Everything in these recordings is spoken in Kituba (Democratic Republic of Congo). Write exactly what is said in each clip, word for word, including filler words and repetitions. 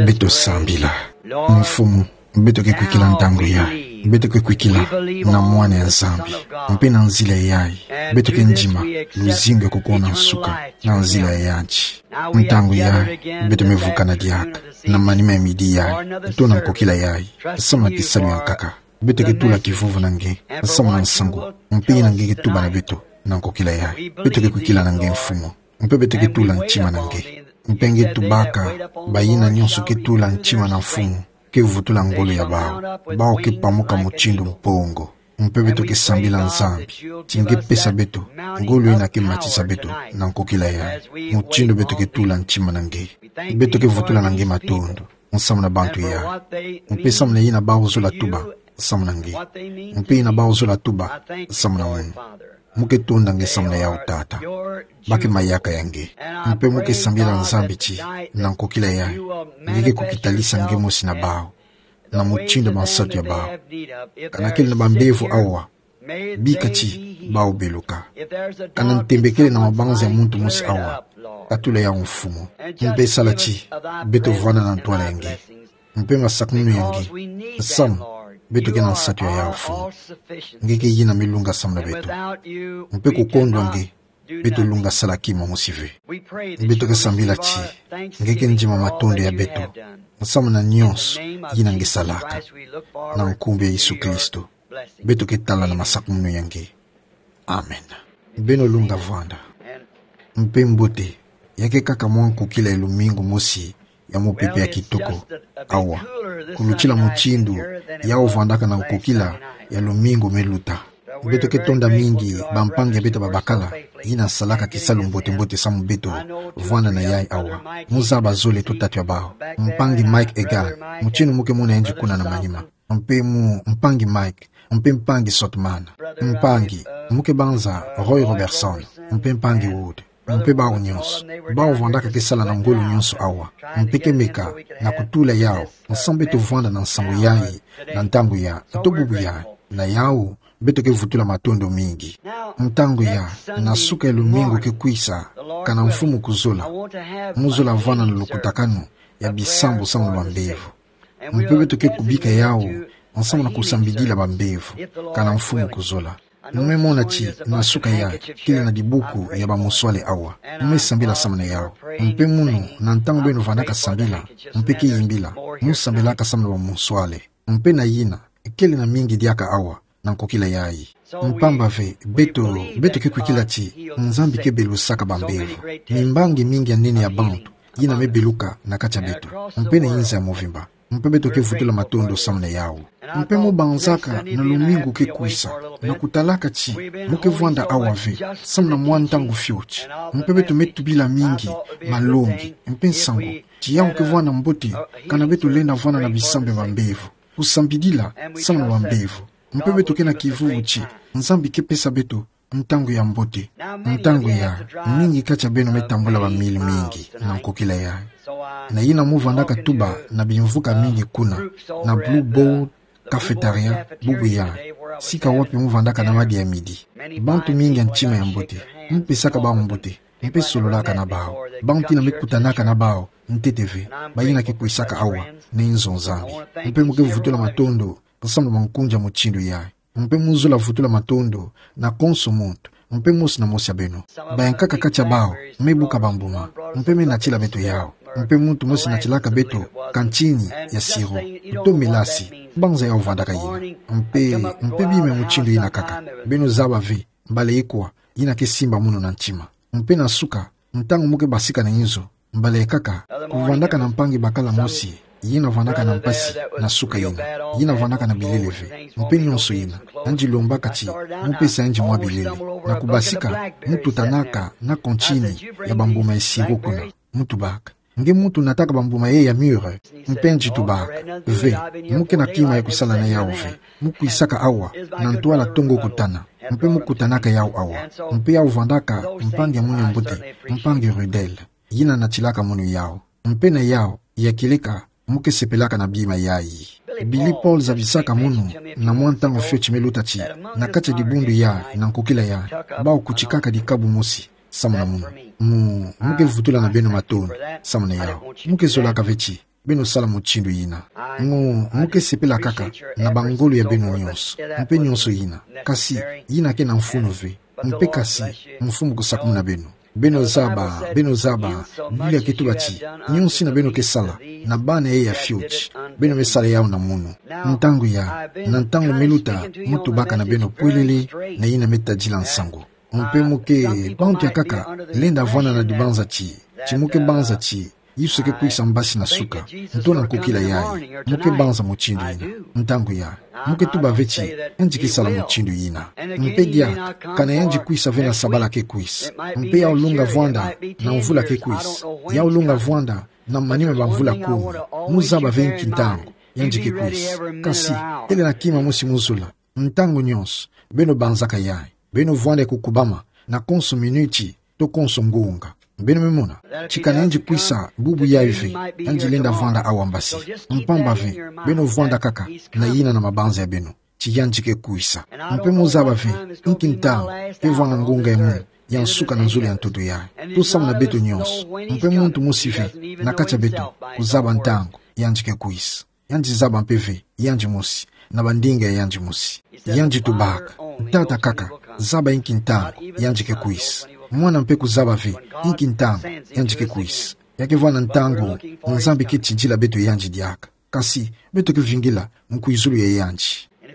Beto sambila. Mfumu, beto ke kwikila ntangu yayi. Beto ke kwikila na Mwana ya Nzambi. Mpe na nzila yayi, beto ke ndima luzingu ya kukuna nsuka na nzila ya yanti. Ntangu yayi, beto me vukana diaka na manima ya midi yayi, to na nkokila yayi, samu na kisalu ya nkaka. Beto ke tula kivuvu na nge, samu na nsangu mpe yina nge ke tuba na beto na nkokila yayi. Beto ke kwikila na nge, Mfumu. Mpe beto ke tula ntima na nge. Mpe nge tubaka bayina nyonso ke tula ntima na Mfumu ke vutula ngolo ya bawu. Bawu ke pamuka mutindu mpongo. Mpe beto ke sambila Nzambi ti nge pesa beto ngolo yina ke matisa beto na nkokila yayi, mutindu beto ke tula ntima na nge. Beto ke vutula na nge matondo samu na bantu yayi. Mpe samu na yina bawu zola tuba samu na nge. Mpe yina bawu zola tuba samu na munu. Mu ke tonda nge samu na yawu, Tata. Ba ke mayaka ya nge. Mpe mu ke sambila Nzambi ti na nkokila yayi, nge ke kukitalisa nge mosi na bawu na mutindu ya bansatu ya bawu. Kana kele na bambevo awa, bika ti bawu beluka. Kana ntembe kele na mabanza ya muntu mosi awa, katula yawu, Mfumu. Mpe sala ti beto vwanda na ntwala ya nge mpe masakumunu ya nge, samu beto ke na nsatu ya yawu, Mfumu. Nge ke yina me lunga samu na beto. Mpe kukondwa nge, beto lunga sala kima mosi ve. Beto ke sambila ti nge ke ndima matondo ya beto samu na nyonso yina nge salaka. Na nkumbu ya Yesu Kristo beto ke tala na masakumunu ya nge. Amen. Beno lunga vwanda. Mpe mbote, ya ke kaka mwa nkokila ya lumingu mosi ya mupepe ya kitoko awa, kulutila mutindu yawu vwandaka na nkokila ya lumingu me luta. Beto ke tonda mingi bampangi ya beto babakala yina salaka kisalu mbote-mbote samu beto vwanda na yayi awa. Mu zaba zole to tatu ya bawu. Mpangi Mike Hagin, mutindu mu ke mona yandi kuna na manima. Mpe mu mpangi Mike, mpe mpangi Sothmann. Mpangi, mu ke banza Roy Robertson, mpe mpangi Wood. Mpe bawu nyonso, bawu vwandaka ke sala na ngolo nyonso awa. Mpe ke meka na kutula yawu, samu beto vwanda na nsangu yayi, na ntangu ya, to bubu yayi, na yawu, beto ke vutula matondo mingi. Ntangu ya, na suka ya lumingu ke kwisa, kana Mfumu kuzola, mu zola vwanda na lukutakanu ya bisambu samu na bambevo. Mpe beto ke kubika yawu, samu na kusambidila bambevo, kana Mfumu kuzola. Mu me mona ti, na suka ya, kele na dibuku ya bamuswale awa. Mu me sambila samu na yawu. Mpe munu, na ntangu beno vandaka sambila, mpe ke yimbila, mu sambilaka samu na bamuswale. Mpe na yina, kele na mingi diaka awa, na nkokila yayi. Mpamba ve, beto, beto ke kwikila ti Nzambi ke belusaka bambevo. Mimbangi mingi ya nene ya bantu yina me beluka na kati ya beto. Mpe na inza ya movimba. Mpe beto ke vutula matondo samu na yawu. Mpe mu banzaka na lumingu ke kwisa, na kutalaka ti mu ke vwanda awa ve, samu na mwa ntangu fioti. Mpe beto me tubila mingi malongi, mpe nsangu, ti yawu ke vwanda mbote, kana beto lenda vwanda na bisambu ya bambevo. Kusambidila samu na bambevo. Mpe beto ke na kivuvu ti Nzambi ke pesa beto ntangu ya mbote. Ntangu ya, mingi kati ya beno me tambula bamili mingi na nkokila yayi. Na yina mu vandaka tuba na bimvuka mingi kuna, na Blue Board Cafeteria, bubu yayi, sika wapi mu vandaka na madia ya midi. Bantu mingi ya ntima ya mbote, mu pesaka bawu mbote, mpe sololaka na bawu. Bantu yina me kutanaka na bawu ntete ve, bayina ke kwisaka awa na inzo Nzambi. Mpe mu ke vutula matondo samu na bankunzi ya mutindu yayi. Mpe mu zola vutula matondo na konso muntu, mpe mosi na mosi ya beno. Bayankaka kati ya bawu me buka bambuma, mpe me natila beto yawu. Mpe muntu mosi natilaka beto kantini ya sirop, to melasi, banza yawu vandaka yina. Mpe, mpe bima ya mutindu yina kaka. Beno zaba ve mbala ikwa yina ke simba munu na ntima. Mpe na suka, ntangu mu ke basika na inzo, mbala ikaka, kuvandaka na mpangi bakala mosi yina vandaka na mpasi na suka yina, yina vandaka na bilele ve, mpe nyonso yina. Yandi lombaka ti mu pesa yandi mwa bilele. Na kubasika, mu tutanaka na kantini ya bambuma ya sirop kuna. Mu tubaka: Nge muntu nataka bambuma ye ya mûr? Mpe yandi tubaka: Ve, mu ke na kima ya kusala na yawu ve. Mu kwisaka awa na ntwala tongo kutana, mpe mu kutanaka yawu awa. Mpe yawu vandaka mpangi ya munu ya mbote, mpangi Ruddell, yina natilaka munu yawu. Mpe na yawu ya kieleka mu ke sepelaka na bima yayi. Billy Paul zabisaka munu na mwa ntangu fioti me luta ti, na kati ya dibundu yayi na nkokila yayi, bawu kutikaka dikabu mosi samu na munu. Mu, mu ke vutula na beno matondo samu na yawu. Mu ke zolaka ve ti Beno sala mutindu yina. Ngo, mu ke sepela kaka na bangolo ya beno nyonso, mpe nyonso yina. Kasi, yina ke na mfunu ve. Mpe kasi, Mfumu kusakumuna beno. Beno zaba, beno zaba, Biblia ke tuba ti, nyonso yina beno ke sala na bana yayi ya fioti, beno me sala yawu na munu. Ntangu ya, na ntangu me luta, mu tubaka na beno pwelele na yina me tadila nsangu. Mpe mu ke, bantu ya kaka, lenda vwanda na dibanza ti, ti mu ke banza ti, Yesu ke kwisa mbasi na suka, nto na nkokila yayi, mu ke banza mutindu yina. Ntangu ya, mu ke tuba ve ti, yandi ke sala mutindu yina. Mpe diaka, kana yandi kwisa ve na sabala ke kwisa. Mpe yawu lunga vwanda, na mvula ke kwisa. Yawu lunga vwanda, na manima ma mvula kumi. Mu zaba ve nki ntangu, yandi ke kwisa. Kasi, têle na kima mosi mu zola. Ntangu nyonso, beno banzaka yayi. Beno vwanda kukubama, na konso minuti, to konso ngunga. Beno me mona. Ti kana yandi kwisa, bubu yayi ve, yandi lenda vwanda awa mbasi. Mpamba ve, beno vwanda kaka, na yina na mabanza ya beno. Ti yandi ke kwisa. Mpe mu zaba ve, nki ntangu, ke vwanga ngunga ya munu, ya nsuka na nzolo ya ntoto yayi. To samu na beto nyonso. Mpe muntu mosi ve, na kati ya beto, kuzaba ntangu, yandi ke kwisa. Yandi zaba mpe ve, yandi mosi, na bandinga ya yandi mosi. Yandi tubaka, tata kaka, zaba nki ntangu, yandi ke kwisa. Mwana mpe kuzaba ve, nki ntangu, yandi ke kwisa. Ya ke vwanga ntangu, Nzambi ke tindila beto yandi diaka. Kasi, beto ke vingila, nkwizulu ya yandi.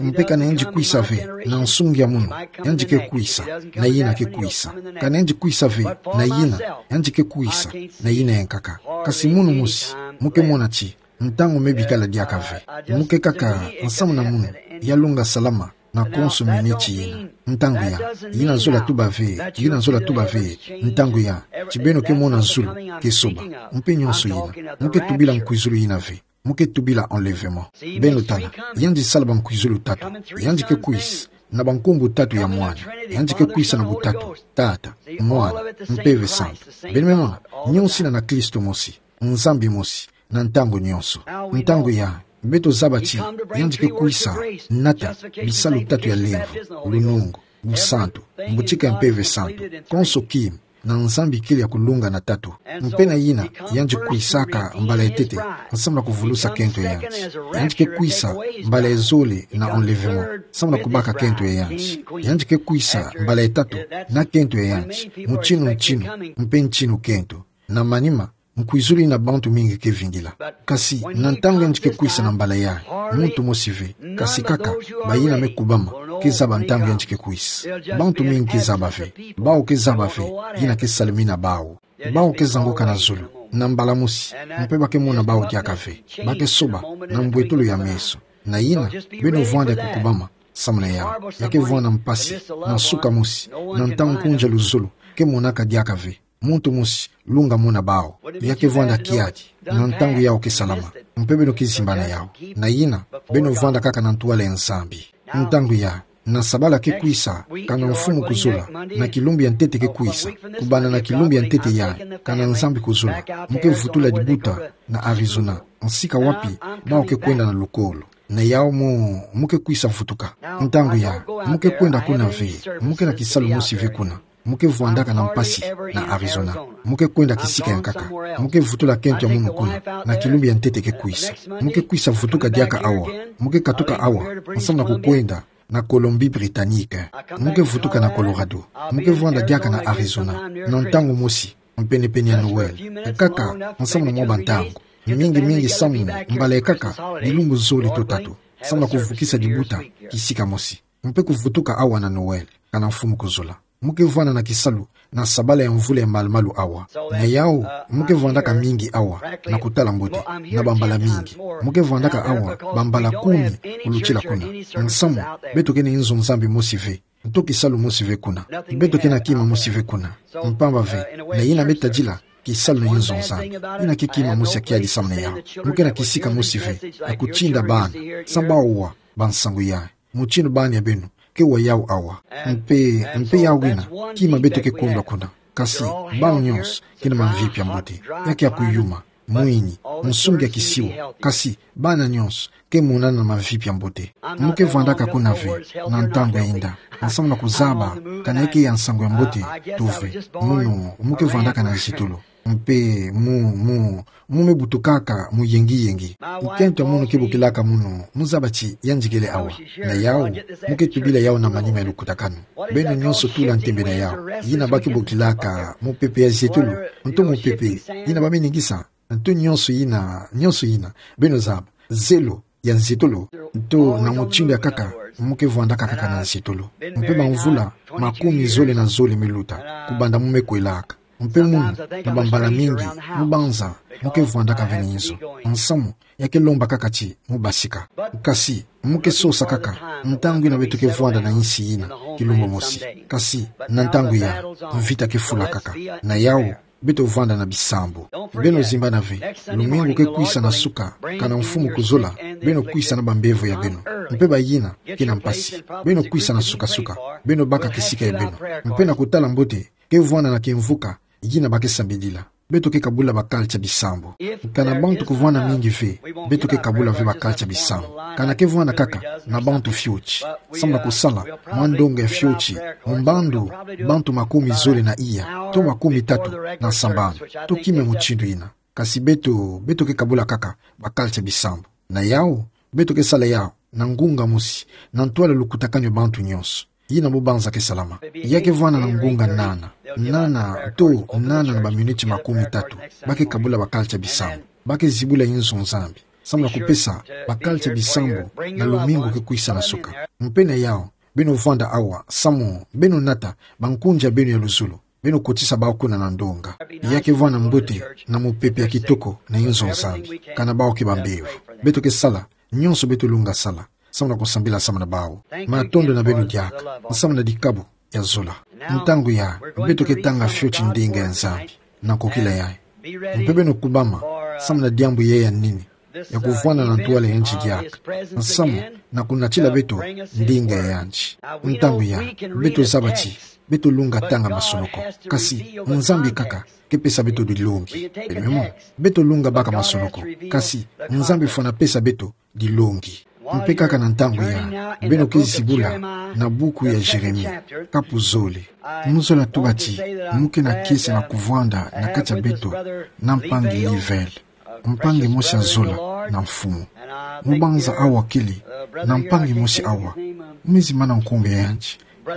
Mpe kana yandi kwisa ve, na nsungi ya munu, yandi ke kwisa, na yina ke kwisa. Kana yandi kwisa ve, na yina, yandi ke kwisa, na yina ya nkaka. Kasi munu mosi, mu ke mona ti, ntangu me bikala diaka ve. Mu ke kaka, nsamu na munu, ya lunga salama, na konso minuti yina. Ntangu ya, yina zola tuba ve, yina zola tuba ve, ntangu ya, ti beno ke mona zulu, ke soba. Mpe nyonso yina, mu ke tubila nkwizulu yina ve. Mu ke tubila enlèvement. Beno tala, yandi sala bankwizulu tatu. Yandi ke kwisa, na bankumbu tatu ya mwana. Yandi ke kwisa na butatu, Tata, Mwana, Mpeve Santu. Beno me mona, nyonso yina na Kristo mosi. Nzambi mosi, na ntangu nyonso. Ntangu ya, beto zaba ti, yandi ke kwisa, nata, bisalu tatu ya lemvo, lunungu, busantu, mbutika ya Mpeve Santu, konso kima, na Nzambi kele ya kulunga na tatu. Mpe na yina, yandi kwisaka mbala ya ntete, nsamu na kuvulusa kento ya yandi. Yandi ke kwisa, mbala ya zole na enlèvement, nsamu na kubaka kento ya yandi. Yandi ke kwisa, mbala ya tatu, na kento ya yandi, mutinu ntinu, mpe ntinu kento. Na manima, nkwizulu yina bantu mingi ke vingila. Kasi, na ntangu yandi ke kwisa na mbala yayi, muntu mosi ve, kasi kaka, bayina me kubama, ke zaba ntangu yandi ke kwisa. Bantu mingi ke zaba ve, bawu ke zaba ve, yina ke salamina bawu. Bawu ke zanguka na zulu, na mbala mosi, mpe ba ke mona bawu diaka ve, ba ke soba, na mbwetolo ya meso. Na yina, beno vwanda kukubama, samu na yawu, ya ke vwanda mpasi, na suka mosi, na ntangu nkunja luzolo, ke monaka diaka ve. Muntu mosi, lunga mona bawu. Ya ke vwanda kiadi, na ntangu yawu ke salama. Mpe beno ke zimbana yawu. Na yina, beno vwanda kaka na ntwala ya Nzambi. Ntangu ya, na sabala ke kwisa, kana mfumu kuzola, na kilumbu ya ntete ke kwisa, kubanda na kilumbu ya ntete yayi, kana Nzambi kuzola, mu ke vutula dibuta, na Arizona, nsika wapi, bawu ke kwenda na lukolo. Na yawu mu, mu ke kwisa vutuka. Ntangu ya, mu ke kwenda kuna ve, mu ke na kisalu mosi ve kuna. Mu ke vwandaka na mpasi, na Arizona. Mu ke kwenda kisika ya nkaka. Mu ke vutula kento ya munu kuna, na kilumbu ya ntete ke kwisa. Mu ke kwisa vutuka diaka awa. Mu ke katuka awa, nsamu na kukwenda, na Colombie-Britannique. Mu ke vutuka na Colorado. Mu ke vwanda diaka na Arizona. Na ntangu mosi, mpene-pene ya Noël. Kaka, nsamu na mwa bantangu. Mingi-mingi samu, mbala ya nkaka, bilumbu zole to tatu. Nsamu na kuvukisa dibuta, kisika mosi. Mpe kuvutuka awa na Noël, kana mfumu kuzola. Mu ke vwanda na kisalu, na sabala ya mvula ya malu-malu awa. Na yawu, mu ke vwandaka mingi awa, na kutala mbote, na bambala mingi. Mu ke vwandaka awa, bambala kumi, kulutila kuna. Nsamu, beto ke na inzo Nzambi mosi ve. Nto kisalu mosi ve kuna. Beto ke na kima mosi ve kuna. Mpamba ve, na yina me tadila, kisalu na inzo Nzambi. Yina ke kima mosi ya kiadi samu na yawu. Mu ke na kisika mosi ve, ya kutinda bana. Samu bawu wa, ba nsangu yayi. Mutinu bana ya beno, ke wa yawu awa. Mpe, mpe yawu yina, kima beto ke kondwa kuna. Kasi, bawu nyonso, ke na mamvipi ya mbote. Ya ke ya kuyuma. Mwini, nsungi ya kisiwa, kasi, bana nyonso, ke monana na mamvipi ya mbote. Mu ke vwandaka kuna ve, na ntangu ya inda, nsamu na kuzaba, kana ya ke ya nsangu ya mbote, to ve, munu, mu ke vwandaka na nzitulu. Mpe mu, mu, mu me butukaka mu yengi-yengi. Nkento ya munu ke bokilaka munu, mu zaba ti yandi kele awa. Na yau, mu ke tubila yau na manima ya lukutakanu. Beno nyonso tula ntembe na yau. Yina ba ke bokilaka mupepe ya zietolo, nto mupepe yina ba me ningisa, nto nyonso yina, nyonso yina. Beno zaba, zelo ya nzietolo. Nto na mutindu ya nkaka, mu ke vwandaka kaka na nzietolo. Mpe bamvula makumi zole na zole me luta, kubanda mu me kwelaka. Mpe munu, na bambala mingi, mu banza, mu ke vwandaka ve na inzo. Nsamu, ya ke lomba kaka ti mu basika. Kasi, mu ke sosa kaka, ntangu yina beto ke vwanda na insi yina, kilumbu mosi. Kasi, na ntangu ya, mvita ke fulakaka. Na yau, beto vwanda na bisambu. Beno zimbana ve, lumingu ke kwisa na suka, kana mfumu kuzola, beno kwisa na bambevo ya beno. Mpe bayina, kina mpasi. Beno kwisa na suka-suka, beno baka kisika ya beno. Mpe na kutala mbote, ke vwanda na kimvuka, yina ba ke sambidila. Beto ke kabula ba culture bisambu. Kana bantu kuvwanda mingi ve, beto ke kabula ve ba culture bisambu. Kana ke vwanda kaka na bantu fioti, samu na kusala mwa ndonga ya fioti, mbandu bantu makumi zole na iya, to makumi tatu na sambanu, to kima mutindu yina. Kasi beto, beto ke kabula kaka ba culture bisambu. Na yau, beto ke sala yau na ngunga mosi, na ntwala lukutakanu ya bantu nyonso. Yina mu banza ke salama. Ya ke vwanda na ngunga nana. Nana, to, nana na baminiti makumi tatu. Ba ke kabula ba culture bisambu. Ba ke zibula inzo Nzambi, samu na kupesa ba culture bisambu na lumingu ke kwisa na suka. Mpe na yau, beno vwanda awa, samu beno nata bankunzi ya beno ya luzolo. Beno kotisa bawu kuna na ndonga. Ya ke vwanda mbote na mupepe ya kitoko na inzo Nzambi, kana bawu ke bambevo. Beto ke sala nyonso beto lunga sala, samu na kusambila samu na bawu. Matondo na beno diaka, samu na dikabu ya zola. Ntangu ya, beto ke tanga fioti ndinga ya Nzambi na nkokila yayi. Mpe beno kubama, samu na diambu yayi ya nini, ya kuvwanda na ntwala ya yandi diaka, nsamu na kunatila beto ndinga ya yandi. Ntangu ya, beto zaba ti beto lunga tanga masonoko, kasi Nzambi kaka ke pesa beto dilongi. Beno me mona, beto lunga baka masonoko, kasi Nzambi fwana pesa beto dilongi. Mpe kaka na ntangu ya, beno ke zibula na buku ya Jeremi, kapu zole. Mu zola tuba ti mu ke na kiese na kuvwanda na kati ya beto na mpangi Livell, mpangi mosi ya zola na Mfumu. Mu banza awa kele na mpangi mosi awa, mu me zimbana nkumbu ya yandi,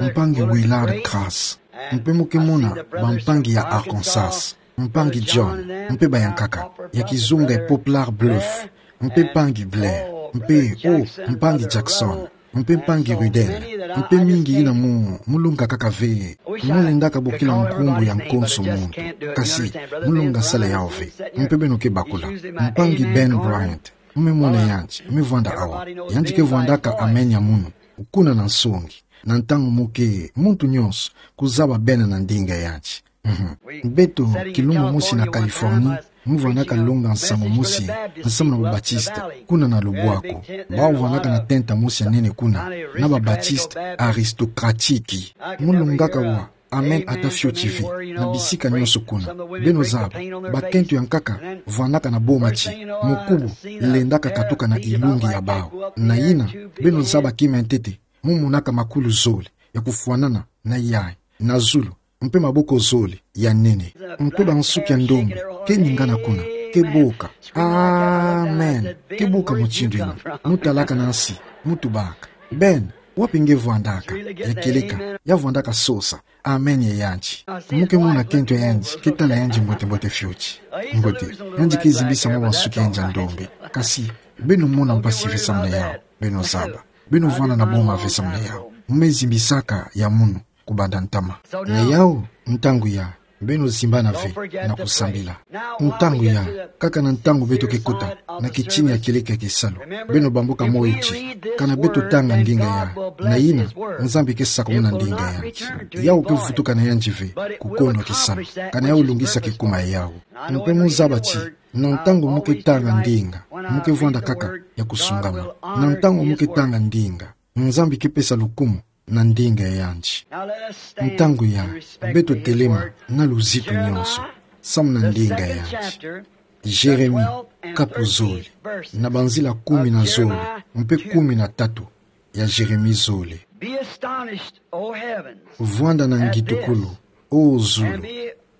mpangi Willard Crase. Mpe mu ke mona bampangi ya Arkansas, mpangi John, mpe bayankaka, ya kizunga ya Poplar Bluff, mpe mpangi Blair, mpe, o, mpangi Jackson, mpe mpangi Ruddell, mpe mingi yina mu, mu lunga kaka ve. Mu lendaka bokila nkumbu ya nkonso muntu, kasi mu lunga sala yawu ve. Mpe beno ke bakula. Mpangi Ben Bryant, mu me mona yandi, me vwanda awa. Yandi ke vwandaka amen ya munu, kuna na nsongi, na ntangu mu ke, muntu nyonso kuzaba bena na ndinga ya yandi. Mhm. Beto, kilumbu mosi na Californie, mu vwandaka longa nsangu mosi, nsamu na ba Baptiste, kuna na lubwaku. Bawu vwandaka na tenta mosi ya nene kuna, na ba Baptiste aristocratique. Mu lungaka wa, amen ata fioti ve, na bisika nyonso kuna. Beno zaba, bakento ya nkaka vwandaka na boma ti mukubu lendaka katuka na ilungi ya bawu. Na yina, beno zaba kima ntete, mu monaka makulu zole ya kufwanana na yayi na zulu, mpe maboko zole ya nene. Mpe bansuki ya ndombe ke ningana kuna, ke boka, amen. Ke boka mutindu yina. Mu talaka na nsi, mu tubaka: Ben, wapi nge vwandaka? Ya kieleka, ya vwandaka sosa amen ya yandi. Mu ke mona kento ya yandi, ke tala yandi mbote-mbote fioti. Mbote, yandi ke zimbisa mwa bansuki ya yandi ya ndombe. Kasi, beno mona mpasi ve samu na yawu, beno zaba. Beno vwanda na boma ve samu na yawu. Mu me zimbisaka ya munu kubanda ntama. Na yawu, ntangu ya, beno zimbana ve na kusambila. Ntangu ya, kaka na ntangu beto ke kota na kitini ya kieleka ya kisalu, beno bamboka moyo ti, kana beto tanga ndinga ya, na yina, Nzambi ke sakumuna ndinga ya yandi. Yawu ke vutuka na yandi ve ku kondo kisalu, kana yawu lungisa kikuma ya yawu. Mpe mu zaba ti, na ntangu mu ke tanga ndinga, mu ke vwanda kaka ya kusungama. Na ntangu mu ke tanga ndinga, Nzambi ke pesa lukumu na ndinga ya yandi. Ntangu ya, beto telema na luzitu nyonso, samu na ndinga ya yandi. Jeremi, kapu zole, na banzila kumi na zole, mpe kumi na tatu ya Jeremi zole. Be astonished, O heavens, vwanda na ngitukulu, O zulu,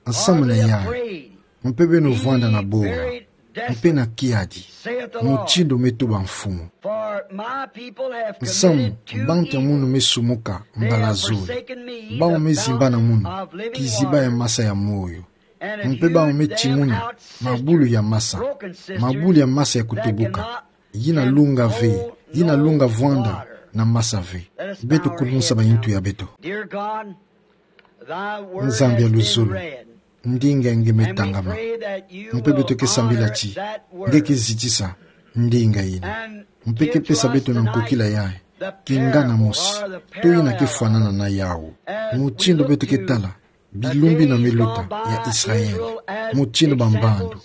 nsamu na yayi. Mpe beno vwanda na boa, mpe na kiadi, mutindu me tuba Mfumu. Nsamu, bantu ya munu me sumuka mbala zole, bau me zimbana munu kiziba ya masa ya moyo, mpe bau me timuna mabulu ya masa, mabulu ya masa ya kutubuka, yina lunga ve, yina lunga vwanda na masa ve. Beto kulunsa bayintu ya beto. Nzambi ya luzolo, ndinga nge me tangama. Mpe beto ke sambila ti nge ke zitisa ndinga yina, mpe ke pesa beto na nkokila yayi kingana mosi, to yina ke fwanana na yawu. Mutindu beto ke tala bilumbu na miluta ya Israël, mutindu bambandu,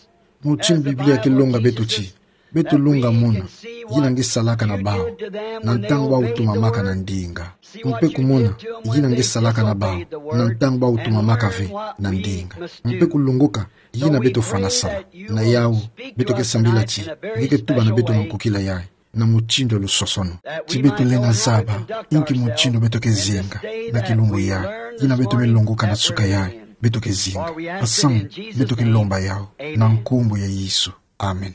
mutindu Biblia ke longa beto ti beto lunga mona yina nge salaka na bau na ntangu bau tumamaka na ndinga, mpe kumona yina nge salaka na bau na ntangu bau tumamaka ve na ndinga, mpe kulongoka yina beto fwana sala. Na yawu, beto ke sambila ti nge ke tuba na beto na nkokila yayi na mutindu ya lusosono, ti beto lenda zaba inki mutindu beto ke zinga na kilumbu yayi, yina beto me longoka na suka yayi beto ke zinga. Nsamu, beto ke lomba yawu na nkumbu ya Yesu. Amen.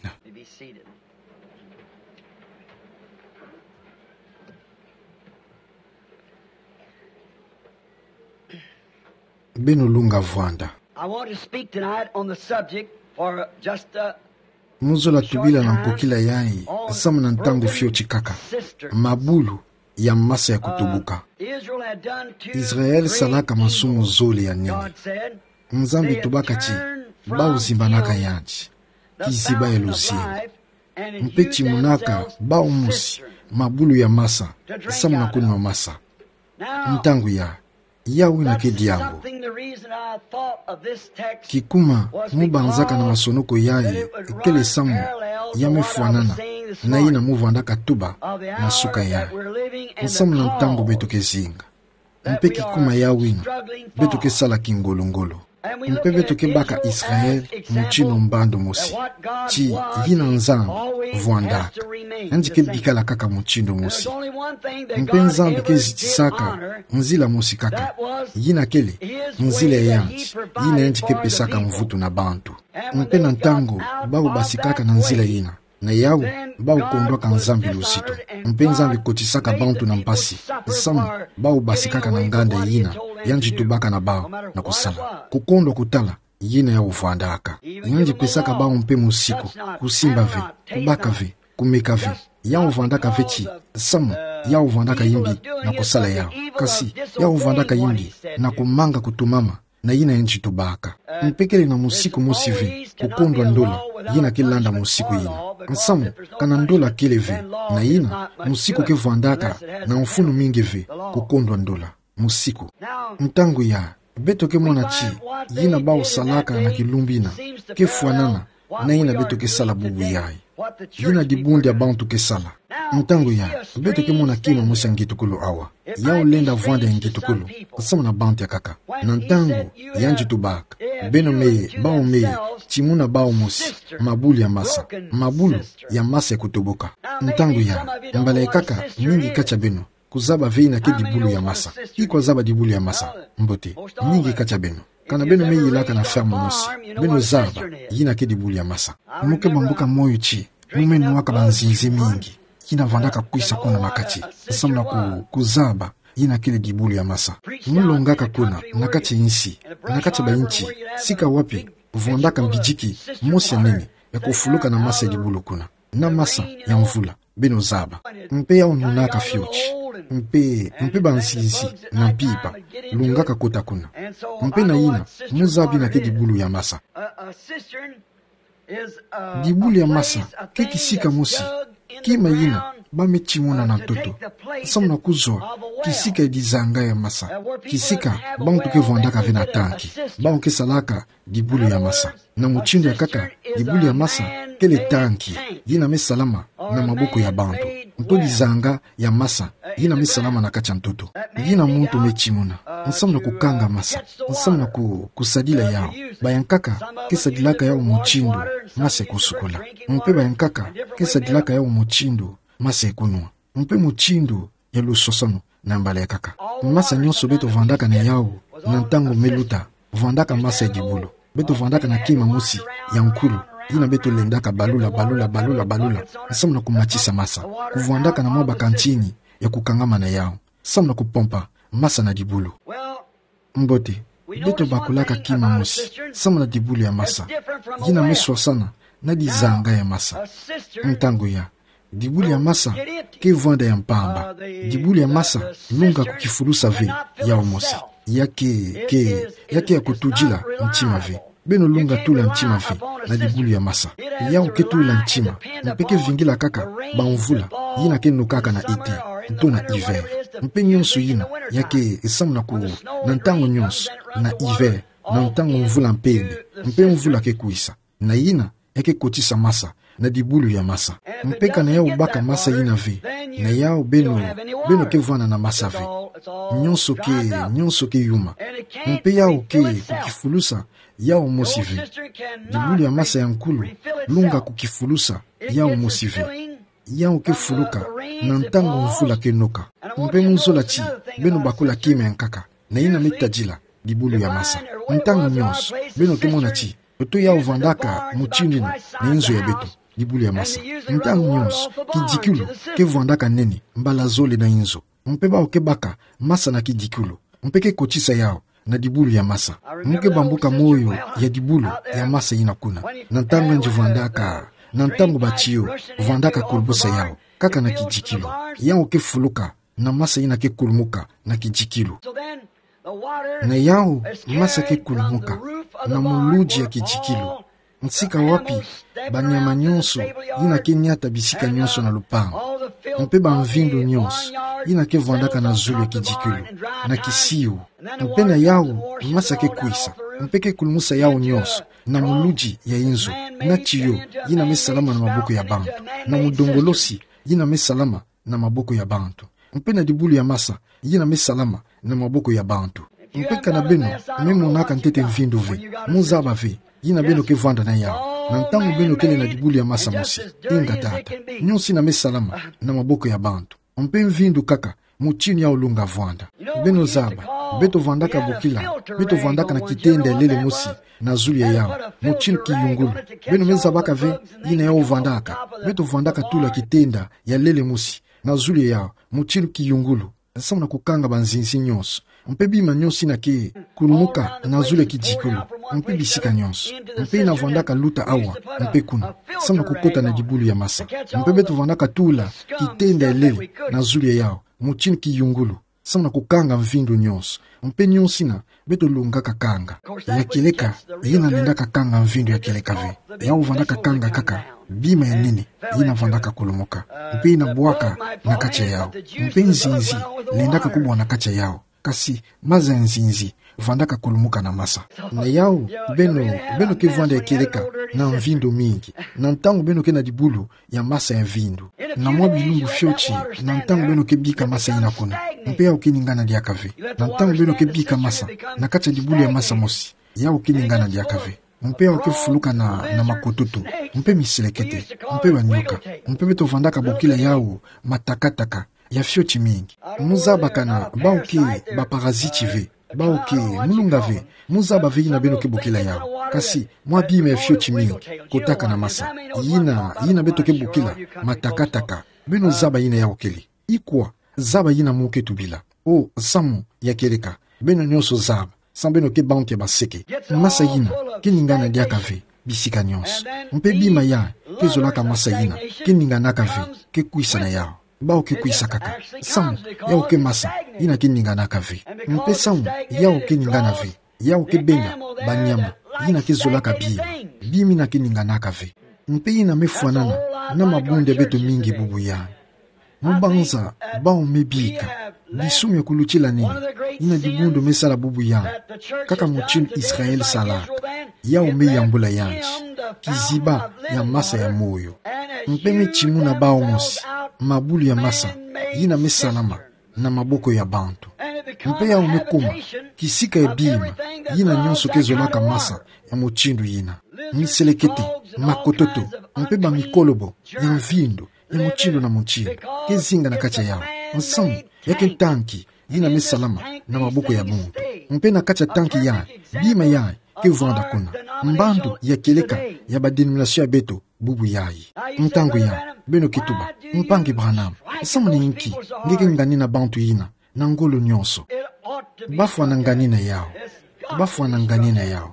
Beno lunga vwanda. I want to speak tonight on the subject for just a Mu zola tubila na nkokila yayi nsamu na ntangu fioti kaka: mabulu ya masa ya kutubuka. Israël salaka masumu zole ya nene. Nzambi tubaka ti bau zimbanaka yandi kiziba ya luzingu, mpe timunaka bau mosi mabulu ya masa nsamu na kunwa masa. Ntangu yayi, yawu yina ke diambu. Kikuma mu banzaka na masonoko yayi kele samu ya me fwanana na yina mu vwandaka tuba na suka yayi, nsamu na ntangu beto ke zinga. Mpe kikuma yawu yina, beto ke sala kingolo-ngolo. Mpe beto ke baka Israël mutindu mbandu mosi, ti yina Nzambi vwandaka, yandi ke bikala kaka mutindu mosi. Mpe Nzambi ke zitisaka nzila mosi kaka, yina kele nzila ya yandi, yina yandi ke pesaka mvutu na bantu. Mpe na ntangu bau basikaka na nzila yina, na yawu bau kondwaka Nzambi luzitu. Mpe Nzambi kotisaka bantu na mpasi nsamu bau basikaka na nganda yina yandi tubaka na bau na kusala. Kukondwa kutala yina yawu vwandaka. Yandi pesaka bau mpe mosiku, kusimba ve, kubaka ve, kumeka ve. Yawu vwandaka ve ti nsamu yawu vwandaka yimbi na kusala yawu, kasi yawu vwandaka yimbi na kumanga kutumama na yina yandi tubaka. Mpe kele na mosiku mosi ve kukondwa ndola yina ke landa mosiku yina. Nsamu, kana ndola kele ve, na yina mosiku ke vwandaka na mfunu mingi ve kukondwa ndola mosiku. Ntangu yayi, beto ke mona ti yina bau salaka na kilumbu yina ke fwanana na yina beto ke sala bubu yayi. Yina dibundu ya bantu ke sala. Ntangu yayi, beto ke mona kima mosi ya ngitukulu awa. Yawu lenda vwanda ya ngitukulu nsamu na bantu ya nkaka. Na ntangu yandi tubaka: Beno meye, bau meye, timuna bau mosi mabulu ya masa, mabulu ya masa ya kutubuka. Ntangu yayi, mbala ya nkaka, mingi kati ya beno kuzaba ve yina ke dibulu ya masa. Ki kwa zaba dibulu ya masa? Mbote, mingi kati ya beno, kana beno me yilaka na ferme mosi, beno zaba yina ke dibulu ya masa. Mu ke bambuka moyo ti mu me nwaka banzinzi mingi yina vwandaka kwisa kuna na kati, nsamu na ku-, kuzaba yina kele dibulu ya masa. Mu longaka kuna na kati ya insi, na kati ya bayinti, sika wapi vwandaka mbidiki mosi ya nene ya kufuluka na masa ya dibulu kuna, na masa ya mvula, beno zaba. Mpe yawu nunaka fioti. Mpe, mpe banzinzi na mpimpa lungaka kota kuna. Mpe na yina, mu zaba yina ke dibulu ya masa. Dibulu ya masa ke kisika mosi kima yina ba me timuna na ntoto, nsamu na kuzwa kisika ya dizanga ya masa, kisika bantu ke vwandaka ve na tanki. Bau ke salaka dibulu ya masa. Na mutindu ya nkaka, dibulu ya masa kele tanki yina me salama na maboko ya bantu. Nto dizanga ya masa yina me salama na kati ya ntoto, yina muntu me timuna, nsamu na kukanga masa, nsamu na ku-, kusadila yawu. Bayankaka ke sadilaka yawu mutindu masa ya kusukula. Mpe bayankaka ke sadilaka yawu mutindu masa ya kunwa. Mpe mutindu ya lusosono na mbala ya nkaka. Masa nyonso beto vwandaka na yawu na ntangu me luta, vwandaka masa ya dibulu. Beto vandaka na kima mosi ya nkulu, yina beto lendaka balula, balula, balula, balula, samu na kumatisa masa. Kuvandaka na mwa bakantini ya kukangamana yau, samu na kupompa masa na dibulu. Mbote, beto bakulaka kima mosi samu na dibulu ya masa. Yina me swasana na dizanga ya masa. Ntangu ya dibulu ya masa ke vwanda ya mpamba. Dibulu ya masa lunga kukifulusa ve yau mosi. Ya ke, ke, ya ke ya kutudila ntima ve. Beno lunga tula ntima ve na dibulu ya masa. Yau ke tula ntima, mpe ke vingila kaka bamvula yina ke nokaka na été, nto na hiver. Mpe nyonso yina ya ke samu na ku, na ntangu nyonso, na hiver, na ntangu mvula mpembe, mpe mvula ke kwisa. Na yina ya ke kotisa masa na dibulu ya masa. Mpe kana yau baka masa yina ve, na yau beno, beno ke vwanda na masa ve. Nyonso ke, nyonso ke yuma. Mpe yau ke kukifulusa yau mosi ve. Dibulu ya masa ya nkulu lunga kukifulusa yau mosi ve. Yau ke fuluka na ntangu mvula ke noka. Mpe mu zola ti beno bakula kima ya nkaka, na yina me tadila dibulu ya masa. Ntangu nyonso beno ke mona ti oto yau vandaka mutindu yina na inzo ya beto, dibulu ya masa. Ntangu nyonso kidikilu ke vandaka nene mbala zole na inzo. Mpe bau ke baka masa na kidikilu, mpe ke kotisa yau na dibulu ya masa. Mu ke bambuka moyo ya dibulu ya masa yina kuna. Na ntangu yandi vandaka, na ntangu ba tiyo vandaka kulumusa yau kaka na kidikilu, yau ke fuluka na masa yina ke kulumuka na kidikilu. Na yau masa ke kulumuka na muludi ya kidikilu. Nsika wapi banyama nyonso yina ke niata bisika nyonso na lupangu, mpe bamvindu nyonso yina ke vandaka na zulu ya kidikilu, na kisiu. Mpe na yau masa ke kwisa, mpe ke kulumusa yau nyonso na muludi ya inzo, na tiyo yina me salama na maboko ya bantu, na mudongolosi yina me salama na maboko ya bantu, mpe na dibulu ya masa yina me salama na maboko ya bantu. Mpe kana beno me monaka ntete mvindu ve, mu zaba ve yina beno ke vanda na yau na ntangu beno kele na dibulu ya masa mosi. Inga tata, nyonso yina me salama na maboko ya bantu. Mpe mvindu kaka, mutindu yau lunga vanda. Beno zaba, beto vandaka bokila, beto vandaka na kitenda ya lele mosi na zulu ya yau, mutindu kiyungulu. Beno me zabaka ve yina yau vandaka. Beto vandaka tula kitenda ya lele mosi na zulu ya yau, mutindu kiyungulu, samu na kukanga banzinzi nyonso, mpe bima nyonso yina ke kulumuka na zulu ya kidikilu, mpe bisika nyonso. Mpe yina vandaka luta awa mpe kuna, samu na kukota na dibulu ya masa. Mpe beto vandaka tula kitenda ya lele na zulu ya yau, mutindu kiyungulu, samu na kukanga mvindu nyonso, mpe nyonso yina beto lungaka kanga. Ya kieleka yina lendaka kanga mvindu ya kieleka ve. Yau vandaka kanga kaka bima ya nene yina vandaka kulumuka, mpe yina bwaka na kati ya yau. Mpe nzinzi lendaka kubwa na kati ya yau, kasi maza ya nzinzi vandaka kulumuka na masa. Na yau, beno, beno ke vanda ya kieleka na mvindu mingi na ntangu beno ke na dibulu ya masa ya mvindu. Na mwa bilumbu fioti, na ntangu beno ke bika masa yina kuna, mpe yau ke ningana diaka ve. Na ntangu beno ke bika masa na kati ya dibulu ya masa mosi, yau ke ningana diaka ve. Mpe yau ke fuluka na, na makototo, mpe miselekete, mpe banyoka. Mpe beto vandaka bokila yau matakataka ya fioti mingi. Mu zaba kana bau ke baparaziti ve, bau ke, mu lunga ve, mu zaba ve yina beno ke bokila yau. Kasi mwa bima ya fioti mingi kotaka na masa. Yina, yina beto ke bokila matakataka. Beno zaba yina yau kele. Ikwa, zaba yina mu ke tubila. O, samu ya kieleka, beno nyonso zaba, samu beno ke bantu ya baseke. Masa yina ke ningana diaka ve bisika nyonso. Mpe bima ya ke zolaka masa yina ke ninganaka ve, ke kwisa na yau. Bau ke kwisa kaka, samu yau ke masa yina ke ninganaka ve. Mpe samu yau ke ningana ve, yau ke benda banyama yina ke zolaka bima, bima yina ke ninganaka ve. Mpe yina me fwanana na mabundu ya beto mingi bubu yandi. Mu banza bau me bika bisumi ya kulutila nini, yina dibundu me sala bubu yandi, kaka mutindu Israël salaka, yau me yambula yandi kiziba ya masa ya moyo. Mpe me timuna bau mosi mabulu ya masa yina me salama na maboko ya bantu. Mpe yau me kuma kisika ya bima yina nyonso ke zolaka masa ya mutindu yina. Miselekete, makototo, mpe bamikolobo ya mvindu ya mutindu na mutindu ke zinga na kati ya yau. Nsamu ya ke ntanki yina me salama na maboko ya muntu. Mpe na kati ya ntanki yandi, bima yandi ke vwanda kuna. Mbandu ya kieleka ya ba dénomination ya beto bubu yayi. Ntangu ya, beno ke tuba: Mpangi Branham, nsamu ni nki nge ke nganina bantu yina na ngolo nyonso? Bafwana nganina yawu. Bafwana nganina yawu.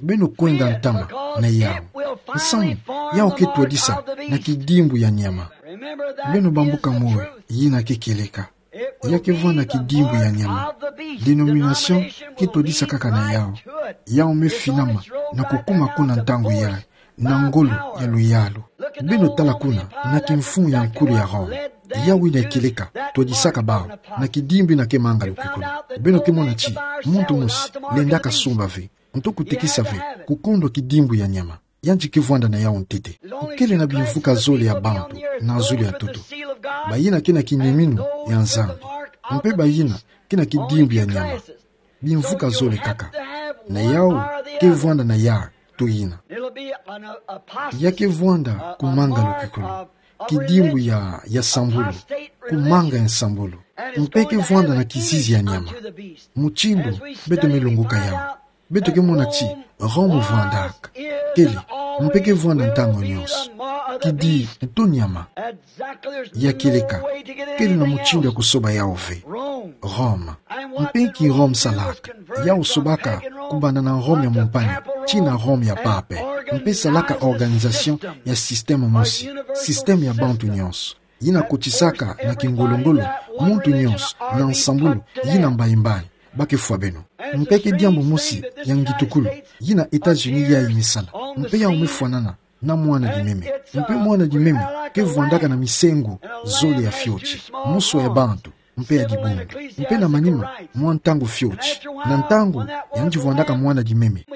Beno kwenda ntama na yawu. Nsamu? Yawu ke twadisa na kidimbu ya nyama. Beno bambuka moyo, yina ke kieleka. Ya ke vwanda kidimbu ya nyama. Dénomination ke twadisa kaka na yawu. Yawu me finama na kukuma kuna ntangu yayi na ngolo ya luyalu. Beno tala kuna na kimfumu ya nkulu ya Rome. Yawu yina ya kieleka twadisaka bawu na kidimbu yina ke manga lukwikilu. Beno ke mona ti muntu mosi lendaka sumba ve, nto kutekisa ve, kukondwa kidimbu ya nyama. Yandi ke vwanda na yawu ntete. Kele na bimvuka zole ya bantu na zulu ya ntoto. Bayina ke na kiniminu ya Nzambi. Mpe bayina ke na kidimbu ya nyama. Bimvuka zole kaka. Na yawu ke vwanda na ya to yina. Ya ke vwanda kumanga lukwikilu. Kidimbu ya, ya sambulu. Kumanga ya sambulu. Mpe ke vwanda na kizizi ya nyama. Mutindu beto me lunguka yawu, beto ke mona ti Rome vwandaka. Kele, mpe ke vwanda ntangu nyonso. Kidi nto nyama. Ya kieleka. Kele na mutindu ya kusoba yawu ve. Rome. Mpe nki Rome salaka? Yawu sobaka kubanda na Rome ya mumpani tii na Rome ya Pape. Mpe salaka organisation ya système mosi, système ya bantu nyonso. Yina kotisaka na kingolo-ngolo muntu nyonso na nsambulu yina mbayi-mbayi. Ba ke fwa beno. Mpe ke diambu mosi ya ngitukulu yina États-Unis yayi me sala. Mpe yawu me fwanana na mwana-dimeme. Mpe mwana-dimeme ke vwandaka na misengo zole ya fioti, muswa ya bantu, mpe ya dibundu. Mpe na manima mwa ntangu fioti, na ntangu yandi vwandaka mwana-dimeme,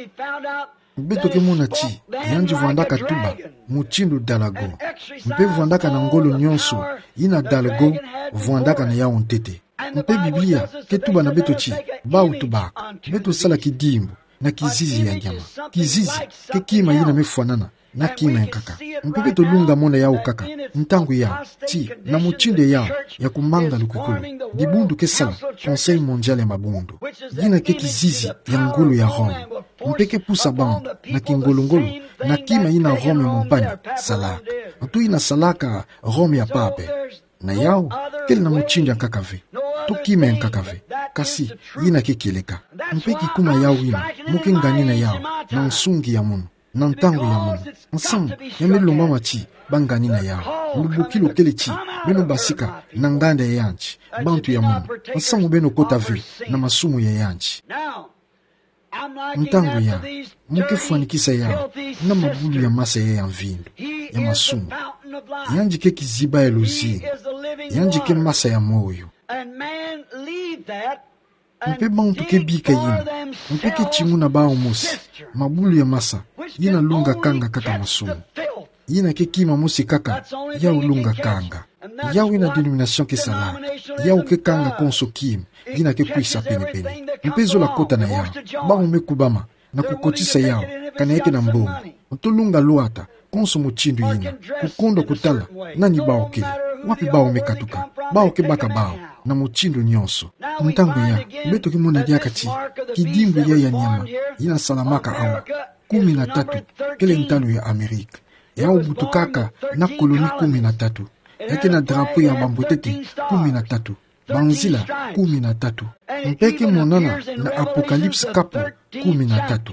beto ke mona ti yandi vwandaka tuba mutindu dalago. Mpe vwandaka na ngolo nyonso yina dalago vwandaka na yawu ntete. Mpe Biblia ke tuba na beto ti bawu tubaka beto sala kidimbu na kizizi ya nyama. Kizizi ke kima yina me fwanana na kima ya nkaka. Mpe beto lunga mona yawu kaka ntangu yawu, ti na mutindu yawu ya kumanga lukwikilu, dibundu ke sala Conseil Mondial ya Mabundu, yina ke kizizi ya ngolo ya Rome. Mpe ke pusa bantu na kingolo-ngolo na kima yina Rome ya mumpani salaka, nto yina salaka Rome ya Pape. Na yawu kele na mutindu ya nkaka ve, to kima ya nkaka ve. Kasi yina ke kieleka. Mpe kikuma yawu yina mu ke nganina yawu na nsungi ya munu, na ntangu ya munu. Nsamu? Ya me lombama ti ba nganina yawu. Lubokilo kele ti beno basika na nganda ya yandi, bantu ya munu. Nsamu beno kota ve na masumu ya yandi? Ntangu ya, mu ke fwanikisa yawu na mabulu ya masa ya ya mvindu ya masumu. Yandi ke kiziba ya luzingu. Yandi ke masa ya moyo. Mpe bantu ke bika yina, mpe ke tinguna bawu mosi mabulu ya masa yina lunga kanga kaka masumu. Yina ke kima mosi kaka yawu lunga kanga. Yawu yina dénomination ke sala. Yawu ke kanga konso kima yina ke kwisa pene-pene. Mpe zola kota na yawu. Bawu me kubama na kukotisa yawu kana ya ke na mbongo. Nto lunga lwata konso mutindu yina, kukondwa kutala nani bawu kele, wapi bawu me katuka. Bawu ke baka bawu na mutindu nyonso. Ntangu ya, beto ke mona diaka ti kidimbu ya ya nyama yina salamaka awa, kumi na tatu, kele ntalu ya Amerika. Yawu butukaka na koloni kumi na tatu. Ya ke na drapeau ya bambwetete kumi na tatu, banzila kumi na tatu. Mpe ke monana na Apocalypse kapo kumi na tatu.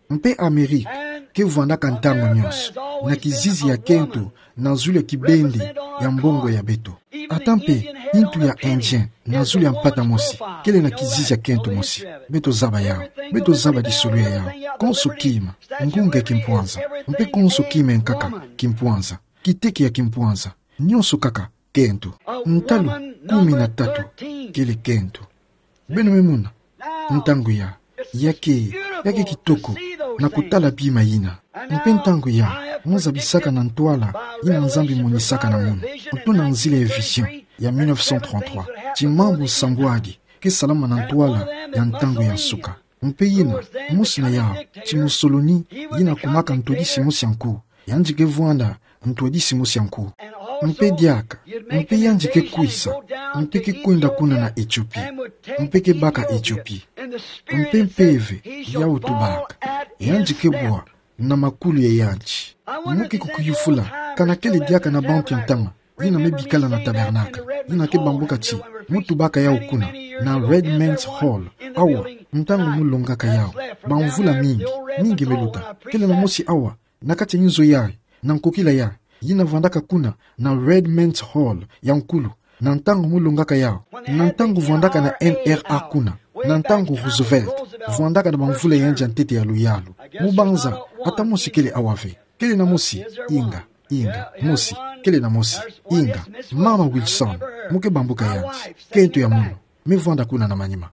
Mpe Amerika ke vwandaka ntangu nyonso na kizizi ya kento na zulu ya kibende ya mbongo ya beto. Ata mpe intu ya Indien na zulu ya mpata mosi kele na kizizi ya kento mosi. Beto zaba yawu. Beto zaba lisolo ya yawu. Konso kima, ngunga ya kimpwanza, mpe konso kima ya nkaka kimpwanza, kiteke ya kimpwanza, nyonso kaka kento. Ntalu kumi na tatu kele kento. Beno me mona? Ntangu ya, ya ke, ya ke kitoko na kutala bima yina. Mpe ntangu ya, mu zabisaka na ntwala yina Nzambi monisaka na munu, nto na nzila ya vision ya mille neuf cent trente-trois, ti mambu nsambwadi ke salama na ntwala ya ntangu ya nsuka. Mpe yina, mosi na yawu, ti Mussolini, yina kumaka ntwadisi mosi ya nku. Yandi ke vwanda ntwadisi mosi ya nku. Mpe diaka, mpe yandi ke kwisa, mpe ke kwenda kuna na Ethiopie, mpe ke baka Ethiopie. Mpe mpeve yawu tubaka: Yandi kebwa na makulu ya yandi. Mu ke kukuyufula, kana kele diaka na bantu ya ntama yina me bikala na tabernakle, yina ke bambuka ti mu tubaka yawu kuna, na Redmen's Hall, awa, ntangu mu longaka yawu, bamvula mingi, mingi me luta. Kele na mosi awa, na kati ya nzo yayi, na nkokila yayi, yina vandaka kuna, na Redmen's Hall, ya nkulu, na ntangu mu longaka yawu, na ntangu vandaka na N R A kuna, na ntangu Roosevelt vandaka na bamvula ya yandi ya ntete ya luyalu. Mu banza, ata mosi kele awa ve. Kele na mosi, inga, inga, mosi, kele na mosi, inga, Mama Wilson, mu ke bambuka yandi, kento ya munu, me vwanda kuna na manima.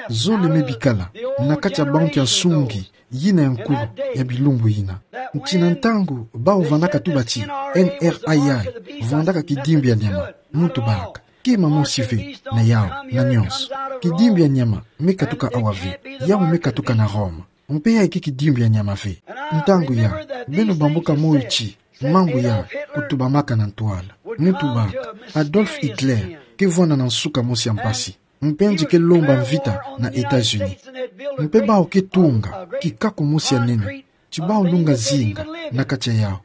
Zole me bikala na kati ya bantu ya nsungi yina ya nkulu ya bilumbu yina. Nti na ntangu bawu vandaka tuba ti N R A yayi vandaka kidimbi ya nyama, mu tubaka, kima mosi ve na yawu, na nyonso. Kidimbi ya nyama me katuka awa ve, yawu me katuka na Roma. Mpe yayi ke kidimbi ya nyama ve. Ntangu yayi, beno bambuka moyo ti mambu yayi kutubamaka na ntwala. Mu tubaka, Adolf Hitler ke vwanda na nsuka mosi ya mpasi. Mpe yandi ke lomba mvita na États-Unis. Mpe bawu ke tunga kikaku mosi ya nene, ti bawu lunga zinga na kati ya yawu.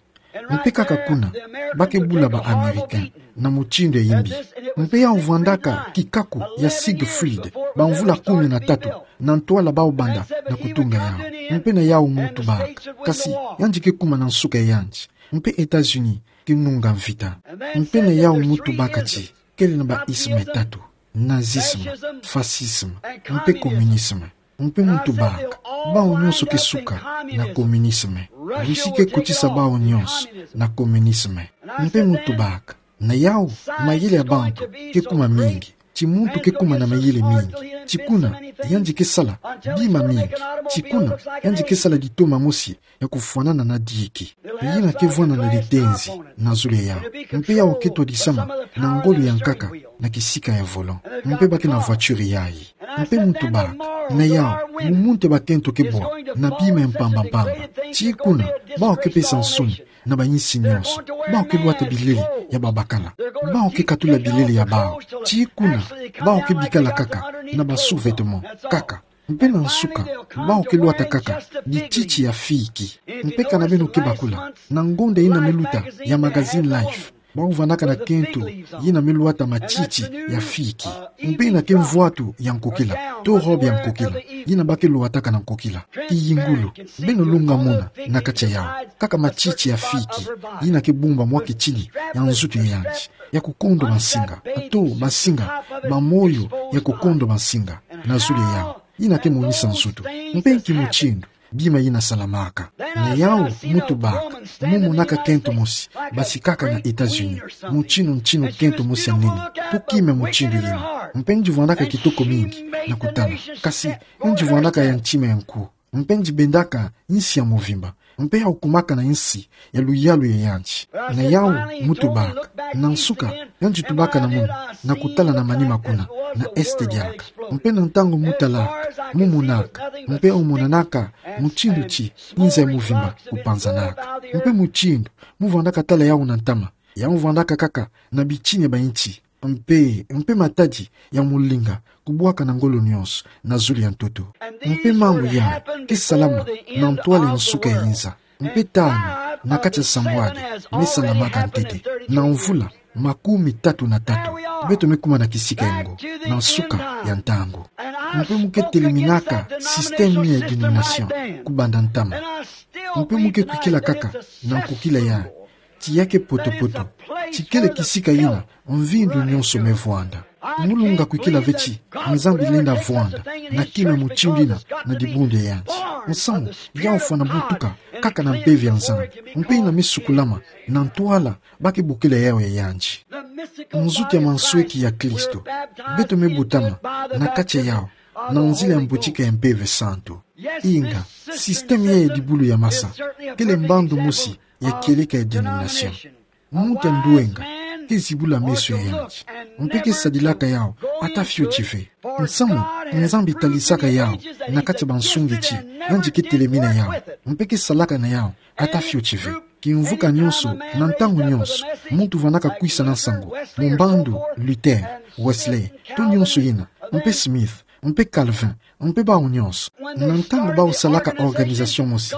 Mpe kaka kuna, ba ke bula ba Américains na mutindu ya yimbi. Mpe yawu vwandaka kikaku ya Siegfried, bamvula kumi na tatu, na ntwala bawu banda na kutunga yawu. Mpe na yawu mu tubaka, kasi yandi ke kuma na nsuka ya yandi. Mpe États-Unis ke nunga mvita. Mpe na yawu mu tubaka ti kele na ba isme tatu: nazisme, fascisme, mpe communisme. Mpe mu tubaka, bawu nyonso ke suka na communisme. Russie ke kotisa bawu nyonso na communisme. Mpe mu tubaka, na yawu, mayele ya bantu ke kuma mingi. Ti muntu ke kuma na mayele mingi. Ti kuna, yandi ke sala bima mingi. Ti kuna, yandi ke sala litoma mosi ya kufwanana na diki. Yina ke vwanda na litenzi na zulu ya yawu. Mpe yawu ke twadisama na ngolo ya nkaka na kisika ya volant. Mpe ba ke na voiture yayi. Mpe mu tubaka, na yawu, mu muntu ya bakento ke bwa na bima ya mpamba mpamba. Ti kuna, bawu ke pesa nsoni na bayinsi nyonso. Bawu ke lwata bilele ya babakala. Bawu ke katula bilele ya bawu. Ti kuna, bawu ke bikala kaka na ba sous-vêtements kaka. Mpe na nsuka, bawu ke lwata kaka bititi ya fiki. Mpe kana beno ke bakula, na ngonda yina me luta ya magazine Life, bawu vandaka na kento yina me lwata matiti ya fiki. Mpe yina ke mvwatu ya nkokila, to robe ya nkokila, yina ba ke lwataka na nkokila. Kiyingulu, beno lunga mona na kati ya yawu, kaka matiti ya fiki, yina ke bumba mwa kitini ya nzutu ya yandi, ya kukondo bansinga, to bansinga, bamoyo ya kukondo bansinga na zulu ya yawu. Yina ke monisa nzutu. Mpe nki mutindu bima yina salamaka? Na yawu, mu tubaka, mu monaka kento mosi basikaka na États-Unis, mutindu, mutindu kento mosi ya nene, to kima mutindu yina. Mpe yandi vwandaka kitoko mingi na kutala. Kasi, yandi vwandaka ya ntima ya nku. Mpe yandi bendaka insi ya muvimba. Mpe yawu kumaka na insi ya luyalu ya yandi. Na yawu, mu tubaka, na nsuka, yandi tubaka na munu, na kutala na manima kuna, na est diaka. Mpe na ntangu mu talaka, mu monaka, mpe omonanaka mutindu ti inza ya muvimba kupanzanaka. Mpe mutindu mu vwandaka tala yawu na ntama, yawu vwandaka kaka na bitini ya bayinti. Mpe, mpe matadi ya mulinga kubwaka na ngolo nyonso na zulu ya ntoto. Mpe mambu yayi ke salama na ntwala ya nsuka ya inza. Mpe tanu na kati ya sambwadi me salamaka ntete, na mvula makumi tatu na tatu, beto me kuma na kisika yango, na nsuka ya ntangu. Mpe mu ke teleminaka système ya dénomination kubanda ntama. Mpe mu ke kwikila kaka na nkokila yayi, ti ya ke poto-poto, ti kele kisika yina mvindu nyonso me vwanda. Mu lunga kwikila ve ti Nzambi lenda vwanda na kima mutindu yina na dibundu ya yandi. Nsamu, yawu fwana butuka kaka na Mpeve ya Nzambi. Mpe yina me sukulama na ntwala ba ke bokila yawu ya yandi. Nzutu ya mansweki ya Kristo, beto me botama na kati ya yawu, na nzila ya mbotika ya Mpeve Santu. Inga, système ya dibulu ya masa kele mbandu mosi ya kieleka ya dénomination. Muntu ya ndwenga ke zibula meso ya yandi, mpe ke sadilaka yawu ata fioti ve. Nsamu, Nzambi talisaka yawu na kati ya bansungi ti yandi ke telemina yawu, mpe ke salaka na yawu ata fioti ve. Kimvuka nyonso, na ntangu nyonso, muntu vwandaka kwisa na nsangu, mu mbandu Luther, Wesley, to nyonso yina, mpe Smith, mpe Calvin, mpe bau nyonso. Na ntangu bau salaka organisation mosi,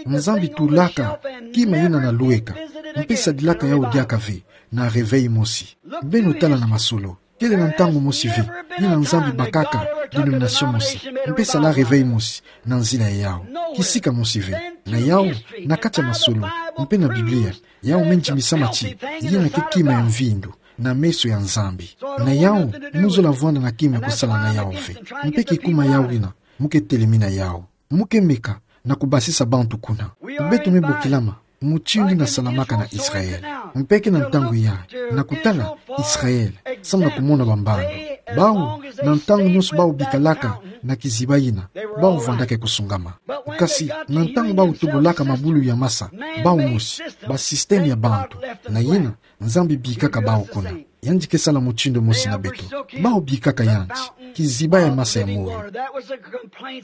Nzambi tulaka kima ina na lueka, mpe sadilaka yau diaka ve na réveil mosi. Beno tala na masolo. Kele na ntangu mosi ve ina Nzambi bakaka dénomination mosi, mpe sala réveil mosi na nzila ya yau. Kisika mosi ve. Na yau, na kati ya masolo, mpe na Biblia, yau me ndimisama ti ina ke kima ya mvindu na meso ya Nzambi. Na yau, mu zola vwanda na kima ya kusala na yau ve. Mpe kikuma yau ina, mu ke telemi na yau. Mu ke meka na kubasisa bantu kuna. Beto me bokilama mutindu ina salamaka na Israël. Mpe ke na ntangu ya, na kutala Israël, samu na kumona bambando. Bau, na ntangu nyonso bau bikalaka na kiziba ina, bau vwandaka kusungama. Kasi, na ntangu bau tobolaka mabulu ya masa, bau mosi, ba système ya bantu, na ina, Nzambi bikaka bau kuna. Yandi ke sala mutindu mosi na beto. Bau bikaka yandi, kiziba ya masa ya moyo.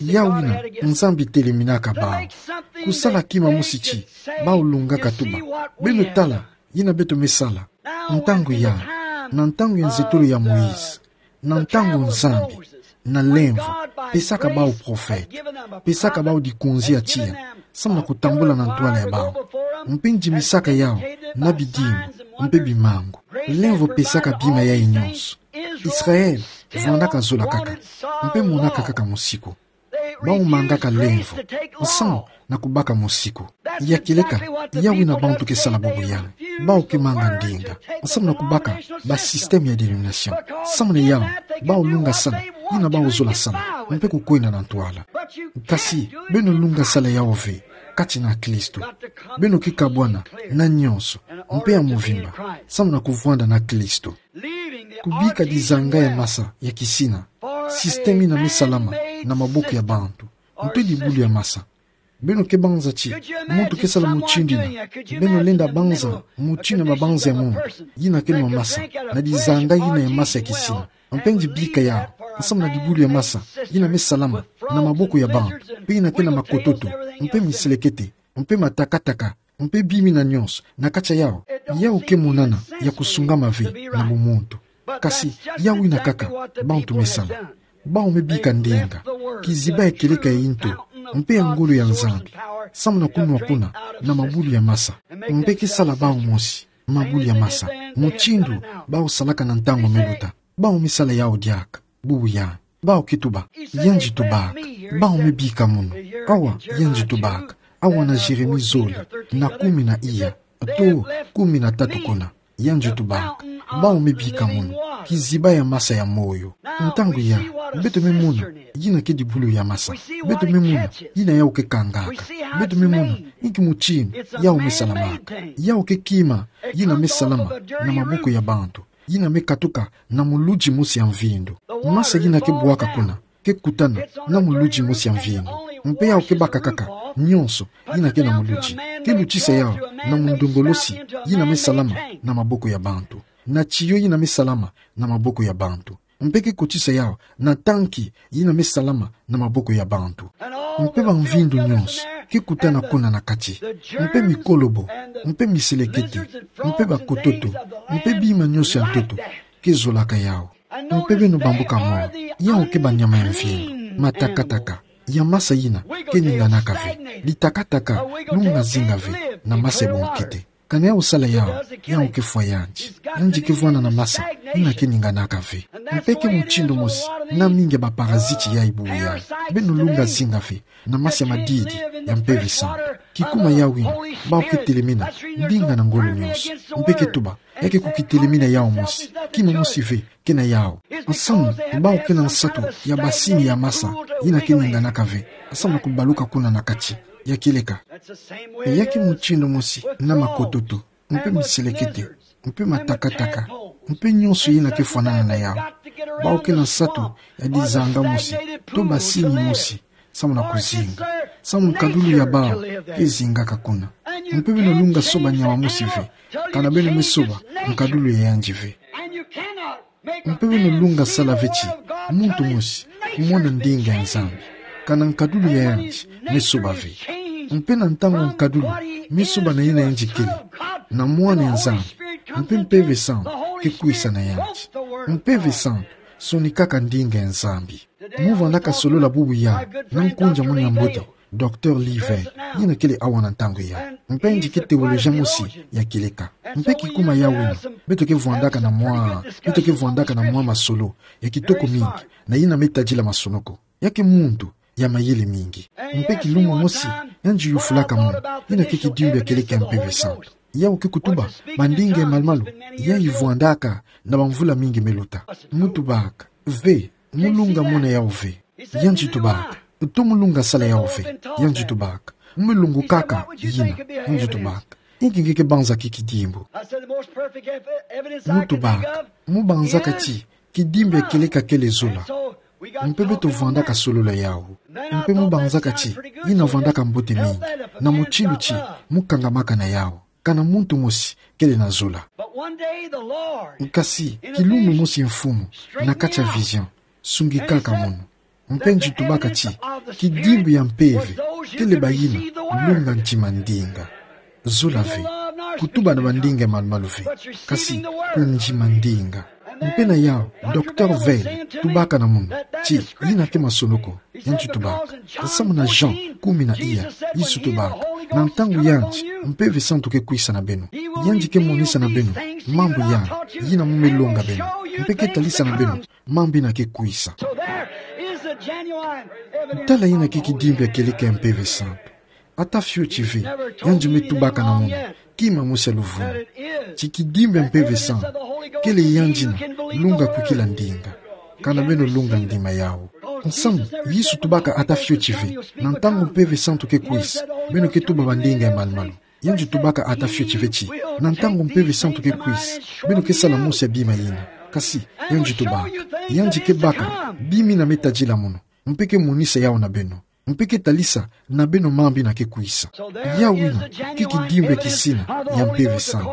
Yau ina, Nzambi teleminaka bau. Kusala kima mosi ti bau lungaka tuba. Beno tala ina beto me sala. Ntangu ya, na ntangu ya nzetolo ya Moïse, na ntangu Nzambi na lemvo pesaka bau prophète, pesaka bau dikunzi ya tiya, samu na kutambula na ntwala ya bau, mpe ndimisaka yau na bidimbu mpe bimangu. Lemvo pesaka bima yayi nyonso. Israël vwandaka zola kaka, mpe monaka kaka mosiku. Bau mangaka lemvo, samu na kubaka mosiku. Ya kieleka, yau ina bantu ke sala bubu yai. Bau ke manga ndinga, samu na kubaka ba système ya dénomination. Samu na yau, bau lunga sala ina bau zola sala, mpe kukwenda na ntwala. Kasi, beno lunga sala yau ve kati na Kristo. Beno ke kabwana na nyonso, mpe ya mvimba, samu na kuvwanda na Kristo. Kubika dizanga ya masa ya kisina, système ina me salama na maboko ya bantu, mpe dibulu ya masa. Beno ke banza ti muntu ke sala mutindu ina? Beno lenda banza mutindu ya mabanza ya muntu ina ke nwa masa na dizanga ina ya masa ya kisina, mpe ndibika yau samu na dibulu ya masa ina me salama na maboko ya bantu, mpe ina ke na makototo, mpe miselekete, mpe matakataka, mpe bima ina nyonso na kati ya yau? Yau ke monana ya kusungama ve na bumuntu. Kasi yau ina kaka bantu me sala. Bau me bika ndinga, kiziba ya kieleka ya nto, mpe ya ngolo ya Nzambi, samu na kunwa kuna na mabulu ya masa, mpe ke sala bau mosi mabulu ya masa, mutindu bau salaka na ntangu me luta. Bau me sala yau diaka bubu yai. Bau ke tuba: Yandi tubaka. Bau me bika munu: Awa, yandi tubaka. Awa na Jérémie zole na kumi na iya to kumi na tatu kuna. Yandi tubaka. Bau me bika munu: Kiziba ya masa ya moyo. Ntangu ya, beto me mona ina ke dibulu ya masa. Beto me mona ina yau ke kangaka. Beto me mona inki mutindu yau me salamaka. Yau ke kima ina me salama na maboko ya bantu, ina me katuka na muludi mosi ya mvindu. Masa ina ke bwaka kuna ke kutana na muludi mosi ya mvindu, mpe yau ke baka kaka nyonso ina ke na muludi. Ke lutisa yau na mundongolosi ina me salama na maboko ya bantu, na tiyo ina me salama na maboko ya bantu, mpe ke kotisa yau na tanki ina me salama na maboko ya bantu. Mpe bamvindu nyonso ke kutana kuna na kati, mpe mikolobo, mpe miselekete, mpe bakototo, mpe bima nyonso ya ntoto ke zolaka yau. Mpe beno bambuka mona, yau ke banyama ya mvindu, matakataka, ya masa ina ke ninganaka ve, litakataka lunga zinga ve na masa ya bunkete. Kana yau sala yau, yau ke fwa yandi. Yandi ke vwanda na masa ina ke ninganaka ve. Mpe ke mutindu mosi na mingi ya baparaziti yai bubu yai. Beno lunga zinga ve na masa ya madidi ya Mpeve Santu. Kikuma yau ina, bau ke telemena ndinga na ngolo nyonso, mpe ke tuba: Ya ke kukitelemena yau mosi, kima mosi ve ke na yau. Nsamu bau ke na nsatu ya basini ya masa ina ke ninganaka ve, nsamu na kubaluka kuna na kati. Ya kieleka, ya ke mutindu mosi na makototo, mpe miselekete, mpe matakataka, mpe nyonso ina ke fwanana na yau. Bau ke na nsatu ya dizanga mosi to basini mosi, samu na kuzinga, samu nkadulu ya bau ke zingaka kuna. Mpe beno lunga soba nyama mosi ve, kana beno me soba nkadulu ya yandi ve. Mpe beno lunga sala ve ti muntu mosi kumona ndinga ya Nzambi, kana nkadulu ya yandi me soba ve. Mpe na ntangu nkadulu me soba na ina yandi kele, na Mwana ya Nzambi, mpe Mpeve Santu ke kwisa na yandi. Mpeve Santu Sonikaka ndinga ya Nzambi. Mu vandaka solola bubu ya na nkunja mono ya mbote, Docteur Lee Vaill, yina kele awa na ntangu ya. Mpe nge ke théologien mosi ya kieleka. Mpe kikuma ya wina, beto ke vandaka na mwa, beto ke vandaka na mwa masolo ya kitoko mingi, na yina me tadila masonoko. Ya ke muntu ya mayele mingi. Mpe kilumbu mosi, yandi yufulaka mono, yina ke kidimbu ya kieleka ya Mpeve Santu. Yau ke kutuba bandinga ya malu-malu yayi vandaka na bamvula mingi me luta. Mu tubaka: Ve, mu lunga mona yau ve. Yandi tubaka: To mu lunga sala yau ve. Yandi tubaka: Mu me lungukaka yina. Yandi tubaka: Inki nge ke banzaka kidimbu? Mu tubaka: Mu banzaka ti kidimbu ya kieleka kele zola. Mpe beto vandaka solola yau. Mpe mu banzaka ti yina vandaka mbote mingi, na mutindu ti mu kangamaka na yau, kana muntu mosi kele na zola. Kasi kilumbu mosi Mfumu, na kati ya vision, sungikaka mono, mpe yandi tubaka ti kidimbu ya mpeve kele bayina lunga ntima ndinga. Zola ve, kutuba na bandinga ya malu-malu ve, kasi kundima ndinga. Mpe na yau, Docteur Vaill tubaka na mono ti yina ke masonoko. Yandi tubaka: Samu na Jean kumi na iya, Yesu tubaka: Na ntangu yandi, Mpeve Santu ke kwisa na beno. Yandi ke monisa na beno mambu yandi, yina mu me longa beno, mpe ke talisa na beno mambu yina ke kwisa. Tala yina ke kidimbu ya kieleka ya Mpeve Santu. Ata fioti ve, yandi me tubaka na mono kima mosi ya luvunu, ti kidimbu ya Mpeve Santu kele yandi yina lunga kwikila ndinga. Kana beno lunga ndima yau. Nsamu, Yesu tubaka ata fioti ve, na ntangu Mpeve Santu ke kwisa, beno ke tuba bandinga ya malu-malu. Yandi tubaka ata fioti ve ti na ntangu Mpeve Santu ke kwisa, beno ke sala mosi ya bima yina. Kasi yandi tubaka: Yandi ke baka bima yina me tadila mono, mpe ke monisa yau na beno, mpe ke talisa na beno mambu yina ke kwisa. Yau yina ke kidimbu ya kisina ya Mpeve Santu,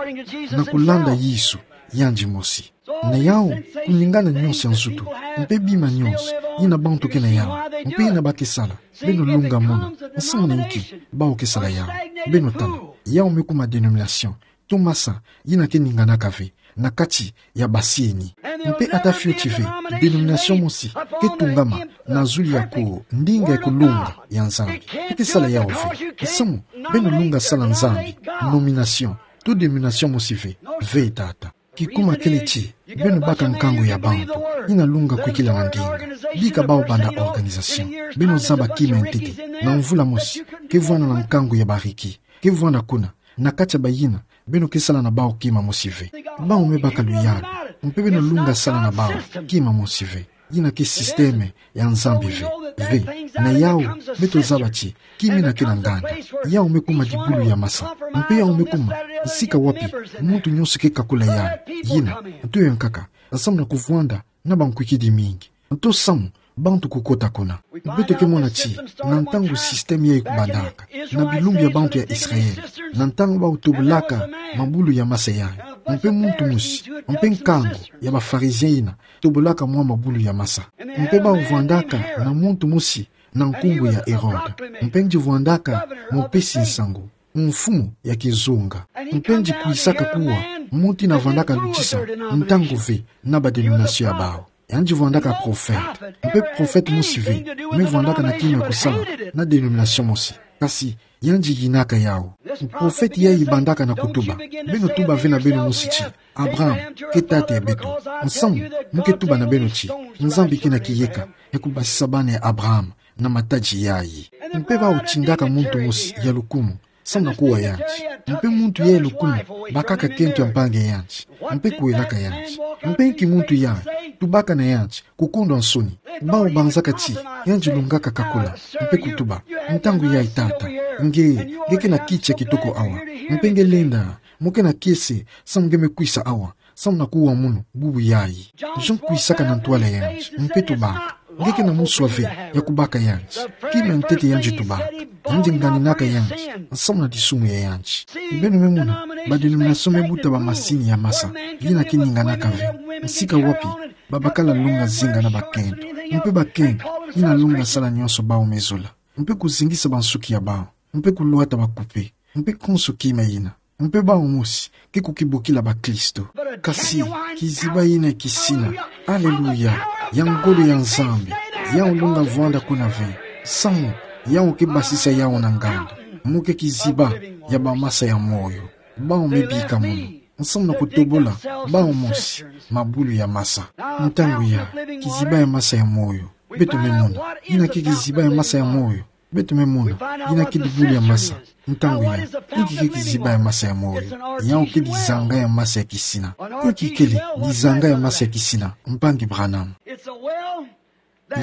na kulanda Yesu yandi mosi. Na yau, kuningana nyonso ya nzutu, mpe bima nyonso yina bantu ke na yau, mpe yina ba ke sala, beno lunga mona. Nsamu na inki? Bau ke sala yau. Beno tala, yau me kuma denomination to masa yina ke ninganaka ve na kati ya basieni. Mpe ata fioti ve, denomination mosi ke tungama na zulu ya ko ndinga ya kulunga ya Nzambi. Ke sala yau ve. Nsamu, beno lunga sala Nzambi, nomination to denomination mosi ve. Ve, tata. Kikuma kele ti beno baka nkangu ya bantu yina lunga kwikila na ndinga. Bika bau banda organisation. Beno zaba kima ya ntete na mvula mosi ke vwanda na nkangu ya bariki ke vwanda kuna, na kati ya bayina beno ke sala na bau kima mosi ve. Bau me baka luyalu, mpe beno lunga sala na bau kima mosi ve. Yina ke système ya Nzambi ve. Ve, na yau, beto zaba ti kima yina ke na nganda. Yau me kuma dibulu ya masa. Mpe yau me kuma nsika wapi muntu nyonso ke kakula yau. Yina, nto ya nkaka, nsamu na kuvwanda na bankwikidi mingi, nto samu bantu kukota kuna. Beto ke mona ti na ntangu système yayi kubandaka na bilumbu ya bantu ya Israël, na ntangu bau tobolaka mabulu ya masa yayi, mpe muntu mosi, mpe nkangu ya ba pharisiens yina tobolaka mwa mabulu ya masa. Mpe bau vwandaka na muntu mosi na nkumbu ya Hérode, mpe yandi vwandaka mupesi nsangu, mfumu ya kizunga. Mpe yandi kwisaka kuwa muntu yina vwandaka lutisa ntangu ve na ba denomination ya bau. Yandi vwandaka prophète. Mpe prophète mosi ve me vwandaka na kima ya kusala na denomination mosi. Kasi yandi yinaka yau. Prophète yayi bandaka na kutuba: Beno tuba ve na beno mosi ti Abraham ke tata ya beto. Nsamu, mu ke tuba na beno ti Nzambi ke na kiyeka ya kubasisa bana ya Abraham na matadi yayi. Mpe bau tindaka muntu mosi ya lukumu samu na kuwa yandi. Mpe muntu yayi ya lukumu bakaka kento ya mpangi ya yandi, mpe kuwelaka yandi. Mpe nki muntu yayi tubaka na yandi kukondwa nsoni? Bau banzaka ti yandi lungaka kakula, mpe kutuba: Ntangu yayi, tata, nge, nge ke na kiti ya kitoko awa, mpe nge lenda, mu ke na kiese samu nge me kwisa awa samu na kuwa munu bubu yayi. Jean kwisaka na ntwala yandi, mpe tubaka: Nge ke na muswa ve ya kubaka yandi. Kima ya ntete yandi tubaka: Yandi nganinaka yandi nsamu na disumu ya yandi. Beno me mona, ba denomination me buta ba masini ya masa yina ke ninganaka ve, nsika wapi babakala longa zinga na bakento, mpe bakento yina longa sala nyonso bau me zola, mpe kuzingisa bansuki ya bau, mpe kulwata bakupe, mpe konso kima yina. Mpe bau mosi ke kukibukila bakristo. Kasi kiziba yina kisina. Aleluya. ya ngolo ya Nzambi, yau lunga vwanda kuna ve, samu yau ke basisa yau na nganda. Mo ke kiziba ya bamasa ya moyo. Bau me bika mono, nsamu na kutobola bau mosi mabulu ya masa. Ntangu ya, kiziba ya masa ya moyo. Beto me mona yina ke kiziba ya masa ya moyo. Beto me mona yina ke dibulu ya masa. Ntangu ya, inki ke kiziba ya masa ya moyo? Yau ke dizanga ya masa ya kisina. Inki kele dizanga ya masa ya kisina, mpangi Branham?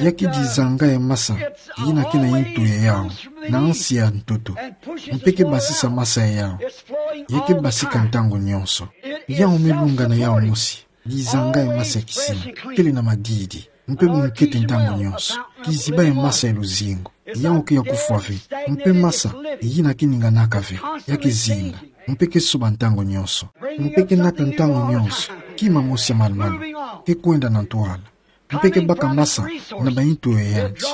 Ya ke dizanga ya masa yina ke na intu ya yau, na nsi ya ntoto, mpe ke basisa masa ya yau. Ya ke basika ntangu nyonso. Yau me lunga na yau mosi, dizanga ya masa ya kisina, kele na madidi, mpe bunkete ntangu nyonso. Kiziba ya masa ya luzingu. Yau ke ya kufwa ve, mpe masa yina ke ninganaka ve. Ya ke zinga, mpe ke soba ntangu nyonso, mpe ke nata ntangu nyonso kima mosi ya malu-malu, ke kwenda na ntwala, mpe ke baka masa na baintu ya yandi.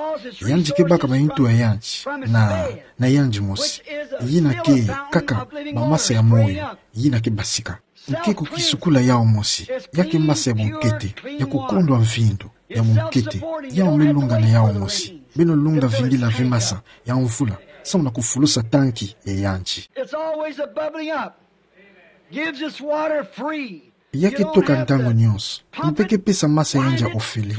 Yandi ke baka baintu ya yandi na, na yandi mosi. Yina ke kaka bamasa ya moyo yina ke basika. Nke kukisukula yau mosi, ya ke masa ya bunkete, ya kukondwa mvindu ya bunkete. Yau me lunga na yau mosi. Beno lunga vingila ve masa ya mvula, samu na kufulusa tanki ya yandi. It's always a bubbling up. Gives us water free. Ya ke toka ntangu nyonso, mpe ke pesa masa ya yandi ya ofele.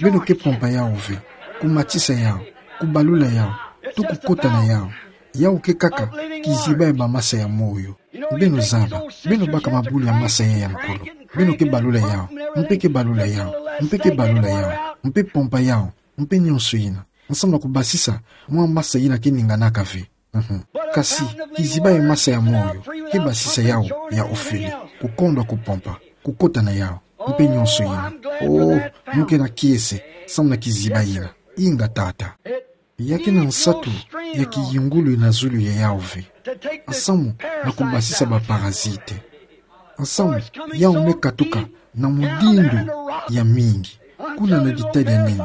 Beno ke pompa yau ve, kumatisa yau, kubalula yau, to kukota na yau. Yau ke kaka kiziba ya bamasa ya moyo. Beno zaba, beno baka mabulu ya masa ya ya nkulu. Beno ke balula yau, mpe ke balula yau, mpe ke balula yau, mpe pompa yau, mpe nyonso yina, nsamu na kubasisa mwa masa yina ke ninganaka ve. Mhm. Kasi kiziba ya masa ya moyo ke basisa yau ya ofele, kukondwa kupompa, kukota na yau, mpe nyonso yina. Oh, mo ke na kiese samu na kiziba yina. Inga tata. Ya ke na nsatu ya kiyungulu na zulu ya yau ve, nsamu na kubasisa baparazite. Nsamu yau me katuka na mudindu ya mingi. Kuna na ditadi ya nene,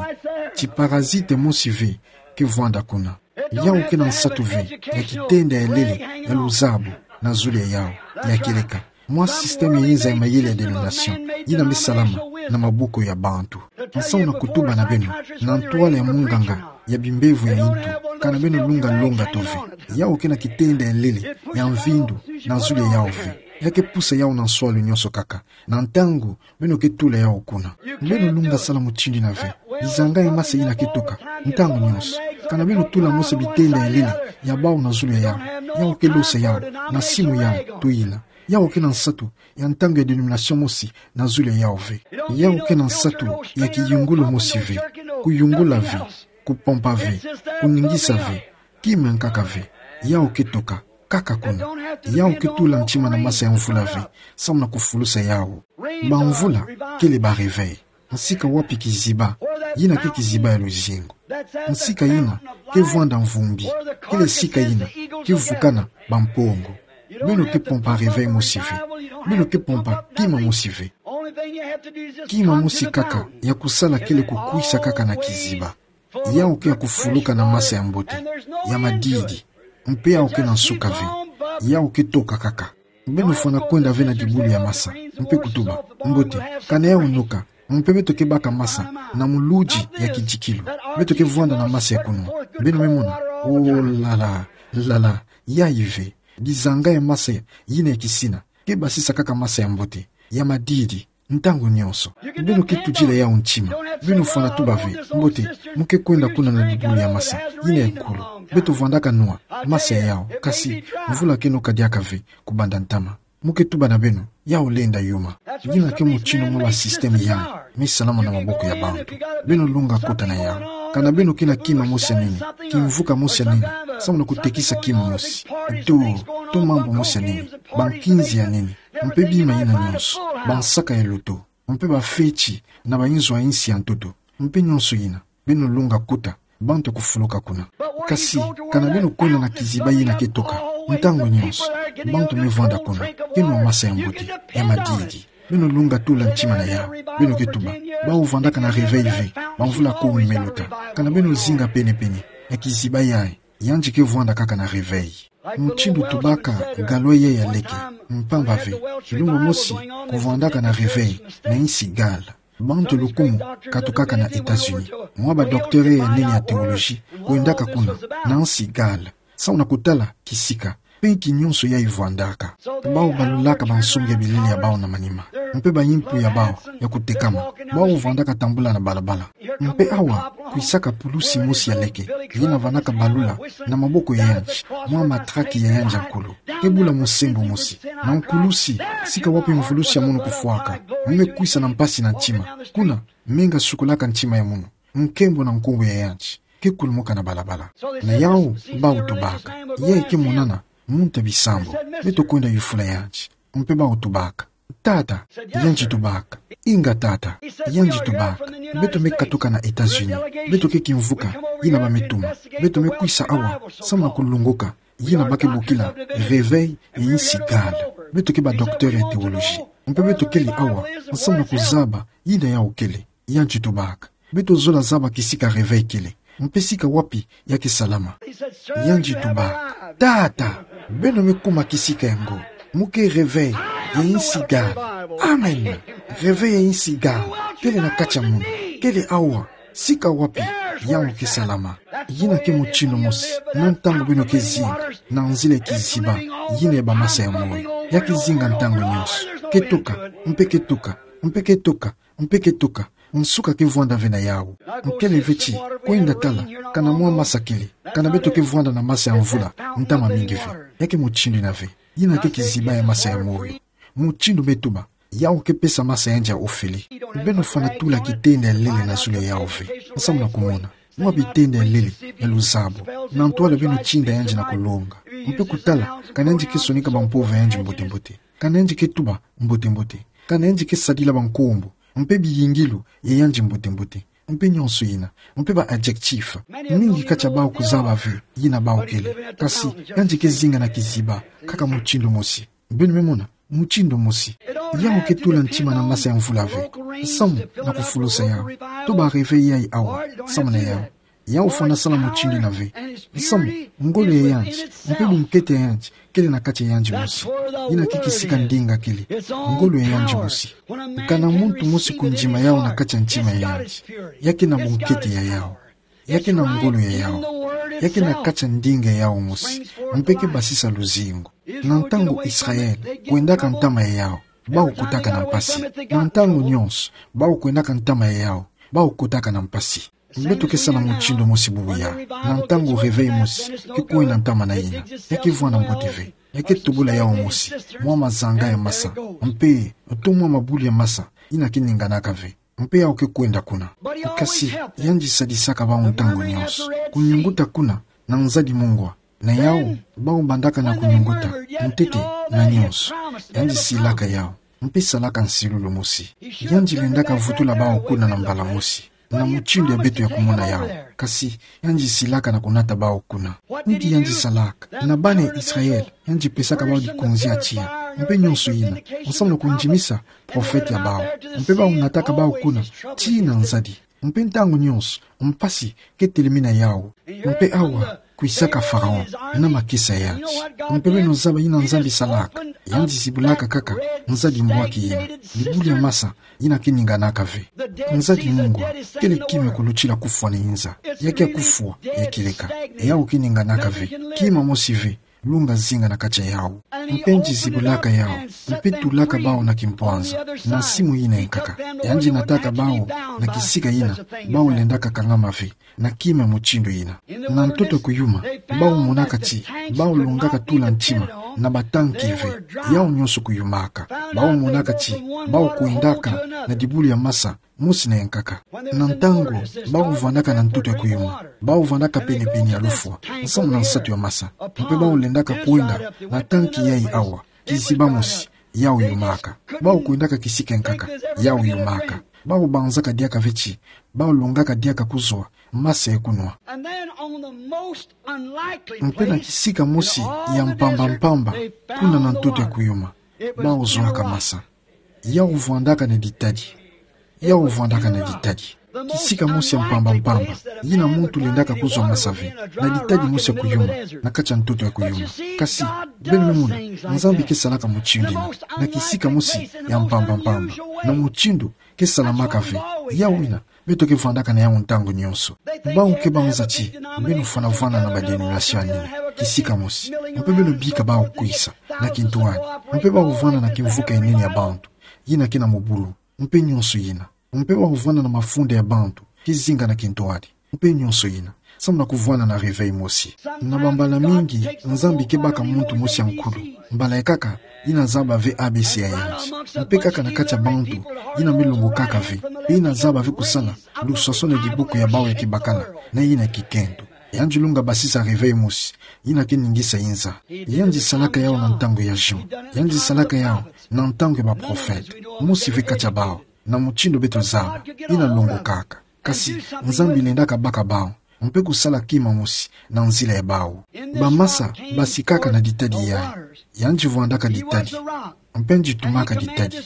tiparazite mosi ve ke vwanda kuna. Yau ke na nsatu ve ya kitenda ya lele ya luzabu na zulu ya yau, ya kieleka mwa système ya inza ya mayele ya dénomination yina me salama na maboko ya bantu. Nsamu na kutuba na beno, na ntwala ya munganga ya bimbevo ya intu, kana beno lunga longa to ve. Yau ke na kitenda ya lele ya mvindu na zulu ya yau ve. Ya ke pusa yau na nswalu nyonso kaka na ntangu beno ke tula yau kuna. Beno lunga sala mutindu yina ve. Dizanga ya masa yina ke toka ntangu nyonso. Kana beno tula mosi bitenda ya lele ya bau na zulu ya yau, yau ke losa yau na simu yau to yina. Yau ke na nsatu ya ntangu ya dénomination mosi na zulu ya yau ve. Yau ke na nsatu ya kiyungulu mosi ve, kuyungula ve, kupompa ve, kuningisa ve, kima nkaka ve. Yau ke toka kaka kuna. Yau ke tula ntima na masa ya mvula ve samu na kufulusa yau. Bamvula kele ba réveil. Nsika wapi kiziba yina ke kiziba ya luzingu. Nsika yina ke vwanda mvumbi, kele sika yina ke vukana bampongo. Beno ke pompa réveil mosi ve. Beno ke pompa kima mosi ve. Kima mosi kaka ya kusala kele kukwisa kaka na kiziba. Yau ke ya kufuluka na masa ya mbote, ya madidi, mpe yau ke na nsuka ve. Yau ke toka kaka. Beno fwana kwenda ve na dibulu ya masa, mpe kutuba: Mbote, kana yau noka, mpe beto ke baka masa na muludi ya kidikilu. Beto ke vwanda na masa ya kunwa. Beno me mona? Oh, lala, lala, yayi ve. Dizanga ya masa yina ya kisina ke basisa kaka masa ya mbote, ya madidi, ntangu nyonso. Beno ke tudila yau ntima. Beno fwana tuba ve: Mbote, mo ke kwenda kuna na dibulu ya masa yina ya nkulu. Beto vwandaka nwa masa ya yau, kasi mvula ke noka diaka ve kubanda ntama. Mo ke tuba na beno: Yau lenda yuma. Yina ke mutindu mwa ba système yai me salama na maboko ya bantu. Beno lunga kota na yau. Kana beno ke na kima mosi ya nene, kimvuka mosi ya nene, samu na kutekisa kima mosi, to, to mambu mosi ya nene, bankinzi ya nene, mpe bima yina nyonso, bansaka ya loto, mpe bafeti na bayinzo ya insi ya ntoto, mpe nyonso yina, beno lunga kota, bantu kufuluka kuna. Kasi kana beno kwenda na kiziba yina ke toka ntangu nyonso, bantu me vwanda kuna, ke nwa masa ya mbote, ya madidi. Beno lunga tula ntima na yau. Beno ke tuba: Bau vwandaka na réveil ve, bamvula kumi me lota. Kana beno zinga pene-pene ya kiziba yai, yandi ke vwanda kaka na réveil. Mutindu tubaka galwa yai ya leke, mpamba ve, kilumbu mosi kuvwandaka na réveil na insi gala. Bantu lukumu katukaka na États-Unis. Mwa ba docteur ya nene ya théologie kwendaka kuna, na nsi Galles, samu na kutala kisika, mpe nki nyonso ya ivwandaka. Bawu balulaka bansungi ya bilili ya bawu na manima, mpe bayimpu ya bawu ya kutekama. Bawu vwandaka tambula na balabala. Mpe awa, kwisaka pulusi mosi ya leke, yina vanaka balula na maboko ya yandi, mwa matraki ya yandi ya nkulu. Ke bula musembo mosi, na nkulusi, sika wapi mvulusi ya munu kufwaka. Mu me kwisa na mpasi na ntima. Kuna, menga sukulaka ntima ya munu. Nkembo na nkumbu ya yandi. Ke kulumuka na balabala. Na yawu, bawu tubaka: Yayi ke monana muntu ya bisambu. Beto kwenda yufula yandi. Mpe bawu tubaka: Tata. Yandi tubaka: Inga tata. Yandi tubaka: Beto me katuka na États-Unis. Beto ke kimvuka yina ba me tuma. Beto me kwisa awa samu na kulongoka yina ba ke bokila réveil ya nsi Galles. Beto ke ba docteur ya théologie. Mpe beto kele awa samu na kuzaba yina yawu kele. Yandi tubaka: Beto zola zaba kisika réveil kele, mpe sika wapi ya ke salama. Yandi tubaka: Tata, beno me kuma kisika yango. Mu ke réveil ya nsi Galles. Amen. Réveil ya nsi Galles kele na kati ya munu. Kele awa. Sika wapi yawu ke salama. Yina ke mutindu mosi na ntangu beno ke zinga na nzila ya kiziba, yina ya bamasa ya moyo. Ya ke zinga ntangu nyonso. Ke tuka, mpe ke tuka, mpe ke tuka, mpe ke tuka. Nsuka ke vwanda ve na yawu. Nkele ve ti kwenda tala kana mwa masa kele, kana beto ke vwanda na masa ya mvula ntama mingi ve. Ya ke mutindu yina ve. Yina ke kiziba ya masa ya moyo. Mutindu me tuba, yawu ke pesa masa yandi ya ofele. Beno fwana tula kitenda ya lele na zulu ya yawu ve, samu na kumona. Mwa bitenda ya lele ya luzabu, na ntwala beno tinda yandi na kulonga. Mpe kutala kana yandi ke sonika bampova ya yandi mbote-mbote, kana yandi ke tuba mbote-mbote, kana yandi ke sadila bankombo, mpe biyingilu ya yandi mbote-mbote, mpe nyonso yina, mpe ba adjectif. Mingi kati ya bawu kuzaba ve yina bawu kele, kasi yandi ke zinga na kiziba kaka mutindu mosi. Beno me mona, mutindu mosi. Yawu ke tula ntima na masa ya mvula ve, samu na kufulusa yawu. Tuba réveil yayi awa, samu na yawu. Yawu fwana sala mutindu yina ve, samu ngolo ya yandi, mpe bunkete ya yandi kele na kati ya yandi mosi. Yina ke kisika ndinga kele, ngolo ya yandi mosi. Kana muntu mosi kundima yawu na kati ya ntima ya yandi, ya ke na bunkete ya yawu. Ya ke na ngolo ya yawu. Ya ke na kati ya ndinga ya yawu mosi. Mpe ke basisa luzingu. Na ntangu Israël kwendaka ntama ya yawu, bawu kotaka na mpasi. Na ntangu nyonso bawu kwendaka ntama ya yawu, bawu kotaka na mpasi. Beto ke sala mutindu mosi bubu yayi. Na ntangu réveil mosi ke kwenda ntama na yina, ya ke vwanda mbote ve. Ya ke tubula yawu mosi mwa mazanga ya masa, mpe to mwa mabulu ya masa, yina ke ninganaka ve. Mpe yawu ke kwenda kuna. Kasi yandi sadisaka bawu ntangu nyonso. Kunyunguta kuna na nzadi mungwa. Na yawu, bawu bandaka na kunyunguta, ntete na nyonso. Yandi silaka yawu, mpe salaka nsilulu mosi. Yandi lendaka vutula bawu kuna na mbala mosi, na mutindu ya beto ya kumona yawu. Kasi yandi silaka na kunata bawu kuna. Nki yandi salaka? Na bana ya Israël, yandi pesaka bawu likonzi ya tiya, mpe nyonso yina, samu na kundimisa prophète ya bawu. Mpe bawu nataka bawu kuna tii na nzadi. Mpe ntangu nyonso mpasi ke telemi na yawu. Mpe awa, kwisaka Pharaon na makesa ya yandi. Mpe beno zaba yina Nzambi salaka. Yandi zibulaka kaka nzadi mbwaki yina, dibulu ya masa, yina ke ninganaka ve. Nzadi mungwa kele kima ya kulutila kufwa na inza. Ya ke ya kufwa, ya kieleka. Yawu ke ninganaka ve. Kima mosi ve lunga zinga na kati ya yawu. Mpe yandi zibulaka yawu, mpe tulaka bawu na kimpwanza, na simu yina ya nkaka. Yandi nataka bawu na kisika yina bawu lendaka kangama ve na kima ya mutindu yina. Na ntoto ya kuyuma, bawu monaka ti bawu longaka tula ntima na batanki ve. Yawu nyonso kuyumaka. Bawu monaka ti bawu kwendaka na dibulu ya masa mosi na ya nkaka. Na ntangu bawu vandaka na ntoto ya kuyuma, bawu vandaka pene-pene ya lufwa, nsamu na nsatu ya masa. Mpe bawu lendaka kwenda na tanki yayi awa, kiziba mosi, yawu yumaka. Bawu kwendaka kisika ya nkaka, yawu yumaka. Bawu banzaka diaka ve ti bawu longaka diaka kuzwa masa ya kunwa. Mpe na kisika mosi ya mpamba-mpamba, kuna na ntoto ya kuyuma, bawu zwaka masa. Yawu vandaka na ditadi. Yawu vandaka na ditadi. Kisika mosi ya mpamba-mpamba, yina muntu lendaka kuzwa masa ve, na ditadi mosi ya kuyuma, na kati ya ntoto ya kuyuma. Kasi, beno mona, Nzambi ke salaka mutindu yina, na kisika mosi ya mpamba-mpamba, na mutindu Ke salamaka ve. Yawu yina, beto ke vandaka na yawu ntangu nyonso. Bawu ke banza ti beno fwana vwanda na ba dénomination ya nini, kisika mosi. Mpe beno bika bawu kwisa na kintwadi. Mpe bawu vwanda na kimvuka ya nene ya bantu, yina ke na mobulu, mpe nyonso yina. Mpe bawu vwanda na mafunda ya bantu, kizinga na kintwadi, mpe nyonso yina. Samu na kuvwanda na réveil mosi. Na bambala mingi, Nzambi ke baka muntu mosi ya nkulu. Mbala yankaka, yina zaba ve A B C ya yandi. Mpe kaka na kati ya bantu, yina me longokaka ve. Mpe yina zaba ve kusala luswaswani di buku ya bawu ya kibakala, na yina kikento. Yandi lunga basisa réveil mosi, yina ke ningisa inza. Yandi salaka yawu na ntangu ya Jean. Yandi salaka yawu na ntangu ya ba prophète. Mosi ve kati ya bawu, na mutindu beto zaba, yina longokaka. Kasi Nzambi lendaka baka bawu, mpe kusala kima mosi na nzila ya bawu. Bamasa basikaka na ditadi yayi. Yandi vwandaka ditadi, mpe yandi tumaka ditadi.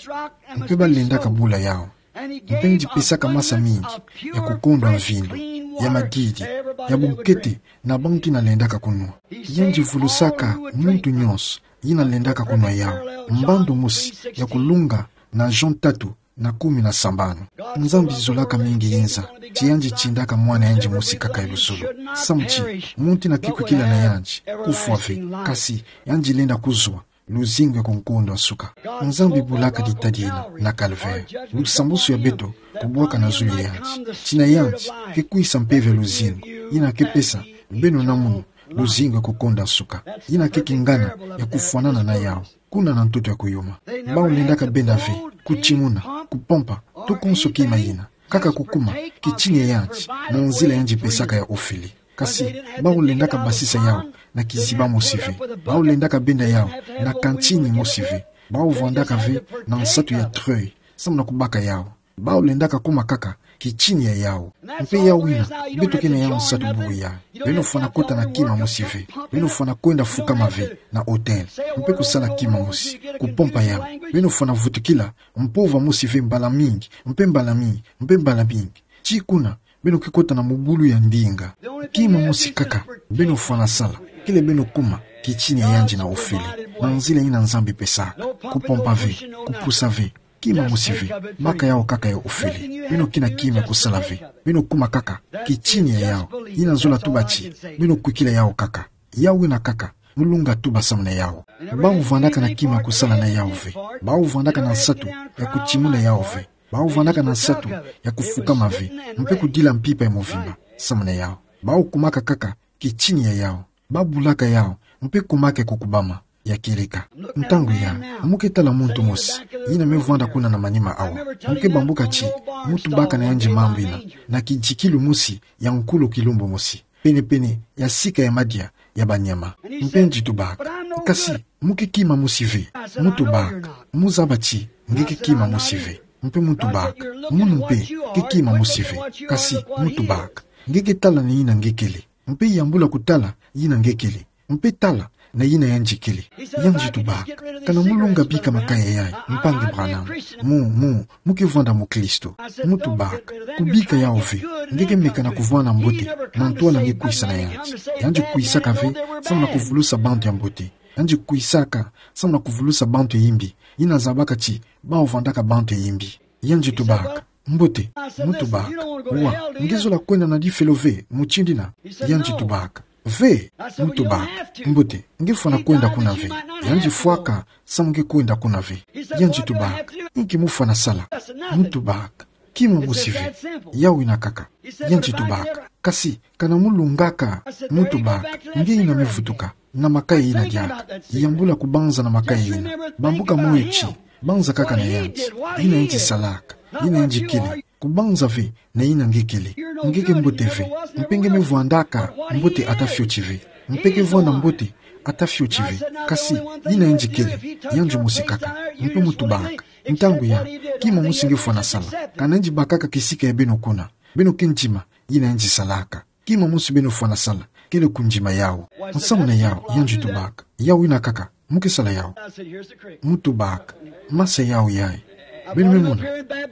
Mpe balendaka bula yawu. Mpe yandi pesaka masa mingi ya kukondwa mvindu, ya madidi, ya bunkete, na bantu yina lendaka kunwa. Yandi vulusaka muntu nyonso yina lendaka kunwa yawu, mbandu mosi ya kulunga na Jean tatu na kumi na sambanu. Nzambi zolaka mingi inza ti yandi tindaka mwana yandi mosi kaka ya luzolo. Samu ti muntu yina ke kwikila na yandi, kufwa ve, kasi yandi lenda kuzwa luzingu ya kunkondwa nsuka. Nzambi bulaka ditadi yina na Calvaire, lusambusu ya beto kubwaka na zulu ya yandi. Ti na yandi ke kwisa mpeve ya luzingu, yina ke pesa beno na mono luzingu ya kukondwa nsuka. Yina ke kingana ya kufwanana na yawu, kuna na ntoto ya kuyuma. Bawu lendaka benda ve kutimuna, kupompa, to konso kima yina, kaka kukuma kitini ya yandi na nzila yandi pesaka ya ofele. Kasi bawu lendaka basisa yawu na kiziba mosi ve. Bawu lendaka benda yawu na kantini mosi ve. Bawu vwandaka ve na nsatu ya treuil samu na kubaka yawu. Bawu lendaka kuma kaka kitini ya yawu. Mpe yawu yina, beto ke na yawu nsatu bubu yayi. Beno fwana kota na kima mosi ve. Beno fwana kwenda fukama ve na autel, mpe kusala kima mosi, kupompa yawu. Beno fwana vutukila mpova mosi ve mbala mingi, mpe mbala mingi, mpe mbala mingi, ti kuna beno ke kota na mobulu ya ndinga. Kima mosi kaka beno fwana sala, kele beno kuma kitini ya yandi na ofele, na nzila yina Nzambi pesaka. Kupompa ve, kupusa ve, kima mosi ve, baka yawu kaka ya ofele. Beno ke na kima ya kusala ve. Beno kuma kaka kitini ya yawu. Yina zola tuba ti beno kwikila yawu kaka. Yawu yina kaka, mu lunga tuba samu na yawu. Bawu vwandaka na kima ya kusala na yawu ve. Bawu vwandaka na nsatu ya kutimuna yawu ve. Bawu vwandaka na nsatu ya kufukama ve, mpe kudila mpimpa ya movimba samu na yawu. Bawu kumaka kaka kitini ya yawu. Babulaka yawu, mpe kumaka ya kukubama, ya kieleka. Ntangu yayi, mu ke tala muntu mosi yina me vwanda kuna na manima awa. Mu ke bambuka ti mu tubaka na yandi mambu yina na kidikilu mosi ya nkulu kilumbu mosi, penepene ya sika ya madia ya banyama. Mpe yandi tubaka: Kasi mu ke kima mosi ve. Mu tubaka: Mu zaba ti nge ke kima mosi ve. Mpe mu tubaka: Munu mpe ke kima mosi ve. Kasi mu tubaka: Nge ke tala na yina nge kele, mpe yambula kutala yina nge kele, mpe tala na yina yandi kele. Yandi tubaka: Kana mu lunga bika makaya yayi, mpangi Branham? Mu, mu, mu ke vwanda mukristo. Mu tubaka: Kubika yawu ve. Nge ke meka na kuvwanda mbote na ntwala nge kwisa na yandi. Yandi kwisaka ve samu na kuvulusa bantu ya mbote. Yandi kwisaka samu na kuvulusa bantu ya yimbi, yina zabaka ti bawu vwandaka bantu ya yimbi. Yandi tubaka: Mbote. Mu tubaka: Wa, nge zola kwenda na difelo ve mutindu yina? Yandi tubaka: Ve. Mu tubaka: Mbote, nge fwana kwenda kuna ve. Yandi fwaka samu nge kwenda kuna ve. Yandi tubaka: Inki mu fwana sala? Mu tubaka: Kima mosi ve. Yawu yina kaka. Yandi tubaka: Kasi kana mu lungaka? Mu tubaka: Nge yina me vutuka na makaya yina diaka, yambula kubanza na makaya yina. Bambuka moyo ti banza kaka na yandi, yina yandi salaka, yina yandi kele. Kubanza ve na yina nge kele. Nge ke mbote ve, mpe nge me vwandaka mbote ata fioti ve. Mpe ke vwanda mbote ata fioti ve. Kasi yina yandi kele, yandi mosi kaka. Mpe mu tubaka: Ntangu yayi, kima mosi nge fwana sala? Kana yandi bakaka kisika ya beno kuna, beno ke ndima yina yandi salaka. Kima mosi beno fwana sala, kele kundima yawu. Nsamu na yawu, yandi tubaka: Yawu yina kaka, mu ke sala yawu. Mu tubaka: Masa yawu yayi. Beno me mona,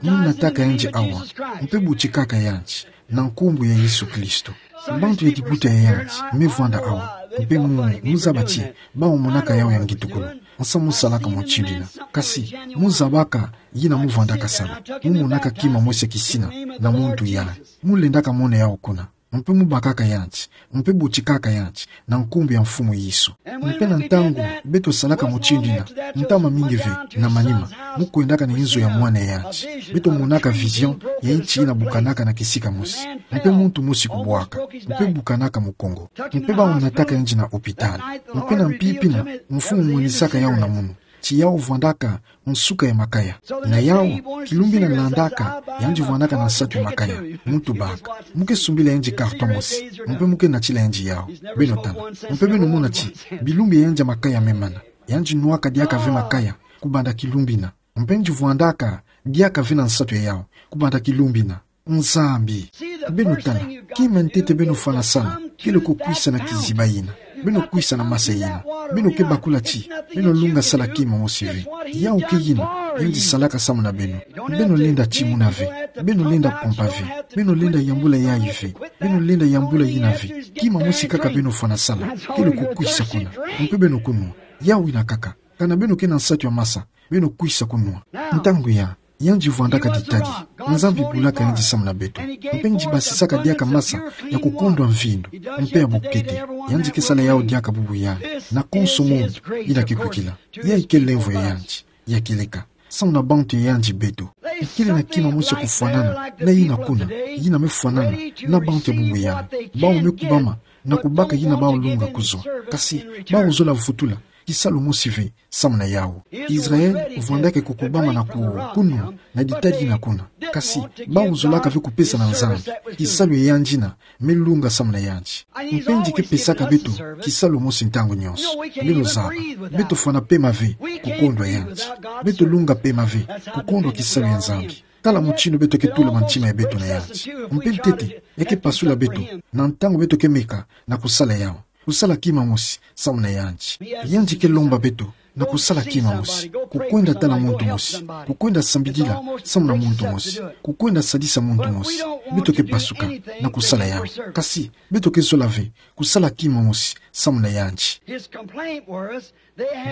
mu nataka yandi awa, mpe butikaka yandi na nkumbu ya Yesu Kristo. Bantu ya kibuta ya yandi me vwanda awa, mpe mu, mu zaba ti bawu monaka yawu ya ngitukulu. Nsamu mu salaka mutindu yina. Kasi, mu zabaka yina mu vwandaka sala. Mu monaka kima mosi ya kisina na muntu yandi. Mu lendaka mona yawu kuna. Mpe mu bakaka yandi, mpe butikaka yandi, na nkumbu ya Mfumu Yesu. Mpe na ntangu beto salaka mutindu yina, ntama mingi ve, na manima, mu kwendaka na inzo ya mwana ya yandi, beto monaka vision ya inti yina bukanaka na kisika mosi, mpe muntu mosi kubwaka, mpe bukanaka mukongo, mpe bawu nataka yandi na hôpital, mpe na mpimpi yina, Mfumu monisaka yawu na munu ti yawu vwandaka nsuka ya makaya. Na yawu, kilumbu yina landaka, yandi vwandaka na nsatu ya makaya. Mu tubaka. Mu ke sumbila yandi carton mosi. Mpe mu ke natila yandi yawu. Beno tala. Mpe beno mona ti, bilumbu ya yandi ya makaya me mana. Yandi nwaka diaka ve makaya, kubanda kilumbu yina. Mpe yandi vwandaka, diaka ve na nsatu ya yawu, kubanda kilumbu yina. Nzambi, beno tala, kima ntete beno fwana sala, kele ko kwisa na kiziba yina. Beno kwisa na masa yina. Beno ke bakula ti, beno lunga sala kima mosi ve. Yawu ke yina, yandi salaka samu na beno. Beno lenda timuna ve. Beno lenda pompa ve. Beno lenda yambula yayi ve. Beno lenda yambula yina ve. Kima mosi kaka beno fwana sala, kele ko kwisa kuna. Mpe beno kunwa. Yawu yina kaka. Kana beno ke na nsatu ya masa, beno kwisa kunwa. Ntangu ya, yandi vwandaka ditadi. Nzambi bulaka yandi samu na beto. Mpe yandi basisaka diaka masa ya kukondwa mvindu, mpe ya bukete. Yandi ke sala yawu diaka bubu yandi. Na konso muntu, yina ke kwikila. Yayi ke lemvo ya yandi, ya kieleka. Samu na bantu ya yandi beto. Kele na kima mosi ya kufwanana, na yina kuna, yina me fwanana, na bantu ya bubu yandi. Bawu me kubama, na kubaka yina bawu lunga kuzwa. Kasi, bawu zola vutula, kisalu mosi ve, samu na yawu. Israel, vwandaka ko kubama na ku-, kunwa, na ditadi yina kuna. Kasi, bawu zolaka ve kupesa na Nzambi, kisalu ya yandi yina, me lunga samu na yandi. Mpe yandi ke pesaka beto, kisalu mosi ntangu nyonso. Beno zaba, beto fwana pema ve, kukondwa yandi. Beto lunga pema ve, kukondwa kisalu ya Nzambi. Tala mutindu beto ke tula mantima ya beto na yandi. Mpe ntete, ya ke pasula beto, na ntangu beto ke meka, na kusala yawu. Kusala kima mosi, samu na yandi. Yandi ke lomba beto, na kusala kima mosi. Kukwenda tala muntu mosi. Kukwenda sambidila, samu na muntu mosi. Kukwenda sadisa muntu mosi. Beto ke pasuka, na kusala yawu. Kasi, beto ke zola ve, kusala kima mosi, samu na yandi.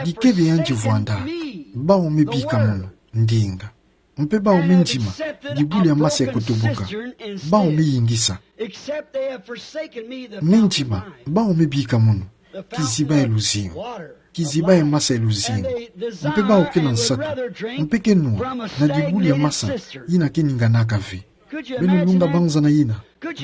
Dikebe yandi vwanda, bawu me bika munu, ndinga. Mpe bawu me ndima, dibulu ya masa ya kutubuka. Bawu me yingisa. Me ndima, bawu me bika munu, kiziba ya luzingu. Kiziba ya masa ya luzingu. Mpe bawu ke na nsatu. Mpe ke nwa, na dibulu ya masa, yina ke ninganaka ve. Beno lunga banza na yina.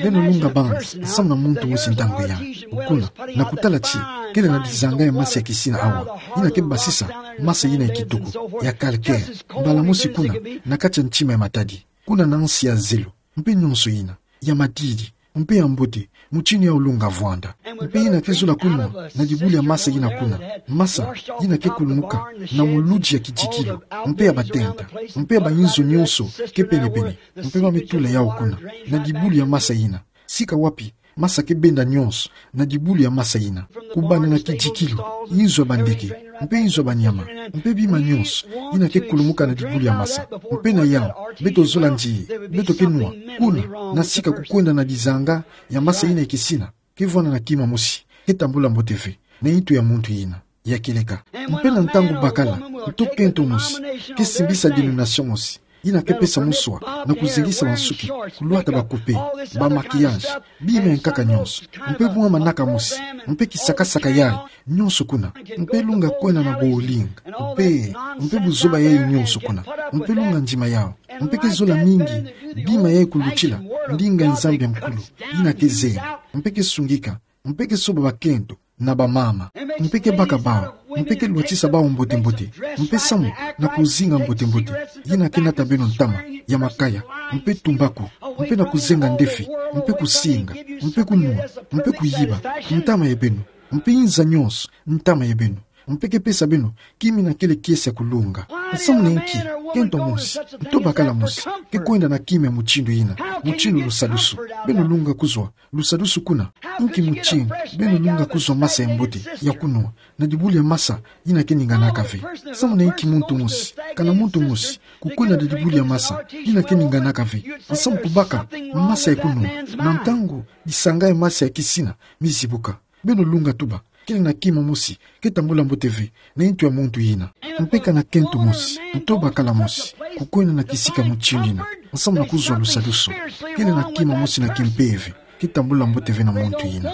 Beno lunga banza, samu na muntu mosi ntangu ya. Kuna, na kutala ti, kele na dizanga ya masa ya kisina awa. Yina ke basisa, masa yina ya kitoko, ya calcaire. Mbala mosi kuna, na kati ya ntima ya matadi. Kuna na nsi ya zelo. Mpe nyonso yina, ya matadi. Mpe ya mbote, mutindu ya olunga vwanda. Mpe yina ke zola kunwa, na dibulu ya masa yina kuna. Masa, yina ke kulumuka, na muludi ya kidikilu. Mpe ya batenta. Mpe ya bayinzo nyonso, ke pene-pene. Mpe ba me tula yawu kuna, na dibulu ya masa yina. Sika wapi, masa ke benda nyonso, na dibulu ya masa yina. Kubanda na kidikilu, inzo ya bandeke, mpe inzo ya banyama, mpe bima nyonso, yina ke kulumuka na dibulu ya masa. Mpe na yawu, beto zola nzi, beto ke nwa, kuna, na sika kukwenda na dizanga, ya masa yina ya kisina, ke vwanda na kima mosi, ke tambula mbote ve, na nitu ya muntu yina. Ya kieleka. Mpe na ntangu bakala, nto kento mosi, ke simbisa denomination mosi, yina ke pesa muswa, na kuzengisa bansuki, kulwata ba coupe, ba maquillage, bima ya nkaka nyonso, mpe mwa manaka mosi, mpe kisakasaka yayi, nyonso kuna, mpe lunga kwenda na bowling, mpe, mpe buzoba yayi nyonso kuna, mpe lunga ndima yawu, mpe ke zola mingi, bima yayi kulutila, ndinga ya Nzambi ya mukulu, yina ke zeba, mpe ke sungika, mpe ke soba bakento, na bamama, mpe ke baka bawu, mpe ke lwatisa bawu mbote-mbote, mpe samu na kuzinga mbote-mbote, yina ke nata beno ntama, ya makaya, mpe tumbaku, mpe na kuzenga ndefi, mpe kusinga, mpe kunwa, mpe kuyiba, ntama ya beno, mpe inza nyonso, ntama ya beno, mpe ke pesa beno, kima yina kele kiese ya kulunga. Samu na inki, kento mosi, nto bakala mosi, ke kwenda na kima ya mutindu yina, mutindu lusadusu, beno lunga kuzwa, lusadusu kuna, inki mutindu, beno lunga kuzwa masa ya mbote, ya kunwa, na dibulu ya masa, yina ke ninganaka ve. Samu na inki muntu mosi, kana muntu mosi, kukwenda na dibulu ya masa, yina ke ninganaka ve. Samu kubaka, masa ya kunwa, na ntangu, disanga ya masa ya kisina, mizibuka. Beno lunga tuba, Kele na kima mosi ke tambula mbote ve na ntu ya muntu yina. Mpe ka na kento mosi, nto bakala mosi, kukwenda na kisika mutindu yina, nsamu na kuzwa lusadusu. Kele na kima mosi na kimpeve ke tambula mbote ve na muntu yina.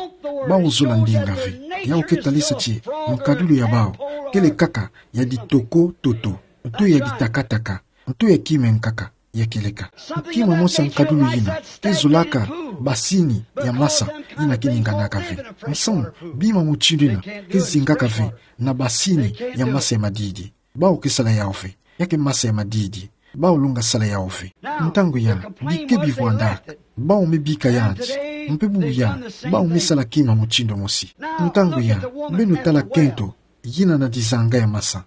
Bau zola ndinga ve. Yau ke talisa ti nkadulu ya bau kele kaka ya ditoko toto, nto ya ditakataka, nto ya kima ya nkaka ya kieleka. Kima mosi ya nkadulu yina ke zolaka basini ya masa yina ke ninganaka ve. Nsamu, bima mutindu yina ke zingaka ve na basini ya masa ya madidi. Bau ke sala yau ve. Ya ke masa ya madidi. Bau longa sala yau ve. Ntangu ya, bike bivwandaka. Bau me bika yandi. Mpe bubu ya, bau me sala kima mutindu mosi. Ntangu ya, beno tala kento yina na dizanga ya masa.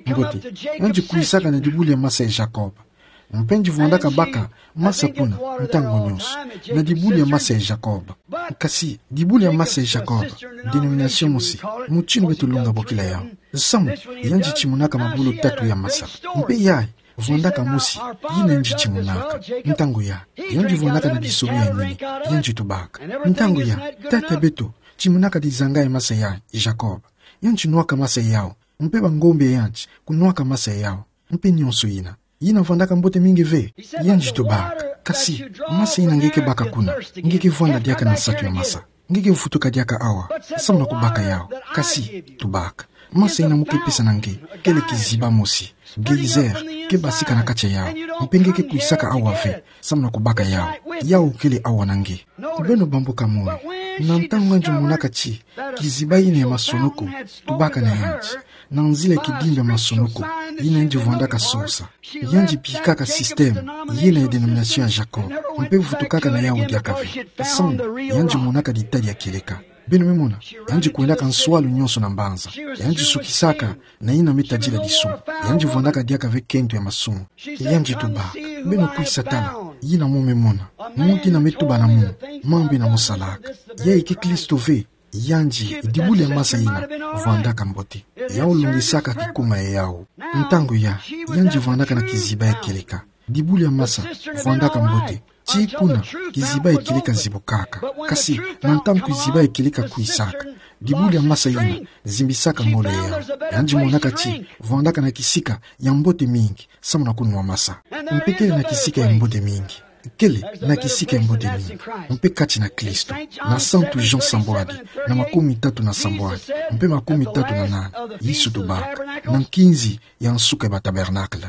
Mbote, yandi kwisaka na dibulu ya masa ya Jacob. Mpe yandi vwandaka baka masa kuna ntangu nyonso, na dibulu ya masa ya Jacob. Kasi dibulu ya masa ya Jacob, dénomination mosi, mutindu beto longa bokila yau. Nsamu, yandi timonaka mabulu tatu ya masa. Mpe yayi, vwandaka mosi yina yandi timonaka. Ntangu ya, yandi vwandaka na disolo ya nene, yandi tubaka. Ntangu ya, tata beto timonaka dizanga ya masa ya Jacob. Yandi nwaka masa yau. Mpe bangombe ya yandi kunwaka masa yau. Mpe nyonso yina. Yina vwandaka mbote mingi ve. Yandi tubaka. Kasi, masa yina nge ke baka kuna, nge ke vwanda diaka na nsatu ya masa. Nge ke vutuka diaka awa, nsamu na kubaka yau. Kasi, tubaka. Masa yina mo ke pesa na nge kele kiziba mosi, geyser, ke basika na kati ya yau. Mpe nge ke kwisaka awa ve, nsamu na kubaka yau. Yau kele awa na nge. Beno bambuka moyo. Na ntangu yandi monaka ti kiziba yina ya masonoko tubaka na yandi, na nzila ya kidimbu ya masonoko yina yandi vwandaka sosa, yandi bikaka système yina ya dénomination ya Jacob, mpe vutukaka na yau diaka ve. Nsamu, yandi monaka ditadi ya kieleka. Beno me mona, yandi kwendaka nswalu nyonso na mbanza. Yandi sukisaka na yina me tadila disumu. Yandi vwandaka diaka ve kento ya masumu. Yandi tubaka. Beno kwisa tala yina mo me mona. Muntu yina me tuba na mo, mambu yina mo salaka. Yayi ke Kristo ve. Yandi, dibulu ya masa yina vwandaka mbote. Yau longisaka kikuma ya yau. Ntangu ya, yandi vwandaka na kiziba ya kieleka. Dibulu ya masa vwandaka mbote. Tii kuna, kiziba ya kieleka zibukaka. Kasi, na ntangu kiziba ya kieleka kwisaka, dibulu ya masa yina zimbisaka ngolo ya yandi. Yandi monaka ti vwandaka na kisika ya mbote mingi, nsamu na kunwa masa. Mpe kele na kisika ya mbote mingi. Kele na kisika ya mbote mingi. Mpe kati na Kristo, na Santu Jean sambwadi, na makumi tatu na sambwadi, mpe makumi tatu na nana, Yesu tubaka, na nkinzi ya nsuka ya batabernakle.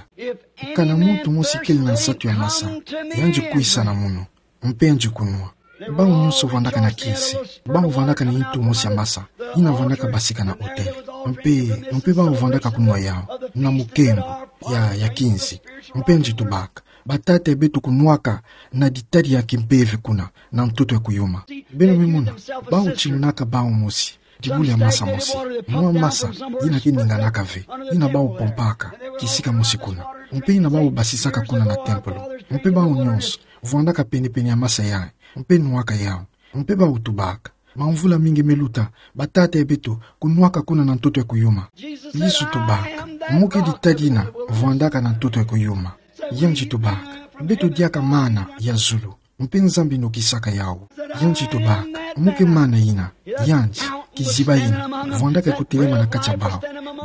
Kana muntu mosi kele na nsatu ya masa, yandi kwisa na munu, mpe yandi kunwa. Bau nyonso vwandaka na kisi, bau vwandaka na ntu mosi ya masa, yina vwandaka basika na autel. Mpe, mpe bau vwandaka kunwa yau, na mukembo, ya, ya kinzi. Mpe yandi tubaka, batata ya beto kunwaka na ditadi ya kimpeve kuna, na ntoto ya kuyuma. Beno me mona, bau timonaka bau mosi dibulu ya masa mosi. Mwa masa, yina ke ninganaka ve, yina bau pompaka kisika mosi kuna. Mpe yina bau basisaka kuna na tempelo. Mpe bau nyonso vwandaka pene-pene ya masa yayi, mpe nwaka yau. Mpe bau tubaka. Bamvula mingi me luta, batata ya beto kunwaka kuna na ntoto ya kuyuma. Yesu tubaka, mo ke ditadi yina vwandaka na ntoto ya kuyuma. Yandi tubaka, beto diaka mana ya zulu. Mpe Nzambi nokisaka yau. Yandi tubaka, mo ke mana yina, yandi, kiziba yina vwandaka kutelema na kati ya bau.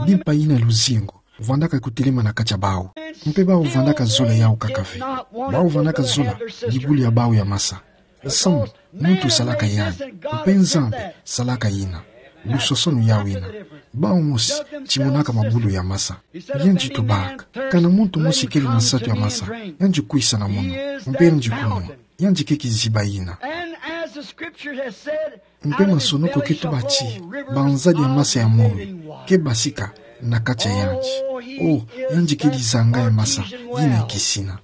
Bimpa yina ya luzingu vwandaka kutelema na kati ya bau. Mpe bau vwandaka zola yau kaka ve. Bau vwandaka zola dibulu ya bau ya masa. Nsamu, muntu salaka yandi, mpe Nzambi salaka yina. Lusosono yau yina. Bau mosi timonaka mabulu ya masa. Yandi tubaka, kana muntu mosi kele na nsatu ya masa, yandi kwisa na munu, mpe yandi kunwa. Yandi ke kiziba yina. Mpe masonoko ke tuba ti, banzadi ya masa ya moyo ke basika na kati ya yandi. O, yandi ke dizanga ya masa yina ya kisina.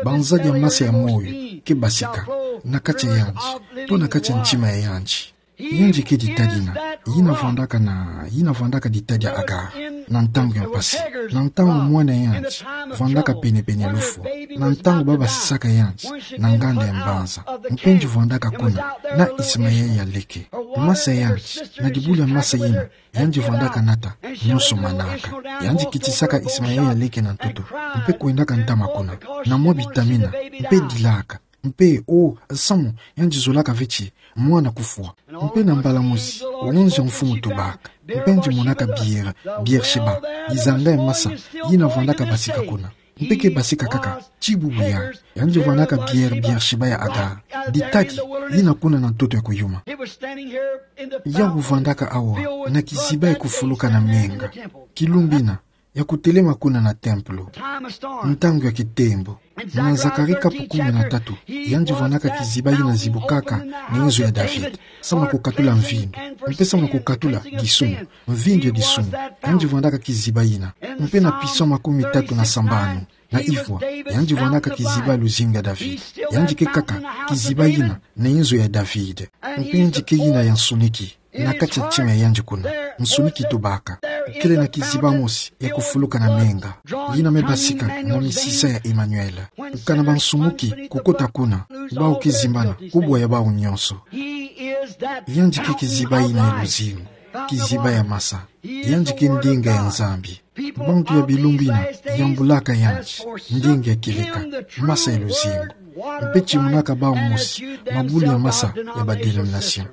Banzadi ya masa ya moyo ke basika na kati ya yandi, to na kati ya ntima ya yandi. Yandi ke ditadi yina, yina vwandaka na, yina vwandaka ditadi ya Agar, na ntangu ya mpasi, na ntangu mwana ya yandi vwandaka pene-pene ya lufwa, na ntangu babasisaka yandi na nganda ya mbanza, mpe yandi vwandaka kuna na Ismaël ya leke. Masa ya yandi, na dibulu ya masa yina, yandi vwandaka nata, nyonso manaka. Yandi kitisaka Ismaël ya leke na ntoto, mpe kwendaka ntama kuna, na mwa bitamina, mpe dilaka. Mpe, o, nsamu, yandi zolaka ve ti mwana kufwa. Mpe na mbala mosi, wonzi ya mfumu tubaka, Mpe nje monaka bière, Bière-Sheba, dizanga ya masa, yina vwandaka basika kuna. Mpe ke basika kaka, ti bubu ya, yandi vwandaka bière, Bière-Sheba ya Agar. Ditadi, yina kuna na ntoto ya kuyuma. Yau vwandaka awa, na kiziba ya kufuluka na menga. Kilumbu ina, ya kutelema kuna na tempelo. Ntangu ya kitembo. Na Zacharie kapu kumi na tatu, yandi vwandaka kiziba yina zibukaka na inzo ya David. Samu na kukatula mvindu. Mpe samu na kukatula disumu. Mvindu ya disumu. Yandi vwandaka kiziba yina. Mpe na Psaume makumi tatu na sambanu. Na ifwa, yandi vwandaka kiziba ya luzingu ya David. Yandi ke kaka, kiziba yina, na inzo ya David. Mpe yandi ke yina ya nsuniki. Na kati ya ntima ya yandi kuna, nsuniki tubaka. Kele na kiziba mosi ya kufuluka na menga. Yina me basika na misisa ya Emmanuel. Kana bansumuki kukota kuna, bau ke zimbana, kubwa ya bau nyonso. Yandi ke kiziba yina ya luzingu, kiziba ya masa. Yandi ke ndinga ya Nzambi. Bantu ya bilumbu ina, yambulaka yandi, ndinga ya kieleka, masa ya luzingu. Mpe timonaka bau mosi, mabulu ya masa ya ba dénomination.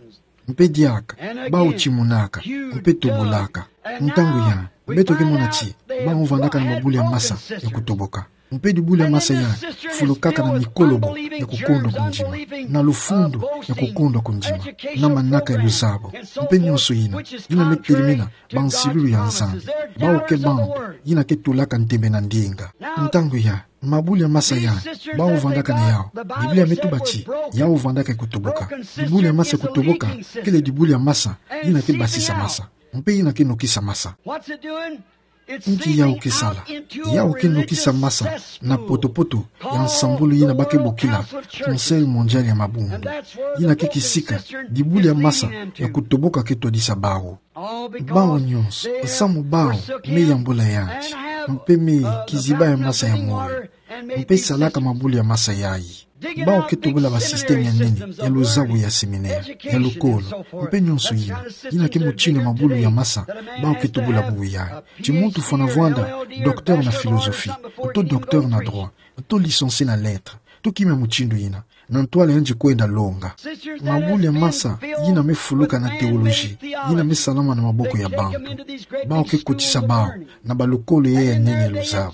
Mpe diaka, bau timonaka, mpe tobolaka. Ntangu ya, beto ke mona ti, bau vwandaka na mabulu ya masa ya kutoboka. Mpe dibulu ya masa ya, fulukaka na mikolobo ya kukondwa kundima, na lufundu ya kukondwa kundima, na manaka ya luzabo. Mpe nyonso yina, yina me telemena, bansilulu ya Nzambi. Bau ke bantu, yina ke tulaka ntembe na ndinga. Ntangu ya, mabulu ya masa ya, bau vwandaka na yau. Biblia me tuba ti, yau vwandaka ya kutoboka. Dibulu ya masa ya kutoboka, kele dibulu ya masa, yina ke basisa masa. Mpe yina ke nokisa masa. Nki yau ke sala? Yau ke nokisa masa, na potopoto, ya nsambulu yina ba ke bokila, Conseil Mondial ya Mabundu. Yina ke kisika, dibulu ya masa, ya kutoboka ke twadisa bau. Bau nyonso, samu bau, me yambula yandi, mpe me kiziba ya masa ya moyo, mpe salaka mabulu ya masa yayi. Bau ke tobola ba système ya nene, ya luzabo ya séminaire, ya lukolo, mpe nyonso yina, yina ke mutindu ya mabulu ya masa, bau ke tobola bubu yayi. Ti muntu fwana vwanda, docteur na philosophie, to docteur na droit, to licencié na lettres, to kima mutindu yina. Na ntwala yandi kwenda longa. Mabulu ya masa, yina me fuluka na théologie, yina me salama na maboko ya bantu. Bau ke kotisa bau, na balukolo ya ya nene ya luzabo.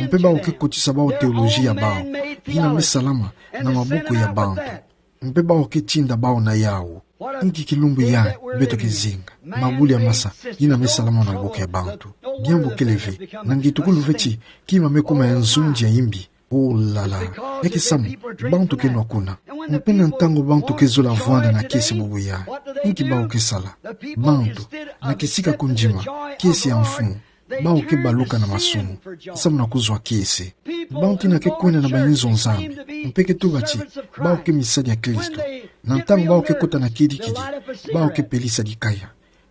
Mpe bau ke kotisa bau théologie ya bau, yina me salama na maboko ya bantu. Mpe bau ke tinda bau na yau. Nki kilumbu ya, beto ke zinga. Mabulu ya masa, yina me salama na maboko ya bantu. Diambu kele ve, na ngetukulu ve ti, kima me kuma ya nzunzi ya imbi. Oh là là, ya ke samu, bantu ke nwa kuna. Mpe na ntangu bantu ke zola vwanda na kiese bubu ya. Nki bau ke sala. Bantu, na kisika kundima, kiese ya mfumu. Bau ke baluka na masumu, samu na kuzwa kiese. Bantu yina ke kwenda na bayinzo Nzambi, mpe ke tuba ti, bau ke misadi ya Kristo. Na ntangu bau ke kota na kidikidi, bau ke pelisa dikaya.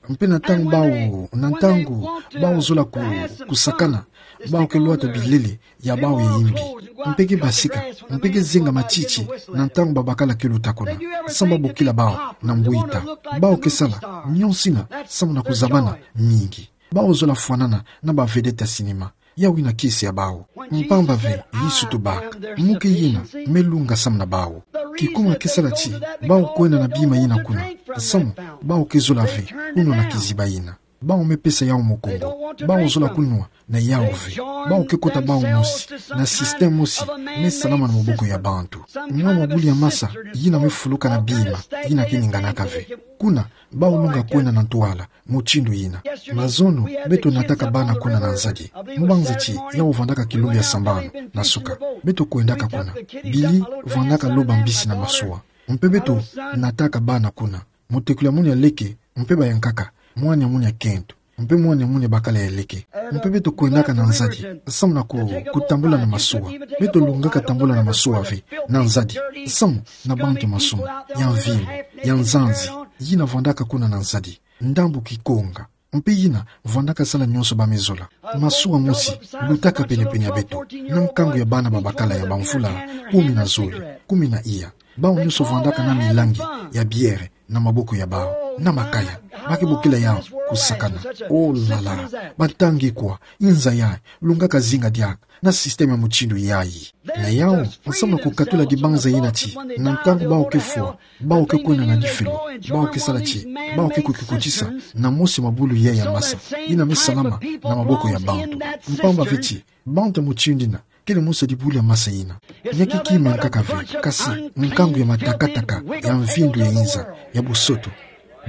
Mpe na ntangu bau, na ntangu bau zola ku, kusakana, bau ke lwata bilele ya bau ya imbi. Mpe ke basika, mpe ke zinga matiti, na ntangu babakala ke luta kuna. Samu ba bokila bau, na mbwita. Bau ke sala, nyonso yina, samu na kuzabana, mingi. Bau zola fwanana, na ba vedette ya cinéma. Yau yina kiese ya bau. Mpamba ve, Yesu tubaka. Muke yina, me lunga samu na bau. Kikuma ke sala ti, bau kwenda na bima yina kuna. Samu, bau ke zola ve, kunwa na kiziba yina. Bau me pesa yau mukungu. Bau zola kunwa, na yau ve. Bau ke kota bau mosi. Na système mosi, me salama na maboko ya bantu. Mwa mabulu ya masa, yina me fuluka na bima, yina ke ninganaka ve. Kuna, bau lunga kwenda na ntwala, mutindu yina. Mazono, beto nataka bana kuna na nzadi. Mubanza ti, yau vwandaka kilumbu ya sambanu, na suka. Beto kwendaka kuna. Billy, vwandaka loba mbisi na masuwa. Mpe beto, nataka bana kuna. Mutekolo ya munu ya leke, mpe bayankaka. Mwana ya munu ya kento. Mpe mwana ya munu ya bakala ya leke. Mpe beto kwendaka na nzadi. Samu na ku, kutambula na masuwa. Beto lungaka tambula na masuwa ve. Na nzadi. Samu, na bantu masumu. Ya mvimba. Ya nzanzi. Yina vwandaka kuna na nzadi. Ndambu kikonga. Mpe yina, vwandaka sala nyonso ba me zola. Masuwa mosi, lutaka pene-pene ya beto. Na nkangu ya bana babakala ya bamvula, kumi na zole, kumi na iya. Bau nyonso vwandaka na milangi, ya bière, na maboko ya bau. na makaya. Ba ke bokila yawu kusakana. Oh là là. Batangi kwa, nza yayi, lungaka zinga diaka na système ya mutindu yayi. Na yawu, nsamu na kukatula dibanza yina ti, na ntangu bawu ke fwa, bawu ke kwenda na difelo, bawu ke sala ti, bawu ke kukikotisa na mosi mabulu yayi ya masa, yina me salama na maboko ya bantu. Mpamba ve ti, bantu ya mutindu yina, kele mosi ya dibulu ya masa yina. Ya ke kima ya nkaka ve, kasi nkangu ya matakataka, ya mvindu ya inza, ya bosoto.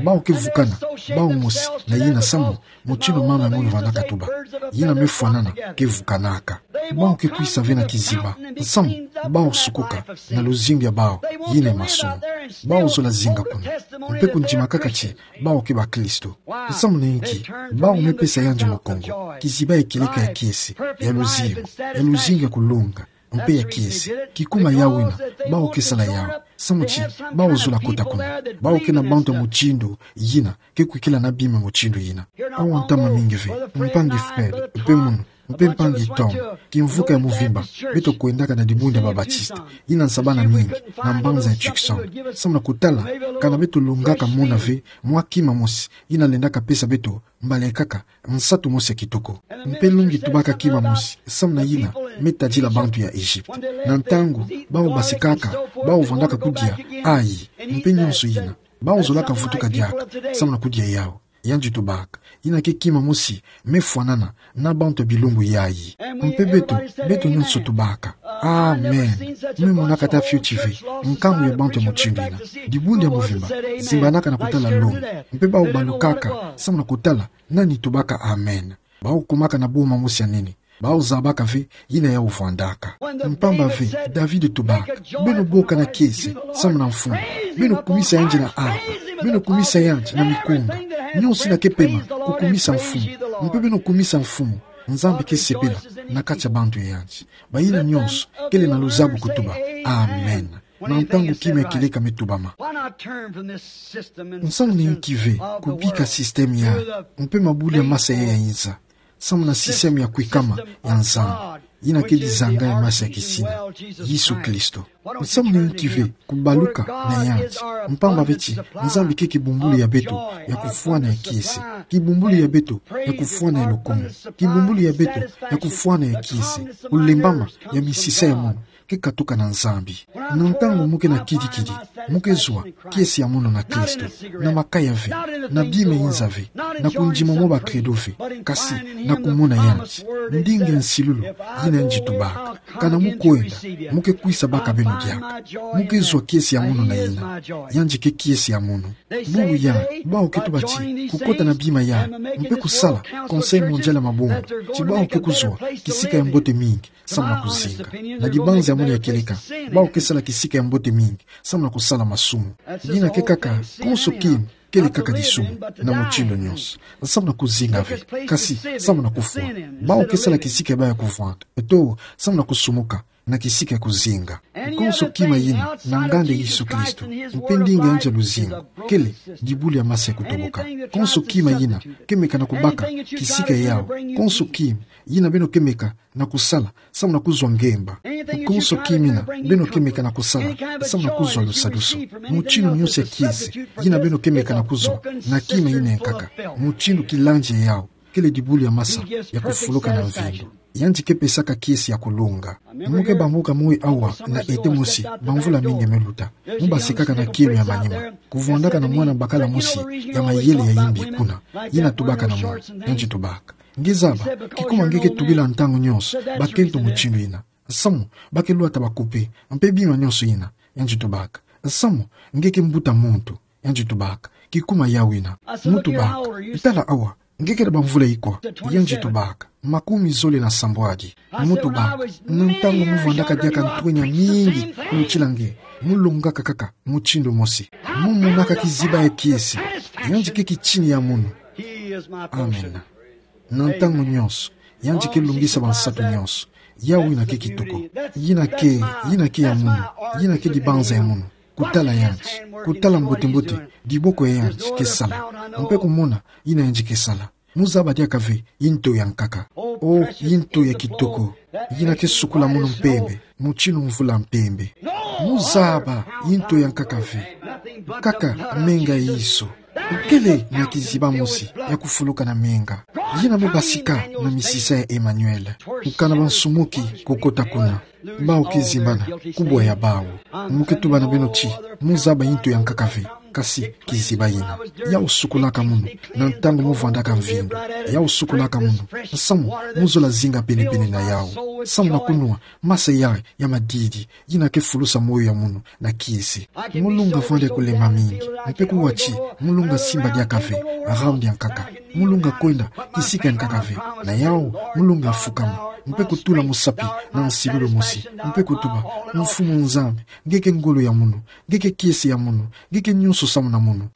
Bawu ke vukana, bawu mosi, na yina samu, mutindu mama ya ngunu vandaka tuba. Yina me fwanana, ke vukanaka. Bawu ke kwisa ve na kiziba. Samu, bawu sukuka, na luzingu ya bawu, yina masumu. Bawu zola zinga kuna. Mpe kundimakaka ti, bawu ke bakristo. Samu na inki, bawu me pesa yandi mukongo. Kiziba ya kieleka ya kiese, ya luzingu, ya luzingu ya kulonga. Mpe ya kiese, kikuma yawu yina, bawu ke sala yawu. Samu ti, bawu zola kota kuna. Bawu ke na bantu ya mutindu yina, ke kwikila na bima mutindu yina. Awa ntama mingi ve, mpangi Fred, mpe munu, mpe mpangi Tom, kimvuka ya muvimba, beto kwendaka na dibundu ya Babatista, yina nsabana mingi, na mbanza ya Tucson. Samu na kutala, kana beto longaka mona ve, mwa kima mosi, yina lendaka pesa beto, mbala kaka, nsatu mosi ya kitoko. Mpe lungi tubaka kima mosi, samu na yina, me tadila bantu ya Egypte. Na ntangu, bawu basikaka, bawu vandaka kudia, ayi, mpe nionso yina. Bawu zolaka vutuka diaka, samu na kudia yawu. Yandi tubaka, yina ke kima mosi, me fwanana, na bantu ya bilumbu yayi. Mpe beto, beto nionso tubaka. Amen. Me monaka ata fioti ve, nkangu ya bantu ya mutindu yina. Dibundu ya muvimba, zimbanaka na kutala longi. Mpe bawu balukaka, samu na kutala, nani tubaka amen. Bawu kumaka na boma mosi ya nene. Bawu zabaka ve, yina yawu vandaka. Mpamba ve, David tubaka. Beno boka na kiese, samu na Mfumu. Beno kumisa yandi na harpe. Beno kumisa yandi na mikunga. Nionso yina ke pema, kukumisa Mfumu. Mpe beno kumisa Mfumu. Nzambi ke sepela, na kati ya bantu ya yandi. Bayina nionso, kele na luzabu kutuba. Amen. Na ntangu kima ya kieleka me tubama. Nsamu na inki ve, kubika système ya, mpe mabulu ya masa ya inza. Samu na système ya kwikama ya Nzambi. Yina ke dizanga ya masa ya kisina. Yesu Kristo. Nsamu na inki ve, kubaluka na yandi. Mpamba ve ti, Nzambi ke kibumbulu ya beto, ya kufwana ya kiese. Kibumbulu ya beto, ya kufwana ya lukumu. Kibumbulu ya beto, ya kufwana ya kiese. Kulembama, ya misisa ya munu. Ke katuka na Nzambi. Na ntangu mu ke na kidikidi, mu ke zwa kiese ya munu na Kristo, na makaya ve, na bima inza ve, na kundima mwa ba credo ve, kasi na kumona yandi. Ndinga ya nsilulu, yina yandi tubaka. Kana mu kwenda, mu ke kwisa baka beno diaka. Mu ke zwa kiese ya munu na yina. Yandi ke kiese ya munu. Bubu ya, bawu ke tuba ti, kukota na bima ya, mpe kusala, Conseil Mondial ya Mabundu, ti bawu ke kuzwa, kisika ya mbote mingi. Samu na kuzinga. Na dibanza ya munu ya kieleka. Bawu ke sala kisika ya mbote mingi. Samu na kusala masumu. Yina ke kaka, konso kima, kele kaka disumu. Na mutindu nionso. Samu na kuzinga ve. Kasi, samu na kufwa. Bawu ke sala kisika ya bawu ya kuvwanda. Eto, samu na kusumuka. Na kisika ya kuzinga. Konso kima yina, na nganda Yesu Kristo. Mpe ndinga ya yandi ya luzingu. Kele, dibulu ya masa ya kutoboka. Konso kima yina, ke meka na kubaka, kisika ya yawu. Konso kima, yina beno ke meka, na kusala, samu na kuzwa ngemba. Konso kima yina, beno ke meka na kusala, samu na kuzwa lusadusu. Mutindu nionso ya kiese, yina beno ke meka na kuzwa, na kima yina ya nkaka. Mutindu kilandi ya yawu, kele dibulu ya masa, ya kufuluka na mvindu. Yandi ke pesaka kiese ya kulonga. Mu ke bambuka moyo awa, na ete mosi, bamvula mingi me luta. Mu basikaka na kielo ya manima. Kuvwandaka na mwana bakala mosi, ya mayele ya imbi kuna. Yina tubaka na mwana, yandi tubaka. Nge zaba, kikuma nge ke tubila ntangu nionso, bakento mutindu yina. Samu, ba ke lwata ba couper, mpe bima nionso yina, yandi tubaka. Samu, nge ke mbuta muntu, yandi tubaka. Kikuma yawu yina, mu tubaka. Tala awa, nge kele bamvula ikwa, yandi tubaka. Makumi zole na sambwadi, mu tubaka. Na ntangu mu vwandaka diaka ntwenya mingi, kulutila nge, mu longaka kaka, mutindu mosi. Mu monaka kiziba ya kiese, yandi ke kitini ya munu. Amen. Na ntangu nionso, yandi ke lungisa bansatu nionso. Yawu yina ke kitoko. Yina ke, yina ke ya munu. Yina ke dibanza ya munu. Kutala yandi. Kutala mbote-mbote, diboko ya yandi ke sala. Mpe kumona, yina yandi ke sala. Mu zaba diaka ve, nto ya nkaka. Oh, nto ya kitoko. Yina ke sukula munu mpembe, mutindu mvula mpembe. Mu zaba, nto ya nkaka ve. Kaka, menga Yesu. Kele na kiziba mosi ya kufuluka na menga, yina me basika na misisa ya Emmanuel. Kukana bansumuki kukota kuna. Bawu kizimbana kubwa ya bawu. Mu ke tuba na beno ti, mu zaba ntu ya nkaka ve, kasi kiziba yina. Yawu sukulaka munu na ntangu mu vwandaka mvindu. Yawu sukulaka munu. Samu mu zola zinga pene-pene na yawu. Samu na kunwa masa ya, ya madidi, yina ke fulusa moyo ya munu na kiese. Mu lunga vwanda kulemba mingi. Mpe kuwa ti, mu lunga simba diaka ve rambu ya nkaka. Mu lunga kwenda kisika ya nkaka ve. Na yawu, mu lunga fukama. Mpe kutula musapi na nsilulu mosi. Mpe kutuba: Mfumu Nzambi, nge ke ngolo ya munu, nge ke kiese ya munu, nge ke nyonso samu na munu.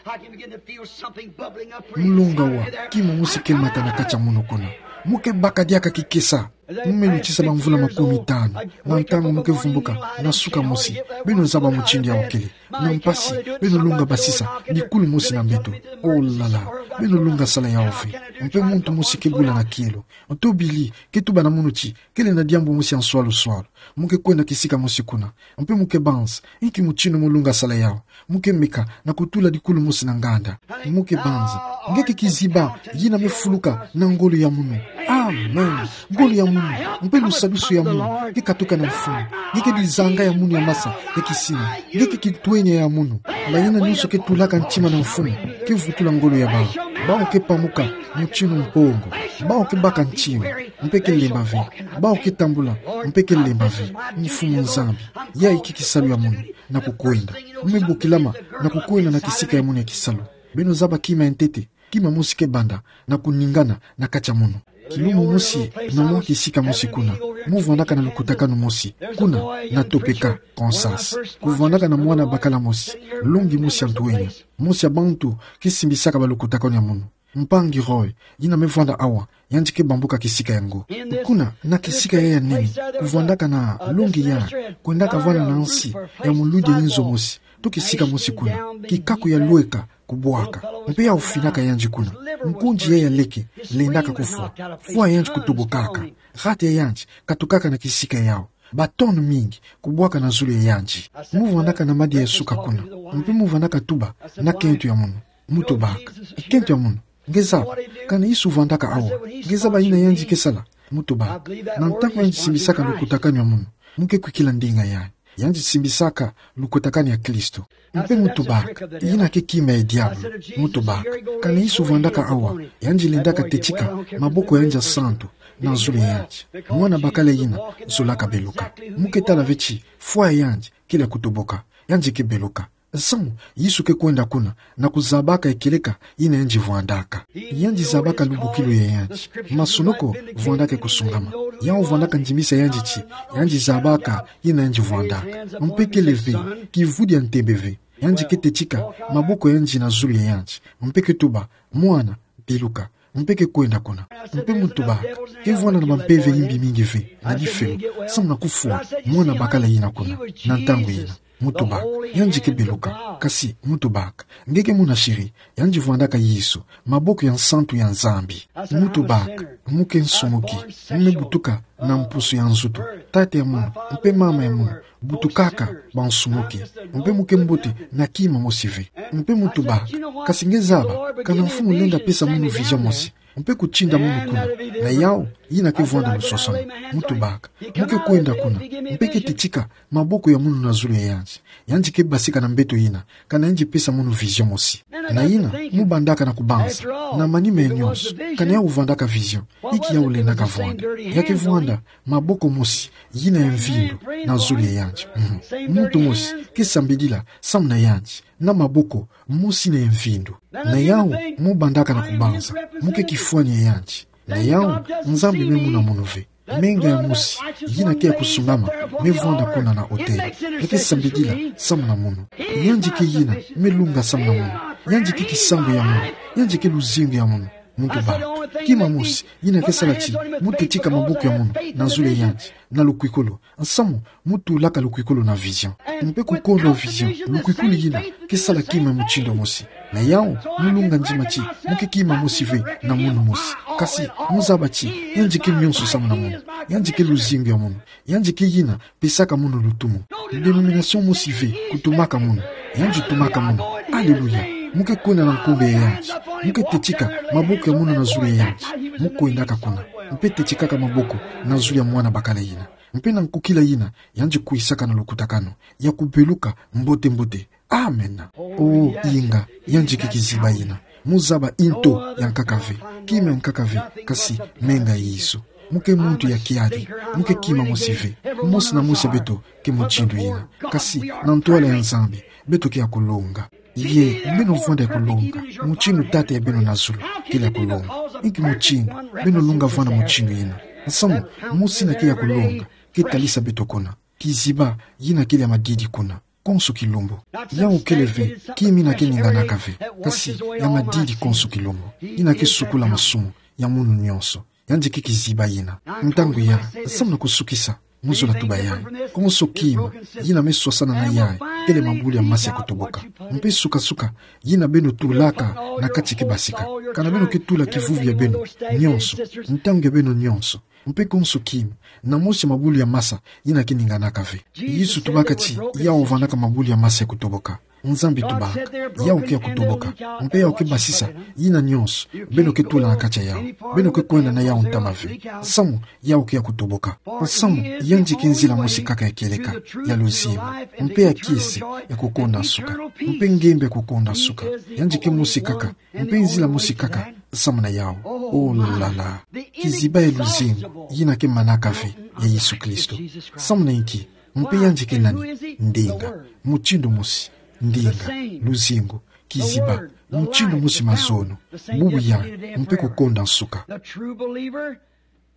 Mu lunga wa kima mosi ke mata na kati ya munu kuna. Mu ke baka diaka kikesa. Mu me lutisa bamvula makumi tanu. Na ntangu mu ke vumbuka na suka mosi, beno zaba mutindu yawu kele. Na mpasi, beno lunga basisa dikulu mosi na mbeto. Oh là là, beno lunga sala yawu ve. Mpe muntu mosi ke bula na kielo. Ntobili ke tuba na munu ti, kele na diambu mosi ya nswalu-swalu. Mu ke kwenda kisika mosi kuna. Mpe mu ke banza inki mutindu mu lunga sala yawu. Mu ke meka na kutula dikulu mosi na nganda. Mu ke banza: Nge ke kiziba yina me fuluka na ngolo ya munu. Amen. Ngolo ya munu, mpe lusadusu ya munu ke katuka na mfumu. Nge ke dizanga ya munu ya masa ya kisina. Nge ke kintwenya ya munu. Bayina nyonso ke tulaka ntima na mfumu ke vutula ngolo ya bawu. Bawu ke pamuka mutindu mpongo. Bawu ke baka ntima, mpe ke lemba ve. Bawu ke tambula, mpe ke lemba ve. Mfumu Nzambi, yayi ke kisalu ya munu na kukwenda. Mu me bokilama na kukwenda na kisika ya munu ya kisalu. Beno zaba kima ya ntete, kima mosi ke banda na kuningana na kati ya munu. Kilumbu mosi, na mwa kisika mosi kuna, mu vwandaka na lukutakanu mosi kuna na Topeka, Kansas. Ku vwandaka na mwana bakala mosi, longi mosi ya ntwenya. Mosi ya bantu ke simbisaka balukutakanu ya munu. Mpangi Roy, yina me vwanda awa, yandi ke bambuka kisika yango. Kuna, na kisika yayi ya nene, ku vwandaka na longi ya kwendaka vwanda na nsi ya muludi ya inzo mosi, to kisika mosi kuna, kikaku ya lweka kubwaka. Mpe yawu finaka yandi kuna. Nkundi yayi ya leke lendaka kufwa. Fwa ya yandi kutobokaka. Rate ya yandi katukaka na kisika yawu. Ba tonnes mingi kubwaka na zulu ya yandi. Mu vwandaka na madia ya suka kuna. Mpe mu vwandaka tuba na kento ya munu: Mu tobaka. Kento ya munu, nge zaba, kana Yesu vwandaka awa, nge zaba yina yandi ke sala? Mu tobaka. Na ntangu yandi simbisaka lukutakanu ya munu, mu ke kwikila ndinga yayi. Yandi simbisaka lukutakanu ya Kristo. Mpe mu tobaka, yina ke kima ya diabulu. Mu tobaka. Kana Yesu vwandaka awa, yandi lendaka tetika maboko ya yandi ya santu na zulu ya yandi. Mwana bakala yina zolaka beluka. Mu ke tala ve ti fwa ya yandi kele ya kutoboka. Yandi ke beluka. Samu Yesu ke kwenda kuna na kuzabaka ekeleka yina yandi vwandaka. Yandi zabaka lubukilu ya yandi. Masonoko vwandaka kusungama. Yawu vwandaka ndimisa yandi ti yandi zabaka yina yandi vwandaka. Mpe kele ve kivudi ya ntembe ve. Yandi ke tetika maboko ya yandi na zulu ya yandi. Mpe ke tuba: Mwana, beluka. Mpe ke kwenda kuna. Mpe mu tobaka, ke vwanda na bampeve yimbi mingi ve na difelo, samu na kufwa mwana bakala yina kuna na ntangu yina. Mu tobaka, yandi ke beluka. Kasi mu tobaka, nge ke muna shiri, yandi vwandaka Yesu, maboko ya nsantu ya Nzambi. Mu tobaka, mu ke nsumuki, mu me butuka na mpusu ya nzutu. Tata ya munu mpe mama ya munu butukaka bansumuki. Mpe mu ke mbote na kima mosi ve. Mpe mu tobaka, kasi nge zaba kana Mfumu lenda pesa munu vision mosi, mpe kutinda munu kuna. Na yawu yina ke vwanda lusosono. Mu tobaka, mu ke kwenda kuna, mpe ke tetika maboko ya munu na zulu ya yandi. Yandi ke basika na mbeto yina kana yandi pesa munu vision mosi. Na yina mu bandaka na kubanza na manima ya nyonso kana yawu vwandaka vision, inki yawu lendaka vwanda. Ya ke vwanda maboko mosi yina ya mvindu na zulu ya yandi. Mhm. Muntu mosi ke sambidila samu na yandi na maboko mosi yina ya mvindu. Na yawu mu bandaka na kubanza, mu ke kifwani ya yandi. Na yawu Nzambi me muna munu ve. Menga ya mosi yina ke ya kusungama me vwanda kuna na autel. Ya ke sambidila samu na munu. Yandi ke yina me lunga samu na munu. Yandi ke kisambu ya munu. Yandi ke luzingu ya munu. Mu tobaka, kima mosi yina ke sala ti mu tetika maboko ya munu na zulu ya yandi na lukwikulu, samu mu tulaka lukwikulu na vision. Mpe kukondwa vision, lukwikulu yina ke sala kima mutindu mosi. Na yawu mu lunga ndima ti mu ke kima mosi ve na munu mosi. Kasi mu zaba ti yandi ke nyonso samu na munu. Yandi ke luzingu ya munu. Yandi ke yina pesaka munu lutumu. Dénomination mosi ve kutumaka munu. Yandi tumaka munu. Alléluia. Mu ke kwenda na nkumbu ya yandi. Mu ke techika maboko ya munu na zulu ya yandi. Mu kwendaka kuna. Mpe techikaka maboko na zulu ya mwana bakala yina. Mpe na nkukila yina, yandi kwisaka na lukutakanu ya kubeluka mbote-mbote. Amen. O, inga, yandi ke kiziba yina. Mu zaba nto ya nkaka ve, kima ya nkaka ve, kasi menga Yesu. Mu ke muntu ya kiadi, mu ke kima mosi ve. Mosi na mosi ya beto ke mutindu yina. Kasi na ntwala ya Nzambi, beto ke ya kulonga. Ye, beno vwanda ya kulonga mutindu Tata ya beno na zulu kele ya kulonga. Inki mutindu beno lunga vwanda mutindu yina? Nsamu, mosi yina ke ya kulonga ke talisa beto kuna. Kiziba yina kele ya madidi kuna konso kilumbu. Yau kele ve kima yina ke ninganaka ve, kasi ya madidi konso kilumbu. Yina ke sukula masumu ya munu nyonso. Yandi ke kiziba yina. Ntangu ya, samu na kusukisa, mu zola tuba yayi. Konso kima yina me swasana na yayi kele mabulu ya masa ya kutoboka. Mpe suka-suka yina beno tulaka na kati ke basika. Kana beno ke tula kivuvu ya beno nyonso, ntangu ya beno nyonso, mpe konso kima, na mosi mabulu ya masa yina ke ninganaka ve. Yesu tubaka ti yau vwandaka mabulu ya masa ya kutoboka. Nzambi tubaka, yau ke ya kutoboka, mpe yau ke basisa yina nyonso beno ke tula na kati ya yau. Beno ke kwenda na yau ntama ve, samu yau ke ya kutoboka. Samu yandi ke nzila mosi kaka ya kieleka, ya luzingu, mpe ya kiese ya kukonda nsuka, mpe ngembe ya kukonda nsuka. Yandi ke mosi kaka, mpe nzila mosi kaka samu na yau. Oh la la. Kiziba ya luzingu yina ke manaka ve ya Yesu Kristo. Samu na inki? Mpe yandi ke nani? Ndinga. Mutindu mosi. Ndinga, luzingu, kiziba, mutindu mosi, mazono, bubu yayi, mpe kukonda nsuka.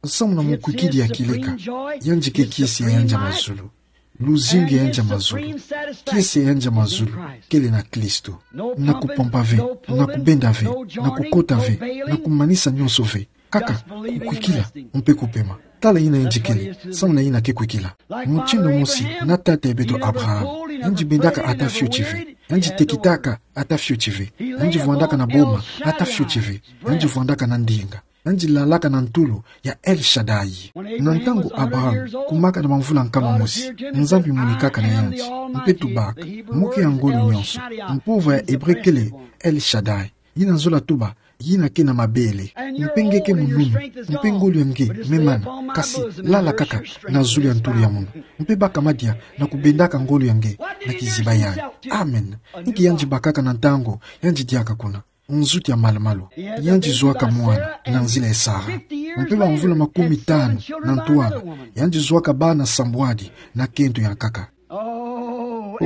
Samu na mukwikidi ya kieleka, yandi ke kiese ya yandi ya mazulu. Luzingu ya yandi ya mazulu. Kiese ya yandi ya mazulu kele na Kristo. Na kupompa ve, na kubenda ve, na kukota ve, na kumanisa nyonso ve. Kaka kukwikila mpe kupema. Tala yina yandi kele, samu na yina ke kwikila. Mutindu mosi na tata ya beto Abraham, yandi bendaka ata fioti ve. Yandi tekitaka ata fioti ve. Yandi vwandaka na boma ata fioti ve. Yandi vwandaka na ndinga. Yandi lalaka na ntulu ya El Shaddai. Na ntangu Abraham kumaka na bamvula nkama mosi, Nzambi monikaka na yandi, mpe tubaka: Moke ya ngolo nyonso. Mpova ya Ebre kele El Shaddai. Yina zola tuba yina ke na mabele. Mpe nge ke munumi, mpe ngolo ya nge me mana, kasi lala kaka na zulu ya ntulu ya munu, mpe baka madia na kubendaka ngolo ya nge na kiziba yayi. Amen. Inki yandi bakaka na ntangu yandi diaka kuna? Nzuti ya malu-malu. Yandi zwaka mwana na nzila ya Sara. Mpe bamvula makumi tanu na ntwala, yandi zwaka bana sambwadi na kento ya nkaka. Oh,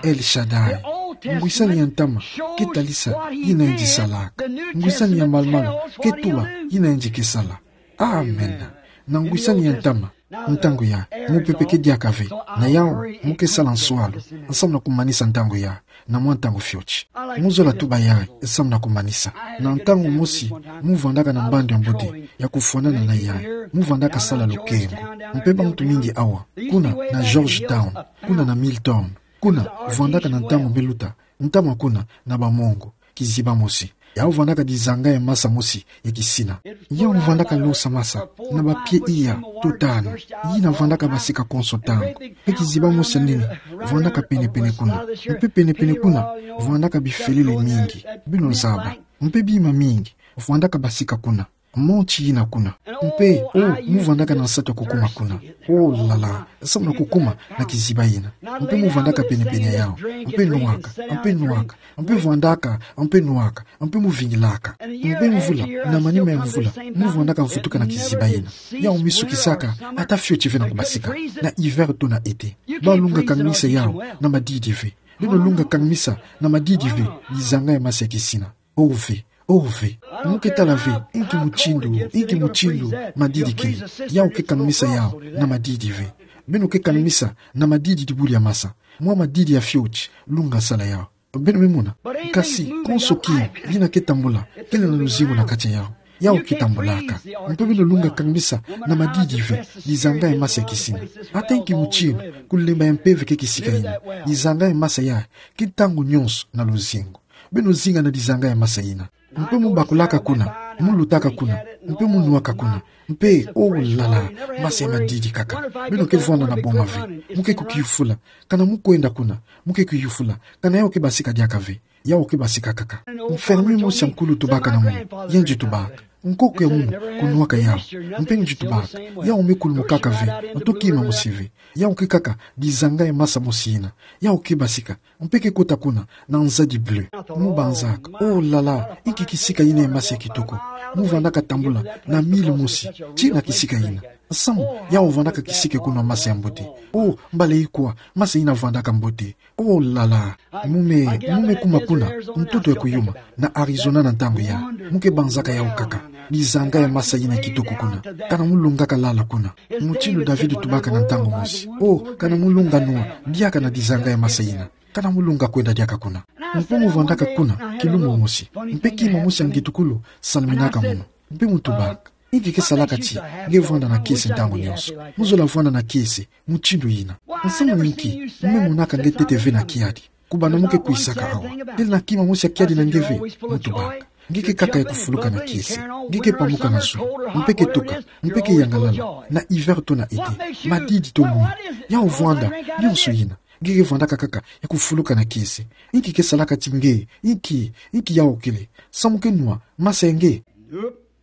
El Shaddai. Ngwisani ya ntama ke talisa yina yandi salaka. Ngwisani ya malu-malu ke tuba yina yandi ke sala. Amen. Na ngwisani ya ntama, ntangu ya mupepe ke diaka ve. Na yau, mu ke sala nswalu samu na kumanisa ntangu ya, na mwa ntangu fioti. Mu zola tuba yayi samu na kumanisa. Na ntangu mosi mu vwandaka na mbandu ya mbote ya kufwanana na yayi, mu vwandaka sala lukengo. Mpe bamuntu mingi awa, kuna na Georgetown, kuna na Milton, kuna vwandaka na ntangu me luta, ntama kuna na bamongo, kiziba mosi. Yau vwandaka dizanga ya masa mosi ya kisina. Yau vwandaka losa masa na bapie iya to tanu. Yina vwandaka basika konso ntangu. Mpe kiziba mosi ya nene vwandaka pene-pene kuna. Mpe pene-pene kuna vwandaka bifelele mingi. Beno zaba. Mpe bima mingi vwandaka basika kuna. Monti yina kuna. Mpe, oh, mu vwandaka na nsatu ya kukuma kuna. Oh la la, samu na kukuma na kiziba yina. Mpe mu vwandaka pene-pene ya yau. Mpe nwaka, mpe nwaka, mpe vwandaka, mpe nwaka, mpe mu vingilaka. Mpe mvula, na manima ya mvula, mu vwandaka vutuka na kiziba yina. Yau mi sukisaka ata fioti ve na kubasika, na hiver to na été. Balunga kangmisa yau na madidi ve. Beno lunga kangmisa na madidi ve dizanga ya masa ya kisina. Oh ve, oh ve. Mu ke tala ve inki mutindu, inki mutindu madidi kele. Yau ke kangmisa yau na madidi ve. Beno ke kangmisa na madidi dibulu ya masa. Mwa madidi ya fioti, lunga sala yau. Beno me mona. Kasi konso kima yina ke tambula kele na luzingu na kati ya yau. Yau ke tambulaka. Mpe beno lunga kangmisa na madidi ve dizanga ya masa ya kisina. Ata inki mutindu kulemba ya mpeve ke kisika yina, dizanga ya masa yayi ke ntangu nyonso na luzingu. Beno zinga na dizanga ya masa yina. Mpe mu bakulaka kuna, mu lutaka kuna, Mpe mu nwaka kuna. Mpe, oh là là, masa ya madidi kaka. Beno ke vwanda na boma ve. Mu ke kukiyufula. Kana mu kwenda kuna. Mu ke kuyufula. Kana yau ke basika diaka ve. Yau ke basika kaka. Mfirmier mosi ya nkulu tubaka na munu. Yandi tubaka: Nkoko ya munu kunwaka yau. Mpe yandi tubaka: Yau me kulumukaka ve. Nto kima mosi ve. Yau ke kaka dizanga ya masa mosi yina. Yau ke basika. Mpe ke kota kuna na nzadi bleu. Mu banzaka: Oh là là, inki kisika yina ya masa ya kitoko. Mu vwandaka tambula na mille mosi tii na kisika yina. Samu yau vwandaka kisika kuna masa ya mbote. Oh, mbala ikwa masa yina vwandaka mbote. Oh là là. Mu me, mu me kuma kuna ntoto ya kuyuma na Arizona na ntangu ya. Mu ke banzaka yau kaka dizanga ya masa yina kitoko kuna. Kana mu lungaka lala kuna. Mutindu David tubaka na ntangu mosi: Oh, kana mu lunga nwa diaka na dizanga ya masa yina. Kana mu lunga kwenda diaka kuna. Mpe mu vwandaka kuna kilumbu mosi. Mpe kima mosi ya ngitukulu salminaka munu. Mpe mu tubaka: Inki ke salaka ti nge vwanda na kiese ntangu nyonso? Mu zola vwanda na kiese mutindu yina. Samu na inki mu me monaka nge ntete ve na kiadi? Kubanda mu ke kwisaka awa. Kele na kima mosi ya kiadi na nge ve? Mu tubaka: Nge ke kaka ya kufuluka na kiese. Nge ke pamuka na zulu. Mpe ke toka. Mpe ke yangalala. Na hiver to na été. Madidi to mwini. Yau vwanda nyonso yina. Nge ke vwandaka kaka ya kufuluka na kiese. Inki ke salaka ti nge? Inki, inki yau kele? Samu ke nwa masa ya nge?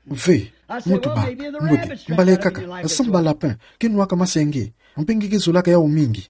Ve. Mu tubaka: Mbote, mbala ikaka, samu ba lapin ke nwaka masa ya nge. Mpe nge ke zolaka yau mingi.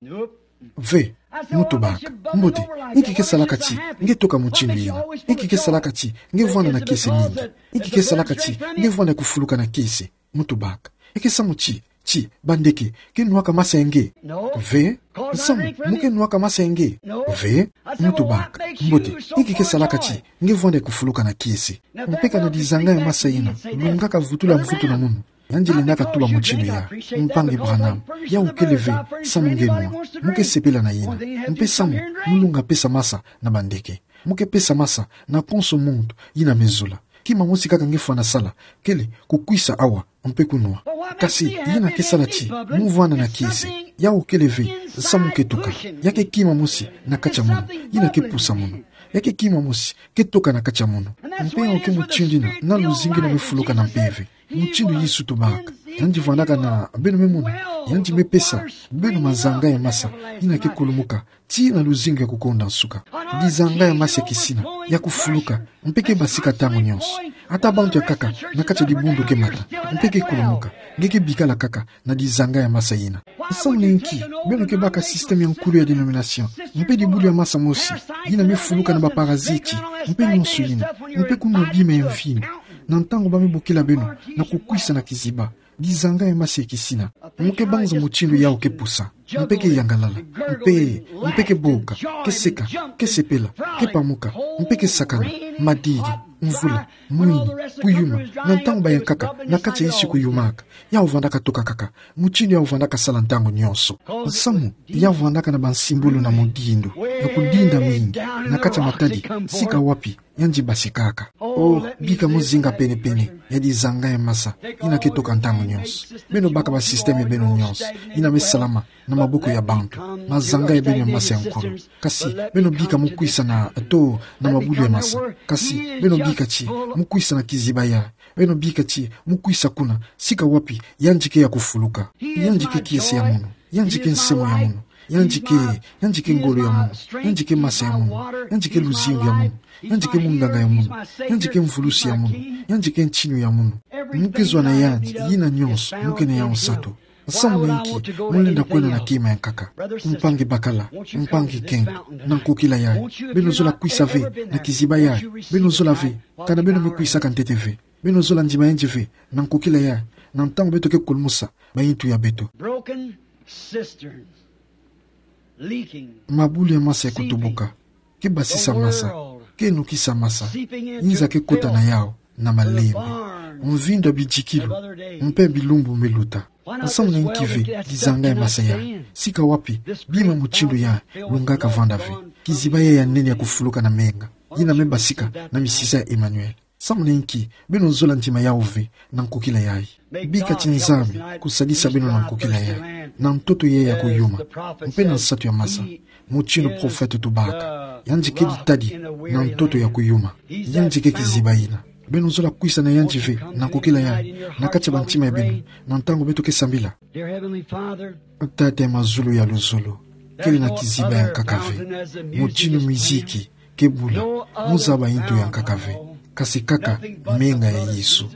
Ve. Mu tubaka: Mbote, inki ke salaka ti nge toka mutindu yina? Inki ke salaka ti nge vwanda na kiese mingi? Inki ke salaka ti nge vwanda ya kufuluka na kiese? Mu tubaka: Eke samu ti, ti bandeke ke nwaka masa ya nge? Ve. Samu mu ke nwaka masa ya nge? Ve. Mu tubaka: Mbote, inki ke salaka ti nge vwanda ya kufuluka na kiese? Mpe kana dizanga ya masa yina lungaka vutula mvutu na munu. Yandi lendaka tuba mutindu ya: Mpangi Branham, yau kele ve samu nge nwa. Mu ke sepela na yina. Mpe samu mu lunga pesa masa na bandeke. Mu ke pesa masa na konso muntu yina me zula. Kima mosi kaka nge fwana sala kele kukwisa awa mpe kunwa. Kasi yina ke sala ti mu vwanda na kiese. Yau kele ve samu ke toka. Ya ke kima mosi na kati ya munu yina ke pusa munu. Ya ke kima mosi ke toka na kati ya munu. Mpe yau ke mutindu yina na luzingu yina me fuluka na mpeve. Mutindu Yesu tubaka: Yandi vwandaka na beno me mona, yandi me pesa beno mazanga ya masa yina ke kulumuka tii na luzingu ya kukonda nsuka. Dizanga ya masa ya kisina, ya kufuluka, mpe ke basika ntangu nyonso. Ata bantu ya nkaka na kati ya dibundu ke mata, mpe ke kulumuka, nge ke bikala kaka na dizanga ya masa yina. Samu na inki beno ke baka système ya nkulu ya dénomination, mpe dibulu ya masa mosi yina me fuluka na baparaziti, mpe nyonso yina, mpe kunwa bima ya mvindu, na ntangu ba me bokila beno na kukwisa na kiziba? Dizanga ya masa ya kisina. Mu ke banza mutindu yau ke pusa, mpe ke yangalala, mpe, mpe ke boka, ke seka, ke sepela, ke pamuka, mpe ke sakana, madidi, mvula, mwini, kuyuma, na ntangu ba ya nkaka na kati ya isi kuyumaka. Yau vwandaka toka kaka mutindu yau vwandaka sala ntangu nyonso. Samu yau vwandaka na bansimbulu na mudindo ya kudinda mingi na kati ya matadi, sika wapi yandi basikaka. Oh, bika mu zinga pene-pene ya dizanga ya masa yina ke toka ntangu nyonso. Beno baka basystème ya beno nyonso yina me salama na maboko ya bantu, mazanga ya beno ya masa ya nkulu. Kasi beno bika mu kwisa na, to na mabulu ya masa. Kasi beno bika ti mu kwisa na kiziba ya. Beno bika ti mu kwisa kuna, sika wapi yandi ke ya kufuluka. Yandi ke kiese ya munu. Yandi ke nsemo ya munu. Yandi ke, yandi ke ngolo ya munu. Yandi ke masa ya munu. Yandi ke luzingu ya munu. Yandi ke munganga ya munu. Yandi ke mvulusi ya munu. Yandi ke ntinu ya munu. Mu ke zwa na yandi yina nyonso, mu ke na yau nsatu. Samu na inki mu lenda kwenda na kima ya nkaka? Mpangi bakala, mpangi kengo, na nkokila yayi, beno zola kwisa ve na kiziba yayi? Beno zola ve? Kana beno me kwisaka ntete ve? Beno zola ndima yandi ve na nkokila yayi, na ntangu beto ke kulumusa bayintu ya beto? Broken cisterns, leaking, mabulu ya masa ya kutubuka, ke basisa masa, ke nukisa masa, inza ke kota na yau na malembe, mvindu ya bidikilu, mpe bilumbu me luta. Samu na inki ve dizanga ya masa yayi? Sika wapi bima mutindu yayi lungaka vanda ve? Kiziba yayi ya nene ya kufuluka na menga, yina me basika na misisa ya Emmanuel. Samu na inki beno zola ndima yau ve na nkokila yayi? Bika ti Nzambi kusadisa beno na nkokila yayi, na ntoto yayi ya kuyuma, mpe na nsatu ya masa, mutindu profete tubaka. Yandi ke ditadi na ntoto ya kuyuma. Yandi ke kiziba yina. Beno zola kwisa na yandi ve, na nkokila yayi, na kati ya bantima ya beno, na ntangu beto ke sambila. Dear Heavenly Father, Tata ya mazulu ya luzolo, kele na kiziba ya nkaka ve. Mutinu miziki ke bula, mu zaba yintu ya nkaka ve, kasi kaka menga ya Yesu.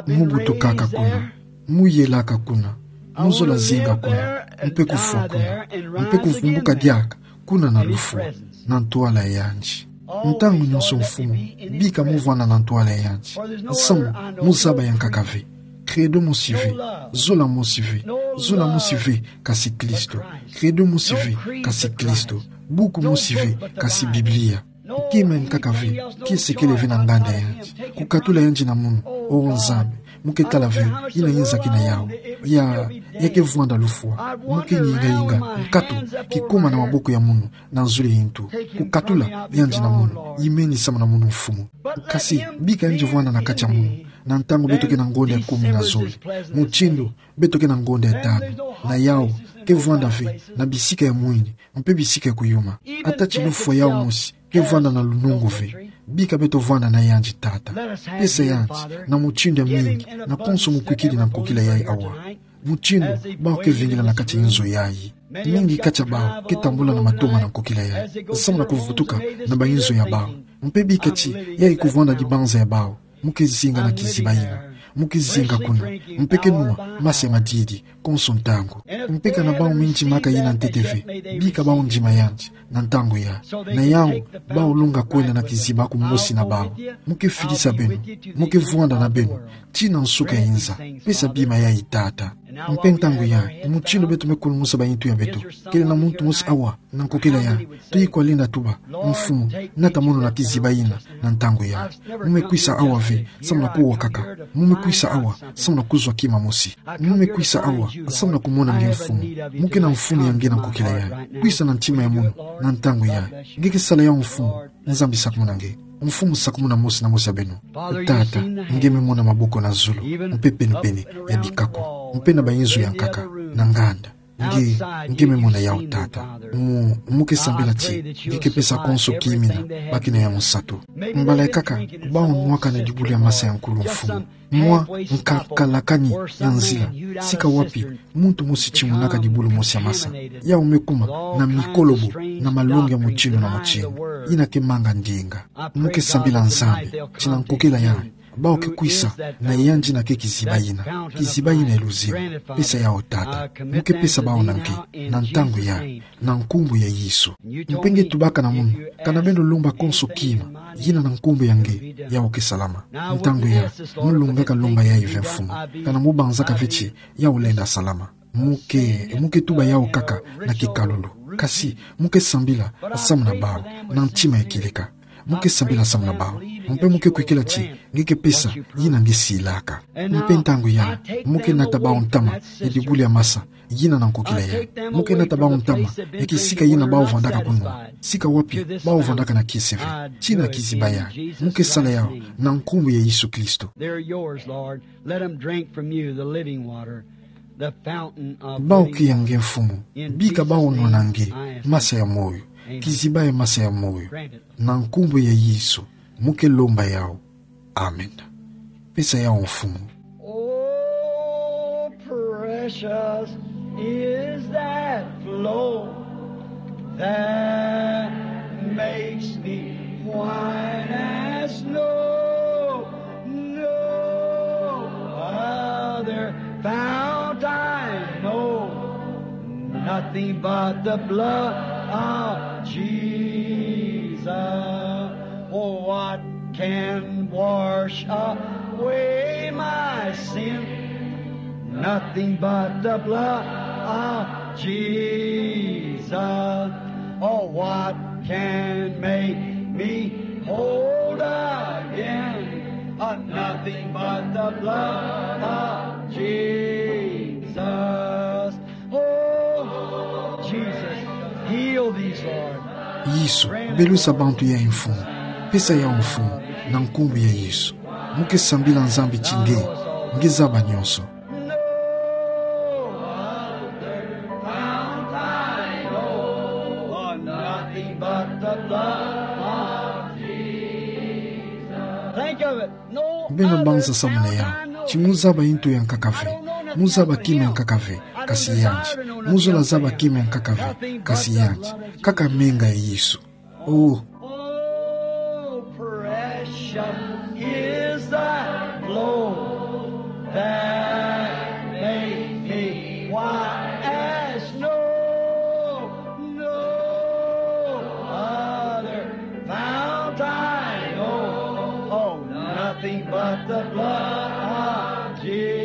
Mu butukaka kuna, mu yelaka kuna, mu zola zinga kuna, mpe kufwa kuna, mpe kuvumbuka diaka kuna na lufwa, na ntwala ya yandi. Ntangu nyonso Mfumu, bika mu vwanda na ntwala ya yandi. Nsamu, mu zaba ya nkaka ve. Credo mosi ve, zola mosi ve, zola mosi ve, kasi Kristo. Credo mosi ve, kasi Kristo. Buku mosi ve, kasi Biblia. Kima ya nkaka ve, kiese kele ve na nganda ya yandi. Kukatula yandi na munu, o Nzambi, mu ke tala ve, yina yinzaki na yawu. Ya, ya ke vwanda lufwa, mu ke yinga yinga, nkatu, kikuma na maboko ya munu, na nzole yintu. Kukatula yandi na munu, yimeni samu na munu Mfumu. Kasi, bika yandi vwanda na kati ya munu, na ntangu beto ke na ngonda ya kumi na zole. Mutindu, beto ke na ngonda ya tanu. Na yawu, ke vwanda ve, na bisika ya mwini, mpe bisika ya kuyuma. Ata ti lufwa yawu mosi, ke vwanda na lunungu ve. Bika beto vwanda na yandi Tata. Pesa yandi, na mutindu ya mingi, na konso mu kwikidi na nkokila yayi awa. Mutindu, bawu ke vingila na kati ya inzo yayi. Mingi kati ya bawu, ke tambula na matoma na nkokila yayi. Samu na kuvutuka, na ba inzo ya bawu. Mpe bika ti, yayi kuvwanda dibanza ya bawu. Mu ke zinga na kiziba yina. Mu ke zinga kuna. Mpe ke nwa, masi ya madidi, konso ntangu. Mpe kana bawu mindimaka yina ntete ve. Bika bawu ndima yandi, na ntangu ya. Na yawu, bawu longa kwenda na kiziba kumosi na bawu. Mu ke fidisa beno. Mu ke vwanda na beno. Tii na nsuka ya inza. Pesa bima yayi Tata. Mpe ntangu ya, mutindu beto me kulumusa ba yintu ya beto. Kele na muntu mosi awa, na nkokila ya. Tuyi kwa lenda tuba, Mfumu, nata mono na kiziba yina, na ntangu ya. Mu me kwisa awa ve, samu na kuwa kaka. Mu me kwisa awa, samu na kuzwa kima mosi. Mu me kwisa awa, samu na kumona nge Mfumu. Mu ke na mfunu ya nge na nkokila ya. Kwisa na ntima ya mono, na ntangu ya. Nge ke sala yawu Mfumu, Nzambi sakumuna nge. Mfumu sakumuna mosi na mosi ya beno. Tata, nge me mona maboko na zulu, mpe pene-pene, ya bikako. Mpe na ba inzo ya nkaka, na nganda. Nge, nge me mona yawu Tata. Mu, mu ke sambila ti, nge ke pesa konso kimina, baki na ya musatu. Mbala ya kaka, bawu nwaka na dibulu ya masa ya nkulu Mfumu. Mwa, nkakalakani, ya nzila. Sika wapi, muntu mosi timunaka dibulu mosi ya masa. Yawu me kuma, na mikolobo, na malongi ya mutindu na mutindu. Yina ke manga ndinga. Mu ke sambila Nzambi, ti na nkokila ya. Bawu ke kwisa, na yandi na ke kiziba yina. Kiziba yina ya luzima. Pesa yawu Tata. Mu ke pesa bawu na nge, na ntangu ya, na nkumbu ya Yesu. Mpe nge tubaka na munu, kana beno lomba konso kima, yina na nkumbu ya nge, yawu ke salama. Ntangu ya, mu longaka lomba yayi ve Mfumu. Kana mu banzaka ve ti, yawu lenda salama. Mu ke, mu ke tuba yawu kaka, na kikalulu. Kasi, mu ke sambila, samu na bawu, na ntima ya kieleka. Mu ke sambila samu na bawu. Mpe mu ke kwikila ti, nge ke pesa, yina nge silaka. Mpe ntangu ya, mu ke nata bawu ntama, ya dibulu ya masa, yina na nkokila ya. Mu ke nata bawu ntama, ya kisika yina bawu vandaka kunwa. Sika wapi, bawu vandaka na kiese ve. Ti na kiziba ya. Mu ke sala yawu, na nkumbu ya Yesu Kristo. They're yours, Lord. Let 'em drink from you the living water, the fountain of living water. Bawu ke ya nge Mfumu, bika bawu nwa na nge, masa ya moyo. Kiziba ya masa ya moyo. Na nkumbu ya Yesu, mu ke lomba yawu. Amen. Pesa yawu Mfumu. Oh, precious is that flow that makes me white as snow. No other fount I know, nothing but the blood of Jesus. Oh, what can wash away my sin? Nothing but the blood of Jesus. Oh, what can make me whole again? Oh, nothing but the blood of Jesus. Oh, Jesus, heal these, Lord. Yesu, belusa bantu yayi Mfumu. Pesa yawu Mfumu, na nkumbu ya Yesu. Mu ke sambila Nzambi ti nge, nge zaba nyonso. No other fount I know, nothing but the blood of Jesus. Beno banza samana yaha, ti mo zaba ntu ya nkaka ve, mo zaba kima ya nkaka ve, kasi yandi, mo zola zaba kima ya nkaka ve, kasi yandi, kaka menga ya Yesu. Oh. Oh, precious is thy flow that makes me white as snow. No other fount I know. Oh, nothing but the blood of Jesus.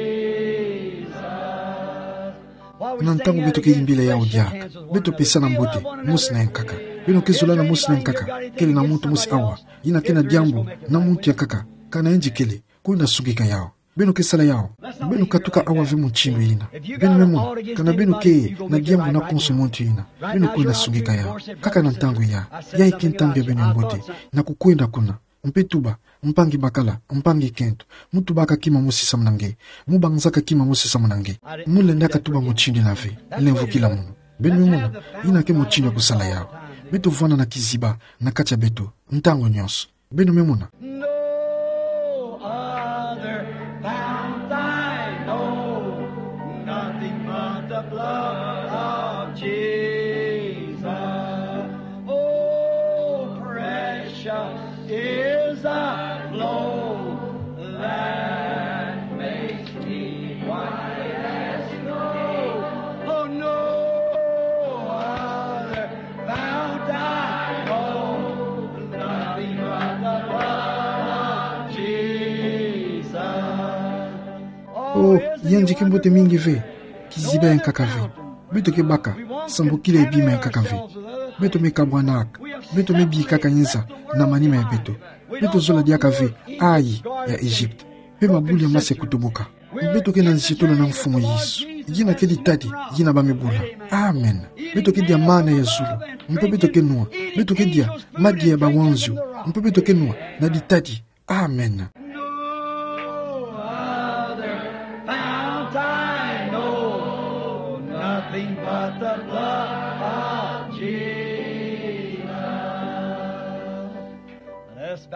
Na ntangu beto ke yimbila yawu diaka, beto pesana mbote mosi na yankaka. Beno ke zolana mosi na yankaka, kele na muntu mosi awa yina ke na diambu na muntu yankaka, kana yandi kele, kwenda sungika yawu. Beno ke sala yawu. Beno katuka awa ve mutindu yina. Beno me mona, kana beno ke na diambu na konso muntu yina, beno kwenda sungika yawu. Kaka na ntangu yaha, yayi ke ntangu ya beno ya mbote na kukwenda kuna. Mpe tuba, mpangi bakala, mpangi kento, mo tubaka kima mosi samuna nge, mo banzaka kima mosi samuna nge. Mo lendaka tuba mutindu yina ve, lemvokila mono. Beno me mona, yina ke mutindu ya kusala yawu. Beto vwanda na kiziba na kati ya beto ntangu nyonso. Beno me mona. No other fount I know, nothing but the blood of Jesus. Oh, precious is the flow that makes me white as snow. Oh, no other fount I know, nothing but the blood of Jesus. Oh, yandi ke mbote mingi ve, kiziba ya nkaka ve. Beto ke baka sambukila ye bima ya nkaka ve. Beto me kabwanaka, beto me bikaka nza na manima ya beto. Beto zola diaka ve ayi ya Egypte, mpe mabuli ya mase kutubuka. Beto ke na nzitolo na Mfumu Yesu. Yina ke ditadi, yina ba me bula. Amen. Beto ke dia mana ya zulu, mpe beto ke nwa. Beto ke dia madia ya bawanzio, mpe beto ke nwa na ditadi. Amen. No other fount I know, nothing but the blood of Jesus.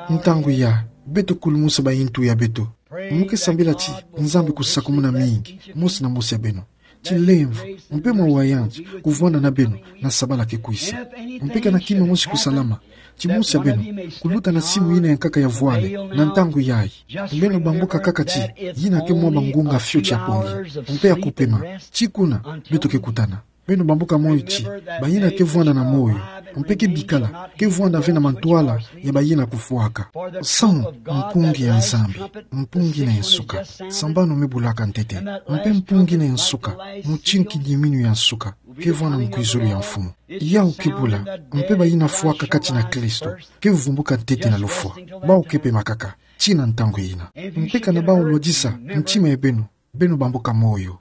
Ntangu yaha, beto kulumusa ba intu ya beto. Mo ke sambila ti Nzambi kusakumuna mingi mosi na mosi ya beno. Ti lemvo, mpe mawa yandi kuvwanda na beno na sabala ke kwisa. Mpe kana kima mosi kusalama, ti mosi ya beno kuluta na simu yina ya nkaka ya vwale na ntangu yayi. Beno bambuka kaka ti yina ke mwa bangunga fioti ya pongi, mpe ya kupema. Ti kuna beto ke kutana. Beno bambuka moyo ti bayina ke vwanda na moyo, mpe ke bikala, ke vwanda ve na mantwala ya bayina kufwaka. Samu mpungi ya Nzambi, mpungi yina ya nsuka, sambanu me bulaka ntete, mpe mpungi yina ya nsuka, mutindu kidiminu ya nsuka, ke vwanda mukwizulu ya Mfumu. Yawu ke bula, mpe bayina fwaka kati na Kristo ke vumbuka ntete na lufwa. Bawu ke pema kaka tii na ntangu yina. Mpe kana bawu lwadisa ntima ya beno, beno bambuka moyo.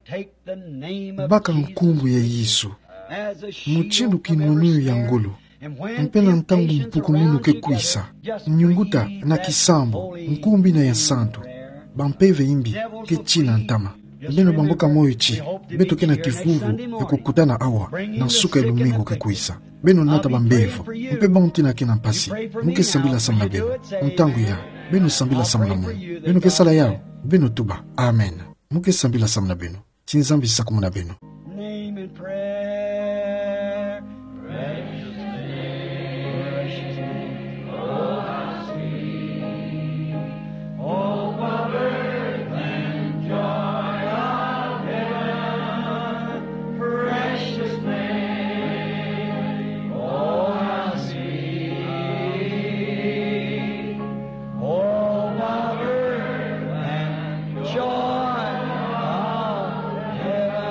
Baka nkumbu ya Yesu mutindu kinwanunu ya ngolo. Mpe na ntangu mpukumunu ke kwisa, nyunguta na kisambu, nkumbu yina ya nsantu, bampeve yimbi ke tii na ntama. Beno bambuka moyo ti beto ke na kivuvu ya kukutana awa na nsuka ya lumingu ke kwisa. Beno nata bambevo, mpe bawu tina ke na mpasi, mo ke sambila samuna beno. Ntangu yaha, beno sambila samuna mono. Beno ke sala yawu, beno tuba. Amen. Mo ke sambila samuna beno. Ti Nzambi sakumuna beno. Name in prayer. Precious name, precious name, oh, how sweet. Oh, what earth and joy of heaven. Precious name, oh, how sweet. Oh, power and joy of heaven.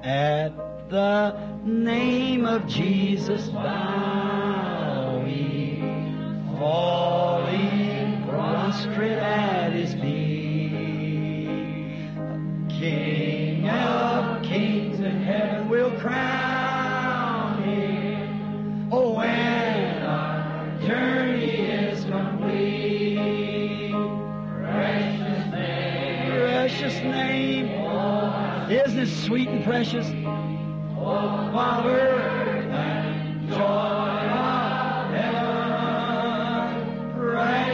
At the name of Jesus bow we, falling prostrate at his feet. King of kings in heaven will crown him. Oh, when our journey is complete. Precious name. Precious name. Isn't it sweet and precious? Oh, power and joy of heaven. Precious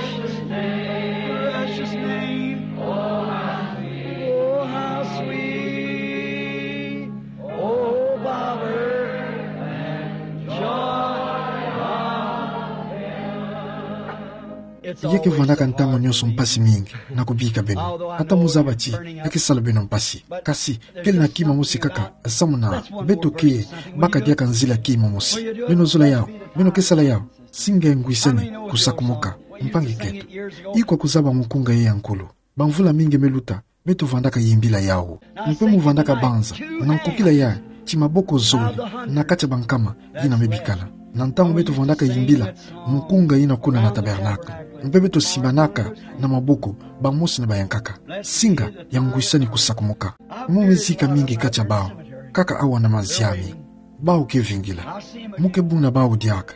Ya ke vandaka ntangu nyonso mpasi mingi na kubika beno. Ata mo zaba ti ya ke sala beno mpasi, kasi kele na kima mosi kaka, samu na beto ke baka diaka nzila kima mosi. Beno zola yawu, beno ke sala yawu. Singa ya ngwisani kusakumuka. Mpangi keto, ikwa kuzaba mukunga ye ya nkulu. Bamvula mingi me luta, beto vandaka yimbila yawu. Mpe mo vandaka banza na nkokila ya ti maboko zole na kati ya bankama yina me bikana. Na ntangu beto vandaka yimbila, mukunga yina kuna na tabernacle, mpe beto simbanaka na maboko bamosi na bayankaka. Singa ya ngwisani kusakumuka. Mo me zika mingi kati ya bawu, kaka awa na maziami. Bawu ke vingila. Mo ke buna bawu diaka.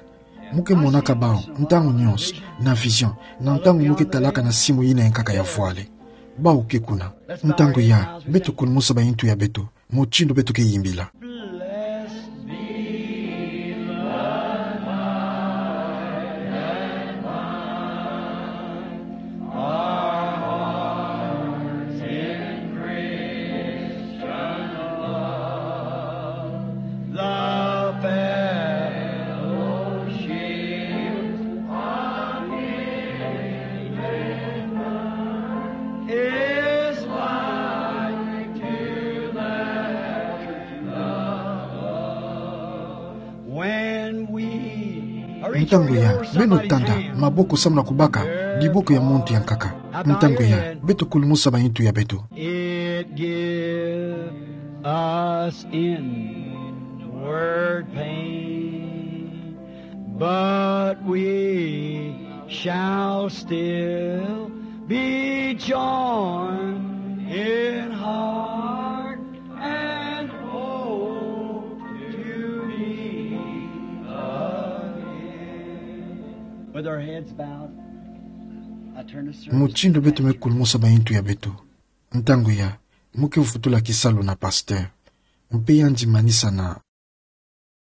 Mo ke monaka bawu ntangu nyonso na vision, na ntangu mo ke talaka na simu yina yankaka ya vwale. Bawu ke kuna. Ntangu ya, beto kulumusa bayintu ya beto, mutindu beto ke yimbila. Blessed be the vine and vine, our hearts in Christian love. The fellowship of His brethren is like to that tree of love. When we are Ntangu ya, beno tanda maboko samu na kubaka diboko ya muntu yankaka. Ntangu ya, beto kulumusa bayintu ya beto. It give us inward pain, but we shall still be joined in heart and hope to meet again. With our heads bowed, I turn to service. Mutindu beto me kulumusa bayintu ya beto. Ntangu ya, mo ke vutula kisalu na pasteur. Mpe yandi manisa na